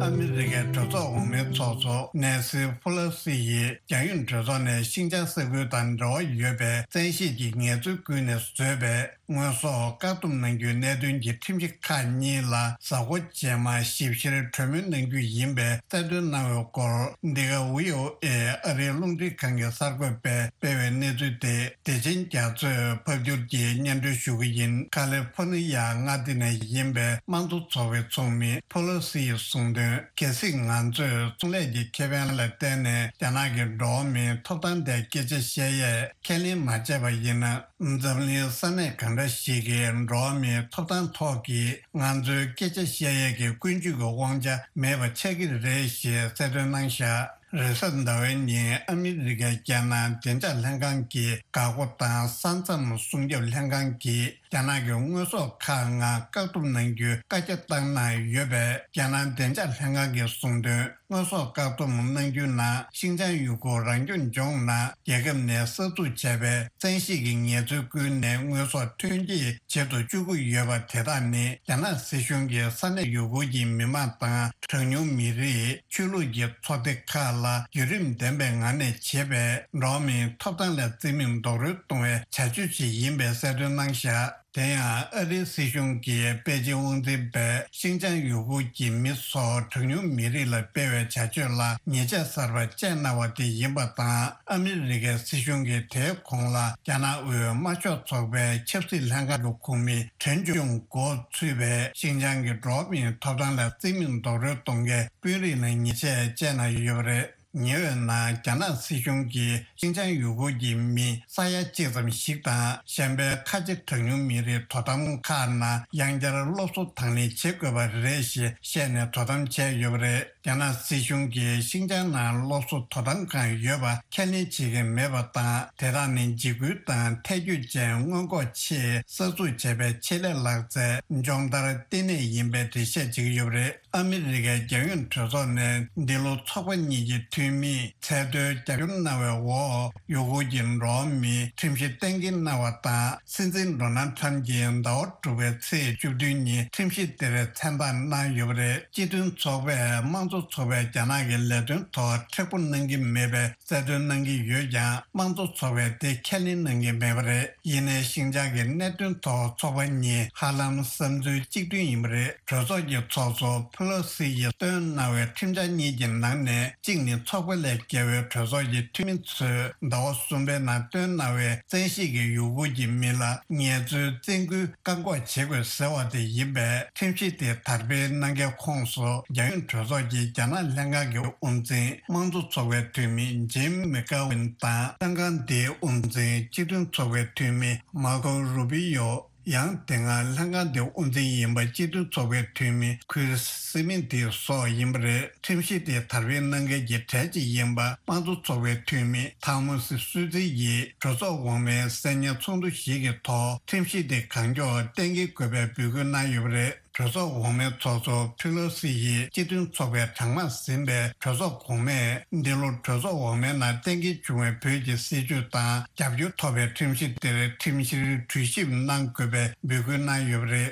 ཨ་མི་རི་ཀའི་གྲོས་ཚོགས་འོག་མའི་ཚོགས་གཙོ་ནེན་སི་ཕོ་ལོ་སི་ཡིས་རྒྱལ་ཡོངས་གྲོས་ཚོགས་ནས་ཤིན་ཅང་ས་ཁུལ་དང་འབྲེལ་བ་ཡོད་པའི་བཙན་ཤེད་ཀྱི་ངལ་རྩོལ་ཀུན་ནས་བཟོས་པའི་དངོས་ཟོག་བཀག་སྡོམ་གནང་རྒྱུའི་གནད་དོན་གྱི་ཁྲིམས་གཞི་ཁག་གཉིས་ལ་གཟའ་འཁོར་རྗེས་མ་ཞིབ་བཤེར་གྲོས་མོལ་གནང་རྒྱུ་ཡིན་པའི་གསལ་སྟོན་གནང་བའི་སྐོར། འདི་ག་ཝི་ཨོ་ཨེ་ཨ་རིའི་རླུང་འཕྲིན་ཁང་གི་གསར་འགོད་པས་སྤེལ་བའི་གནས་ཚུལ་དེ། བདེ་ཆེན་རྒྱ་མཚོས་ཕབ་བསྒྱུར་གྱིས་སྙན་སྒྲོན་ཞུ་གི་ཡིན། ཁ་ལི་ཧྥོ་ནི་ཡ་མངའ་སྡེ་ནས་ཡིན་པའི་དམངས་གཙོ་ཚོགས་པའི་ཚོགས་མི་ཕོ་ལོ་སི་ཡིས་གསུངས་དོན། གལ་སྲིད་ང་ཚོས་ཚོང་ལས་ཀྱི་ཁེ་ཕན་ལ་བརྟེན་ནས་རྒྱ་ནག་གི་འགྲོ་བ་མིའི་ཐོབ་ཐང་ཐད་སྐད་ཆ་བཤད་ཡས་ཁས་ལེན་མ་བྱས་པ་ཡིན་ན། འཛམ་གླིང་ས་གནས་གང་འདྲ་ཞིག་གི་འགྲོ་བ་མིའི་ཐོབ་ཐང་ཐོག་གི་ང་ཚོའི་སྐད་ཆ་བཤད་ཡས་ཀྱི་ཀུན་སྤྱོད་ཀྱི་དབང་ཆ་མེད་པ་ཆགས་ཀྱི་རེད་ཞེས་གསལ་སྟོན་གནང་བཞག་རེས་གཟའ་ཟླ་བའི་ཉིན་ཨ་མི་རི་ཀའི་རྒྱལ་ནང་བདེ་འཇགས་ལྷན་ཁང་གི་འགག་སྒོ་དང་ས་མཚམས་སྲུང་སྐྱོབ་ལྷན་ཁང་གིས་རྒྱ་ནག་གི་དངོས་ཟོག་ཁག་ལྔ་བཀག་སྡོམ་གནང་རྒྱུའི་བཀའ་རྒྱ་བཏང་གནང་ཡོད་པས། རྒྱལ་ནང་བདེ་འཇགས་ལྷན་ཁང་གིས་གསུངས་དོན། དངོས་ཟོག་བཀག་སྡོམ་གནང་རྒྱུ་ནང་ཤིང་ཅང་ཡུ་གུར་རང་སྐྱོང་ལྗོངས་ནང་རྒྱལ་ཁབ་ནས་གསར་འཛུགས་བྱས་པའི་བཙན་ཤེད་ཀྱི་ངལ་རྩོལ་ཀུན་ནས་དངོས་ཟོག་ཐོན་སྐྱེད་བྱེད་དུ་བཅུག་གི་ཡོད་པ་དེ་དག་ནི། རྒྱ་ནག་སྲིད་གཞུང་གིས་ས་གནས་ཡུ་གུར་གྱི་མི་མང་དང་གྲངས་ཉུང་མི་རིགས། ཆོས་ལུགས་ཀྱི་ཚོགས་སྡེ་ཁག་ལ་བརྒྱུད་རིམ་ལྡན་པའི་ངང་ནས་བྱེད་པའི་འགྲོ་བ་མིའི་ཐོབ་ཐང་ལ་བརྩི་མེད་རྡོག་རོལ་གཏོང་བའི་བྱ་སྤྱོད་ཅིག་ཡིན་པའི་གསལ་སྟོན་གནང་བཞག་དེ་ཡང་ཨ་རིའི་སྲིད་གཞུང་གིས་པེ་ཅིན་དབང་འཛིན་པས་ཤིན་ཅང་ཡུ་གུར་གྱི་མི་སོགས་གྲངས་ཉུང་མི་རིགས་ལ་སྤེལ་བའི་བྱ་སྤྱོད་ལ་ཉེས་ཆད་གསར་པ་བཅད་གནང་བ་དེ་ཡིན་པ་དང་། ཨ་མི་རི་ཀའི་སྲིད་གཞུང་གིས་དེའི་གོང་ལ་རྒྱ་ནག་དབུས་དམར་ཤོག་ཚོགས་པའི་ཆབ་སྲིད་ལྷན་ཁང་གི་ཁོངས་མི་ཁྲེན་ཅུང་འགོ་ཚུད་པའི་ཤིན་ཅང་གི་འགྲོ་བ་མིའི་ཐོབ་ཐང་ལ་བརྩི་མེད་རྡོག་རོལ་གཏོང་མཁན་དཔོན་རིགས་ལ་ཉེས་ཆད་བཅད་གནང་ཡོད་པ་རེད། ཉེ་བའི་ནང་རྒྱ་ནག་སྲིད་གཞུང་གིས་ཤིན་ཅང་ཡུ་གུར་གྱི་མི་ས་ཡ་གཅིག་ཙམ་ཞིག་དང་། གཞན་པའི་ཁ་ཆེ་གྲངས་ཉུང་མི་རིགས་དོ་དམ་ཁག་ནང་ཡང་བསྐྱར་སློབ་གསོ་དང་ལེན་བྱེད་དགོས་པ་རེད་ཞེས་བཤད་ནས་དོ་དམ་བྱས་ཡོད་པ་རེད། རྒྱ་ནག་སྲིད་གཞུང་གིས་ཤིན་ཅང་ནང་སློབ་གསོ་དོ་དམ་ཁང་ཡོད་པ་ཁས་ལེན་བྱེད་ཀྱི་མེད་པ་དང་། དེ་དག་ནི་འཇིགས་སྐུལ་དང་ཐལ་འགྱུར་ཅན་སྔོན་འགོག་ཆེད་གསར་འཛུགས་བྱས་པའི་ཆེད་ལས་ལག་རྩལ་སྦྱོང་བརྡར་ལྟེ་གནས་ཡིན་པའི་འགྲེལ་བཤད་བྱེད་ཀྱི་ཡོད་པ་རེད། ཨ་མི་རི་ཀའི་རྒྱལ་ཡོངས་གྲོས་ཚོགས་ནས་འདི་ལོ་ཚོགས་པ་གཉིས་ཀྱི་འཐུས་མིས་ཚད་མཐོའི་རྒྱབ་སྐྱོར་གནང་བའི་འོག་ཡུ་གུར་གྱི་འགྲོ་བ་མིའི་ཁྲིམས་གཞི་གཏན་འཁེལ་གནང་བ་དང་། སྲིད་འཛིན་ཌོ་ནལ་ཊམ་གྱིས་ཟླ་བ་དྲུག་པའི་ཚེས་བཅུ་བདུན་ཉིན་ཁྲིམས་གཞི་དེར་མཚན་རྟགས་གནང་ཡོད་པ་རེད། སྤྱི་མཐུན་ཚོགས་པས་དམངས་གཙོ་ཚོགས་པས་རྒྱ་ནག་གི་ལས་དོན་ཐོག་མཁྲེགས་པོ་གནང་གི་མེད་པའི་གསལ་སྟོན་གནང་གི་ཡོད་ཀྱང་། དམངས་གཙོ་ཚོགས་པས་དེ་ཁས་ལེན་གནང་གི་མེད་པ་རེད། ཡིན་ནའི་ཤིན་ཅང་གི་གནད་དོན་ཐོག་ཚོགས་པ་གཉིས་ཧ་ལམ་བསམ་ཚུལ་གཅིག་མཐུན་ཡིན་པ་རེད། གྲོས་ཚོགས་ཀྱི་ཚོགས་གཙོ་ཕེ་ལོ་སི་ཡིས་བཏོན་གནང་བའི་ཁྲིམས་འཆར་གཉིས་ཀྱི་ནང་ནས་གཅིག་ནི་ཚོགས་པ་ལས་བརྒལ་བའི་གྲོས་ཚོགས་ཀྱི་འཐུས་མི་ཚོས་ཟླ་བ་གསུམ་པའི་ནང་བཏོན་གནང་བའི་བཙན་ཤེད་ཀྱིས་ཡུ་གུར་གྱི་མི་ལ་ངལ་རྩོལ་བཙན་སྐུལ་བཀག་འགོག་བྱེད་དགོས་ཟེར་བ་དེ་ཡིན་པས། ཁྲིམས་གཞི་དེ་དར་སྤེལ་གནང་མཁན་ཁོངས་སུ་རྒྱལ་ཡོངས་གྲོས་ཚོགས་ཀྱི་རྒྱ་ནག་ལྷན་ཁང་གི་དབུ་འཛིན་དམངས་གཙོ་ཚོགས་པའི་འཐུས་མི་ཇིམ་མེ་ཀ་ཝིན་དང་། ལྷན་ཁང་དེའི་དབུ་འཛིན་སྤྱི་མཐུན་ཚོགས་པའི་འཐུས་མི་མར་ཁོ་རུ་པི་ཡོ། ཡང་དེ་སྔ་ལྷན་ཁང་དེའི་དབུ་འཛིན་ཡིན་པ་སྤྱི་མཐུན་ཚོགས་པའི་འཐུས་མི་ཁུར་སི་མིན་ཏི་སོགས་ཡིན་པ་རེད། ཁྲིམས་གཞི་དེ་དར་སྤེལ་གནང་མཁན་གྱི་གྲས་གཅིག་ཡིན་པ་དམངས་གཙོ་ཚོགས་པའི་འཐུས་མི་ཐང་མོ་སི་སུའུ་ཙི་ཡིས་གྲོས་ཚོགས་འོག་མའི་གསར་རྙིང་ཚོགས་འདུ་ཞིག་གི་ཐོག་ཁྲིམས་གཞི་དེ་གང་མགྱོགས་གཏན་འཁེལ་དགོས་པའི་འབོད་སྐུལ་གནང་ཡོད་པ་རེད། གྲོས་ཚོགས་འོག་མའི་ཚོགས་གཙོ་ཕེ་ལོ་སི་ཡིས་སྤྱི་མཐུན་ཚོགས་པའི་གྲངས་མང་ཟིན་པའི་གྲོས་ཚོགས་གོང་མས་འདི་ལོ་གྲོས་ཚོགས་འོག་མའི་ནང་གཏན་འཁེལ་བྱུང་བའི་བོད་ཀྱི་སྲིད་བྱུས་དང་རྒྱབ་སྐྱོར་ཐོབ་པའི་ཁྲིམས་གཞི་དེར་ཁྲིམས་བཤེར་གྲོས་ཞིབ་གནང་དགོས་པའི་འབོད་སྐུལ་གནང་ཡོད་པ་རེད།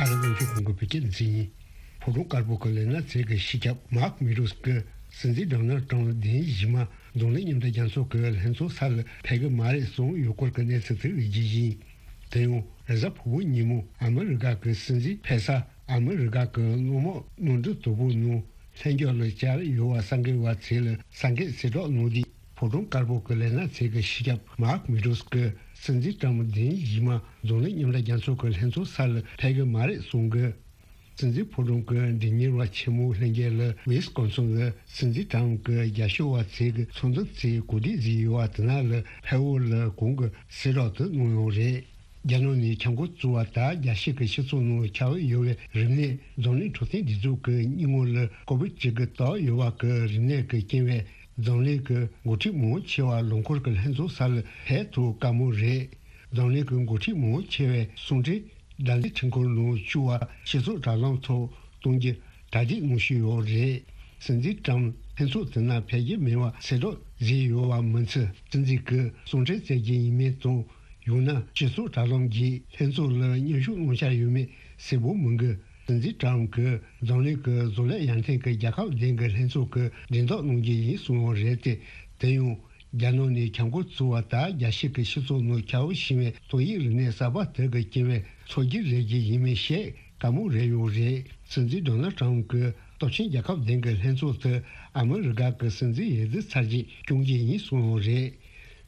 ཨ་རི་དབང་ཕྱུག་གོང་གི་བོད་སྐད་སྡེ་ཚན་ཡིན། ཕོ་བྲང་དཀར་པོ་གི་ལས་སྣེ་ཚན་གྱི་སྤྱི་ཁྱབ་མཱག་མི་རོས་ཀྱིས་སྲིད་འཛིན་ཌོ་ནལ་ཊམ་བདུན་གཞི་མ་འཛམ་གླིང་མཉམ་འབྲེལ་རྒྱལ་ཚོགས་ཀྱི་ལྷན་ཚོགས་སར་ཕེབས་ཀྱི་མ་རེད་གསུངས་ཡོད་སྐོར་གྱི་གནས་ཚུལ་དེ་རིགས་ཀྱི་ཡིན། དེ་ཡང་རེས་གཟའ་ཕུར་བུ་ཉིན་མོ་ཨ་མི་རི་ཀ་གི་སྲིད་འཛིན་ཕེབས་ས་ཨ་མི་རི་ཀ་གི་གློག་མོག་གློག་འཕྲུལ་དོ་པོ་ནང་ལྷན་རྒྱས་ལ་བཅར་ཡོད་པ་གསར་འགོད་པ་ཚོ་ལ་གསར་འགོད་གསལ་བསྒྲགས་གནང་དུས། ཕོ་བྲང་དཀར་པོ་གི་ལས་སྣེ་ཚན་གྱི་སྤྱི་ཁྱབ་མཱག་མི་རོས་ཀྱིས་སྲིད་འཛིན་ཊམ་བདུན་གཞི་མ་འཛམ་གླིང་མཉམ་འབྲེལ་རྒྱལ་ཚོགས་ཀྱི་ལྷན་ཚོགས་སར་ཕེབས་ཀྱི་མ་རེད་གསུངས་ཀྱི། སྲིད་འཛིན་ཕོ་བྲང་གི་མགྲིན་གཉེར་བ་ཆེན་མོ་ལྷན་རྒྱས་ལ་ཝི་སི་ཀོན་སིན་ལ་སྲིད་འཛིན་ཊམ་གྱི་རྒྱབ་སྐྱོར་བ་ཚོས་ཀྱི་ཚོགས་འདུ་ཚོའི་གོ་སྒྲིག་བཟོས་ཡོད་པ་དེ་ནང་ལ་ཕེབས་འོས་ལ་གོང་གི་གསལ་བསྒྲགས་དེ་གནང་ཡོད་རེད། རྒྱ་ནག་ནས་ཁྱབ་འགོ་བཙུགས་པ་དང་རྒྱལ་སྤྱི་གི་སྤྱི་ཚོགས་ནང་ཁྱབ་ཡོད་པའི་རིམས་ནད་འཛམ་གླིང་འཕྲོད་བསྟེན་སྒྲིག་འཛུགས་ཀྱི་སྙིང་ངོ་ལ་ཀོ་བིད་བཅུ་དགུ་བཏགས་ཡོད་པ་གི་རིམས་ནད་ཀྱི་རྐྱེན་པས། འཛམ་གླིང་གི་འགོ་ཁྲིད་མང་ཆེ་བ་ལོ་འཁོར་གྱི་ལྷན་ཚོགས་སར་ཕེབས་ཐུབ་དཀའ་མོ་རེད། འཛམ་གླིང་གི་འགོ་ཁྲིད་མང་ཆེ་བས་གསུང་འཕྲིན་དྲ་འཛིན་ཁྲིམས་ཁང་ནང་བཅུག་པ་སྤྱི་ཚོགས་དྲ་ལམ་ཐོག་གཏོང་རྒྱུ་གྲ་སྒྲིག་གནང་བཞིན་ཡོད་རེད། སྲིད་འཛིན་ཊམ་ལྷན་ཚོགས་དེ་ནང་ཕེབས་ཀྱི་མེད་པ་གསལ་བསྒྲགས་བཟོས་ཡོད་པ་མིན་ཚེ། སྲིད་འཛིན་གྱིས་གསུང་འཕྲིན་བསྩལ་རྒྱུ་ཡིན་མིན་དང་། ཡང་ན་སྤྱི་ཚོགས་དྲ་ལམ་བརྒྱུད་ལྷན་ཚོགས་ལ་མཉམ་ཞུགས་གནང་འཆར་ཡོད་མེད་གསལ་པོ་མི་འདུག་སྲིད་འཛིན་ཊམ་གྱིས་འཛམ་གླིང་གི་བཟོ་ལས་ཡར་ཐོན་གྱི་རྒྱལ་ཁབ་བདུན་གྱི་ལྷན་ཚོགས་ཀྱི་སྒྲིག་འཛུགས་གནང་རྒྱུ་ཡིན་གསུངས་པ་རེད་དེ། དེ་ཡང་རྒྱ་ནག་ནས་ཁྱབ་འགོ་བཙུགས་པ་དང་རྒྱལ་སྤྱི་གི་སྤྱི་ཚོགས་ནང་ཁྱབ་བསྒྲགས་བྱས་པའི་ཏོག་དབྱིབས་རིམས་ནད་གསར་པ་དེ་གི་རྐྱེན་པས་ཚོགས་རྒྱུ་རེད་རྒྱུ་ཡིན་མིན་བཤད་དཀའ་མོ་རེད་ཡོད་རེད། སྲིད་འཛིན་ཌོ་ནལ་ཊམ་གྱིས་སྟོབས་ཆེན་རྒྱལ་ཁབ་བདུན་གྱི་ལྷན་ཚོགས་དེ་ཨ་མི་རི་ཀ་གི་སྲིད་འཛིན་འོས་བསྡུ་ཚར་རྗེས་སྐྱོང་རྒྱུ་ཡིན་གསུངས་ཡོད་རེད།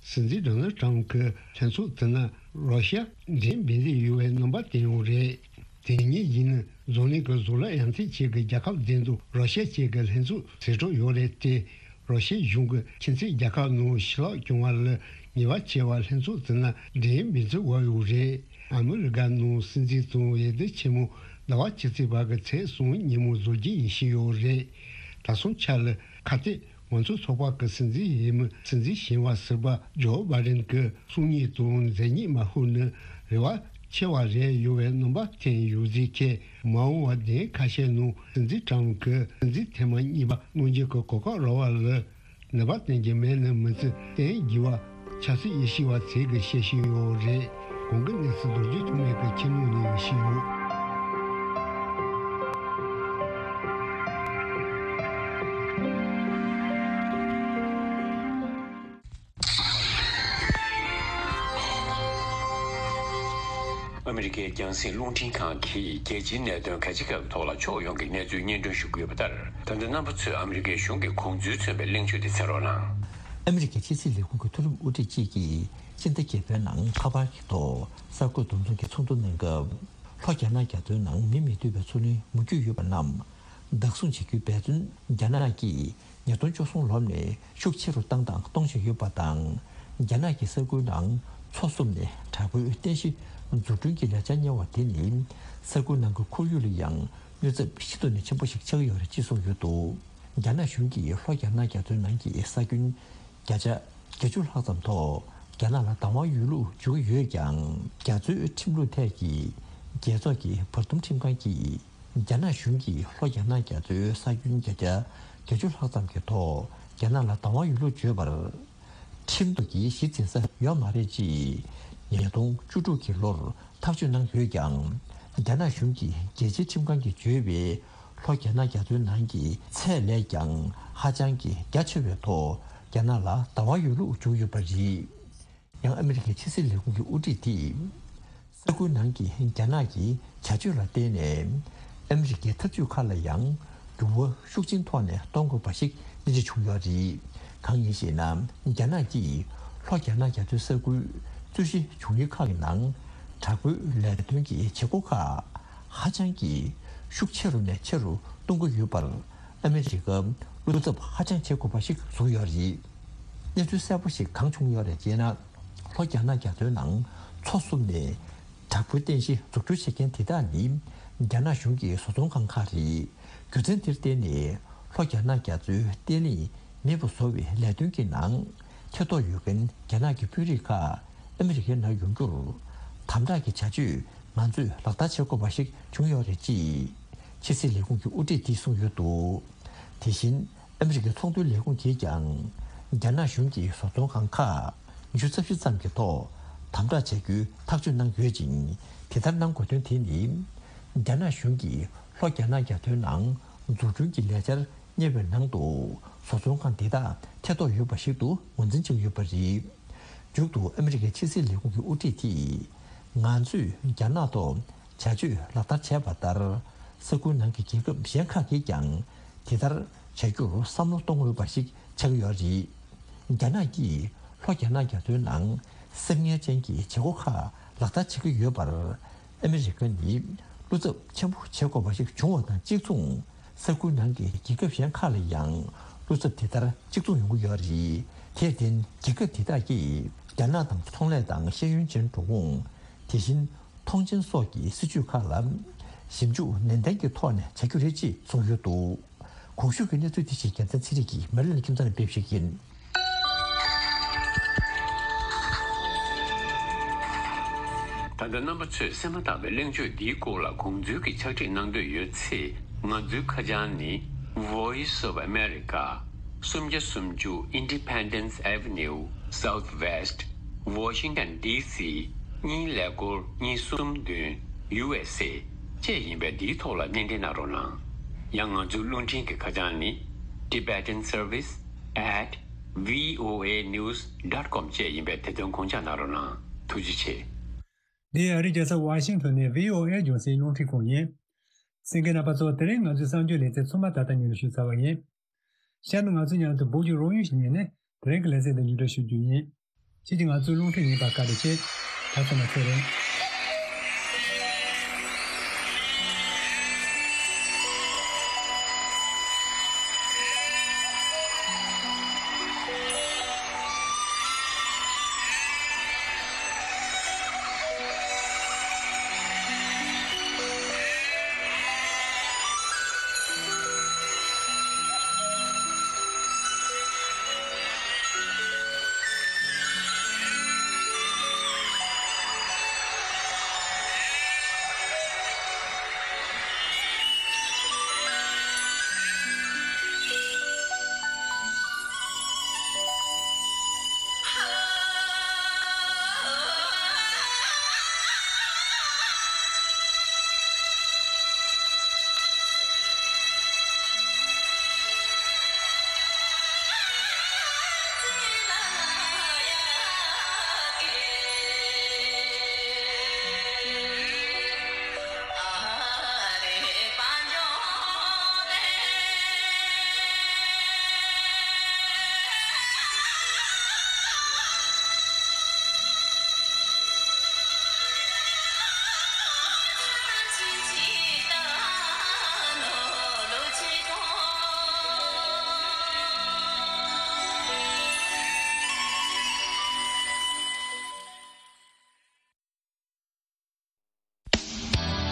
སྲིད་འཛིན་ཌོ་ནལ་ཊམ་གྱིས་ལྷན་ཚོགས་དེ་ནང་རོ་ཤི་ཡ་འགྲན་འབུད་འདོད་ཡོད་པའི་རྣམ་པ་བསྟན་ཡོད་རེད། དེ་ཉིན་ཡིན་ན་འཛམ་གླིང་གི་བཟོ་ལས་ཡར་ཐོན་ཅན་གྱི་རྒྱལ་ཁབ་བདུན་དུ་རོ་ཤི་ཡ་བཅས་ཀྱི་ལྷན་ཚོགས་ཟིན་འགྲོ་ཡོད་རེད་དེ། རོ་ཤི་ཡ་གཞུང་གིས་ཁྱིམ་མཚེས་རྒྱལ་ཁབ་ནང་ཞི་ལྷག་སྐྱོང་བ་ལ་ཉེས་པ་ཆེ་བ་ལྷན་ཚོགས་དེ་ནང་འགྲན་འབུད་འཛུགས་འོས་ཡོད་རེད། ཨ་མི་རི་ཀ་ནང་སྲིད་འཛིན་དང་འོས་བསྡུ་ཆེན་མོ་ཟླ་བ་ཕྱི་ཚེས་བར་གྱི་ཚེས་གསུམ་ཉིན་མོ་བཟོ་རྒྱུ་ཡིན་བཞིན་ཡོད་རེད། ད་སོང་ཆ་ལ་ཁ་གཏད། ང་ཚོའི་ཚོགས་པ་གི་སྲིད་འཛིན་འོས་མི་སྲིད་འཛིན་ཞིང་བ་ཟུར་པ་ཇོ་བྷ་ཌེན་གྱི་གསུང་ཉན་དང་མཛད་ཉན་མ་ཤོར་ན་རེ་བ་ཆེ་བ་རེད་ཡོད་པའི་རྣམ་པ་བསྟན་ཡོད་ཟེར་མཁན་མ་འོངས་པ་བདུན་ཁ་ཤས་ནང་སྲིད་འཛིན་ཊམ་གྱིས་སྲིད་འཛིན་ཐེངས་མ་གཉིས་པ་གནང་རྒྱུ་གི་གོ་སྐབས་རག་པ་ལ་ནུས་པ་བསྟན་གྱི་མེད་ན་མི་ཚེ་བརྟན་གྱི་བ། ཆབ་སྲིད་དབྱེ་ཞིབ་པ་ཚོས་ཀྱི་བཤད་བཞིན་ཡོད་རེད། གོང་གི་གནས་ཚུལ་མདོར་བསྡུས་ཐོག་ནས་ཀྱི་ཁྱིམ་ལུགས་ནས་ཡོད་བཞིན་ཡོད། ཨ་མི་རི་ཀའི་རྒྱང་སྲིང་རླུང་འཕྲིན་ཁང་གིས་རྒྱལ་སྤྱིའི་གནད་དོན་གལ་ཆེ་ཁག་གི་ཐོག་ལ་ཕྱོགས་ཡོངས་ཀྱི་གནས་ཚུལ་སྙན་སྒྲོན་ཞུ་གི་ཡོད་པ་ལྟར། ད་ལྟ་རྣམ་པ་ཚོས་ཨ་མི་རི་ཀའི་གཞུང་གི་དགོངས་ཚུལ་མཚོན་པའི་གླེང་བརྗོད་དེ་གསན་རོགས་གནང་། ཨ་མི་རི་ཀའི་ཕྱི་སྲིད་ལས་ཁུངས་ཀྱི་མཐོ་རིམ་དབུ་ཁྲིད་ཅིག་གིས་སྤྱི་ཟླ་བརྒྱད་པའི་ནང་ཁ་པར་གྱི་ཐོག་གསར་འགོད་བསྡོམས་ཚོགས་ཀྱི་ཚོགས་འདུ་གནང་སྐབས། ལྷོ་རྒྱ་ནག་རྒྱ་མཚོའི་ནང་མི་མི་འདུས་པའི་མཚོ་གླིང་མུ་མཐུད་ཡོད་པ་རྣམས་བདག་བཟུང་བྱེད་རྒྱུའི་འབད་བརྩོན་རྒྱ་ནག་གིས་ཉིས་སྟོང་བཅུ་གསུམ་ལོ་ནས་ཤུགས་ཆེ་རུ་བཏང་དང་གཏོང་བཞིན་ཡོད་པ་དང་། རྒྱ་ནག་གི་ས་ཁུལ་ནང་མཚོ་བསྲུབས་ནས་དྲག་པོའི་རྟེན་གཞི་འཛུགས་སྐྲུན་གྱི་ལས་འཆར་གཉེར་བ་དེ་ནི་ས་ཁུལ་ནང་གི་ཁོར་ཡུག་ལ་ཡང་གནོད་ཚབས་ཤིན་ཏུ་ནས་ཆེན་པོ་ཞིག་ཆགས་ཀྱི་ཡོད་རེད་ཅེས་གསུངས་ཡོད་འདུག་རྒྱ་ནག་གཞུང་གིས་ལྷོ་རྒྱ་ནག་རྒྱ་མཚོའི་ནང་གི་ས་ཁྱོན་བརྒྱ་ཆ་བརྒྱད་ཅུ་ལྷག་ཙམ་ཐོག་རྒྱ་ནག་ལ་བདག་དབང་ཡོད་ལུགས་བརྗོད་ཀྱི་ཡོད་ཀྱང་། རྒྱ་མཚོའི་ཁྲིམས་ལུགས་ཐད་ཀྱི་རྒྱལ་ཚོགས་ཀྱི་བར་འདུམ་ཁྲིམས་ཁང་གིས། རྒྱ་ནག་གཞུང་གིས་ལྷོ་རྒྱ་ནག་རྒྱ་མཚོའི་ས་ཁྱོན་བརྒྱ་ཆ་བརྒྱད་ཅུ་ལྷག་ཙམ་གྱི་ཐོག་རྒྱ་ནག་ལ་བདག་དབང་ཡོད་ལུགས་བརྗོད་པར། ཁྲིམས་ཐོག་གི་གཞི་འཛིན་ས་ཡོད་མ་རེད་ཅེས། ཉིས་སྟོང་བཅུ་དྲུག་གི་ལོར་ཐག་གཅོད་གནང་ཡོད་ཀྱང་། རྒྱ་ནག་གཞུང་གིས་རྒྱལ་སྤྱིའི་ཁྲིམས་ཁང་གིས་བརྗོད་པའི་ལྷོ་རྒྱ་ནག་རྒྱ་མཚོའི་ནང་གི་ཚད་ལས་ཀྱང་ཧ་ཅང་གི་རྒྱ་ཆེ་བའི་ཐོག་རྒྱ་ནག་ལ་བདག་དབང་ཡོད་ལུགས་བརྗོད་ཡོད་པ་རེད། ཡང་ཨ་མི་རི་ཀའི་ཕྱི་སྲིད་ལས་ཁུངས་ཀྱི་དབུ་ཁྲིད་དེས། ས་ཁུལ་ནང་གི་རྒྱ་ནག་གི་བྱ་སྤྱོད་ལ་བརྟེན་ནས། ཨ་མི་རི་ཀའི་འཐབ་ཇུས་ཁག་ལ་ཡང་འགྱུར་བ་ཤུགས་ཆེན་ཐོག་ནས་གཏོང་དགོས་པ་ཞིག་གླེང་གཞི་བྱུང་ཡོད་རེད། གང་ཡིན་ཞེ་ན། རྒྱ་ནག་གིས་ལྷོ་རྒྱ་ནག་རྒྱ་མཚོའི་ས་ཁུལ་རྩོད་གཞི་བྱུང་ཡུལ་ཁག་གི་ནང་། དྲག་པོའི་ལས་དོན་གྱི་བྱེད་སྒོ་ཁག་ཧ་ཅང་གི་ཤུགས་ཆེ་རུ་ནས་ཆེ་རུ་གཏོང་གི་ཡོད་པར། ཨ་མི་རི་ཀ་བློ་འཚབ་ཧ་ཅང་བྱེད་དགོས་པ་ཞིག་བཟོས་ཡོད་རེད། གནས་ཚུལ་གསལ་པོ་ཞིག་གང་བྱུང་ཡོད་རེད་ཅེ་ན། ལྷོ་རྒྱ་ནག་རྒྱ་མཚོའི་ནང་མཚོ་བསྲུབས་ནས་དྲག་པོའི་རྟེན་གཞི་འཛུགས་སྐྲུན་བྱེད་མཁན་དེ་དག་ནི་རྒྱ་ནག་གཞུང་གི་བཟོ་ཚོང་ཁང་ཁག་རེད། རྒྱུ་མཚན་དེར་བརྟེན་ནས་ལྷོ་རྒྱ་ནག་རྒྱ་མཚོའི་བརྟན་ལྷིང་མེད་པར་བཟོ་བའི་ལས་དོན་གྱི་ནང་ཐེ་གཏོགས་ཡོད་མཁན་རྒྱ་ནག་གི་དཔོན་རིགས་ཁག་ཨ་མི་རི་ཀའི་ནང་ཡོང་རྒྱུར་དམ་དྲག་གི་བྱ་སྤྱོད་ང་ཚོས་ལག་བསྟར་བྱེད་དགོས་པ་ཞིག་བྱུང་ཡོད་རེད་ཅེས་ཕྱི་སྲིད་ལས་ཁུངས་ཀྱི་དབུ་ཁྲིད་དེས་གསུངས་ཡོད་འདུག་དེ་བཞིན། ཨ་མི་རི་ཀའི་ཚོང་དོན་ལས་ཁུངས་ཀྱིས་ཀྱང་། རྒྱ་ནག་གཞུང་གི་བཟོ་ཚོང་ཁང་ཁག་ཉི་ཤུ་རྩ་བཞི་ཙམ་གྱི་ཐོག་དམ་དྲག་བྱ་རྒྱུའི་ཐག་གཅོད་གནང་ཡོད་ཅིང་། དེ་ལྟར་གནང་དགོས་དོན་དེ་ནི། རྒྱ་ནག་གཞུང་གིས་ལྷོ་རྒྱ་ནག་རྒྱ་མཚོའི་ནང་འཛུགས་སྐྲུན་གྱི་ལས་འཆར་གཉེར་བའི་ནང་དུ། བཟོ་ཚོང་ཁང་དེ་དག་ཐེ་གཏོགས་ཡོད་པ་ཞིག་ཏུ་ངོས་འཛིན་བྱས་ཡོད་པ་རེད། མཇུག་ཏུ་ཨ་མི་རི་ཀའི་ཕྱི་སྲིད་ལས་ཁུངས་ཀྱི་དབུ་ཁྲིད་དེས། ང་ཚོས་རྒྱ་ནག་ཐོག་བྱ་སྤྱོད་ལག་བསྟར་བྱས་པ་ལྟར། ས་ཁུལ་ནང་གི་རྒྱལ་ཁབ་གཞན་ཁག་གིས་ཀྱང་དེ་ལྟར་བྱ་རྒྱུར་བསམ་བློ་གཏོང་འོས་པ་ཞིག་ཆགས་ཀྱི་ཡོད་རེད། རྒྱ་ནག་གིས་ལྷོ་རྒྱ་ནག་རྒྱ་མཚོའི་ནང་སེམས་ངལ་ཅན་གྱི་བྱེད་སྒོ་ཁག་ལག་བསྟར་བྱེད་ཀྱི་ཡོད་པར། ཨ་མི་རི་ཀ་ནི་བློ་འཚབ་ཆེན་པོ་བྱེད་དགོས་པ་ཞིག་བྱུང་བ་དང་གཅིག་མཚུངས། ས་ཁུལ་ནང་གི་རྒྱལ་ཁབ་གཞན་ཁག་ལ་ཡང་བློ་འཚབ་དེ་ལྟར་གཅིག་མཚུངས་ཡོང་གི་ཡོད་རེད། དེར་བརྟེན། རྒྱལ་ཁབ་དེ་དག་གིས་རྒྱ་ནག་དང་ཚོང་ལས་དང་ཤེས་ཡོན་ཅན་འགྲོ་འོང་། དེ་བཞིན། མཐོང་ཆེན་སོགས་ཀྱི་སྲིད་ཇུས་ཁག་ལ་ཞིབ་འཇུག་ནན་ཏན་གྱི་ཐོག་ནས་བྱ་རྒྱུ་རེད་ཅེས་གསུངས་ཡོད་འདུག་གོང་ཞུས་ཀྱི་གནས་ཚུལ་དེ་བཞིན་རྒྱལ་མཚན་ཚེ་རིང་གིས་མེ་ལན་ཁྱིམ་ཚང་ནས་སྤེལ་བ་ཞིག་ཡིན། ད་ལྟ་རྣམ་པ་ཚོས་གསན་མ་ཐག་པའི་གླེང་བརྗོད་འདིའི་སྐོར་ལ་དགོངས་ཚུལ་གྱི་ཕྱག་བྲིས་གནང་འདོད་ཡོད་ཚེ། ང་ཚོའི་ཁ་བྱང་ནི། Voice of America། སུམ་བརྒྱ་སུམ་ཅུ་Independence Avenue Southwest Washington D C གཉིས་ཀླད་ཀོར་གཉིས་གསུམ་བདུན། U S A བཅས་ཡིན་པས། འདིའི་ཐོག་ལ་སྣེ་འདྲེན་གནང་རོགས་གནང་། ཡང་ང་ཚོའི་རླུང་འཕྲིན་གྱི་ཁ་བྱང་ནི། Tibetan Service at V O A News dot com བཅས་ཡིན་པས། དེ་དོན་དགོངས་འཇགས་གནང་རོགས་གནང་། ཐུགས་རྗེ་ཆེ། འདི་ཨ་རིའི་རྒྱལ་ས་ཝ་ཤིང་ཊོན་ནས་V O A རྒྱང་སྲིང་རླུང་འཕྲིན་ཁང་ཡིན། གསན་མཁན་རྣམ་པ་ཚོ། དེ་རིང་ང་ཚོའི་གསར་འགྱུར་ལེ་ཚན་ཚང་མ་ད་ལྟ་ཉིན་རེ་ཞུས་ཚར་བ་ཡིན། ཤར་ནས་ང་ཚོའི་མཉམ་དུ་བོད་ཀྱི་རོགས་དངུལ་ཞིག་ཉན་ནས་དེ་རིང་གི་ལེ་ཚན་དེ་མཇུག་སྒྲིལ་ཞུ་རྒྱུ་ཡིན། ཁྱེད་ཀྱིས་ང་ཚོའི་རླུང་འཕྲིན་ཉན་པར་བཀའ་དྲིན་ཆེ། ད་ཚང་མ་ཚེ་རིང་།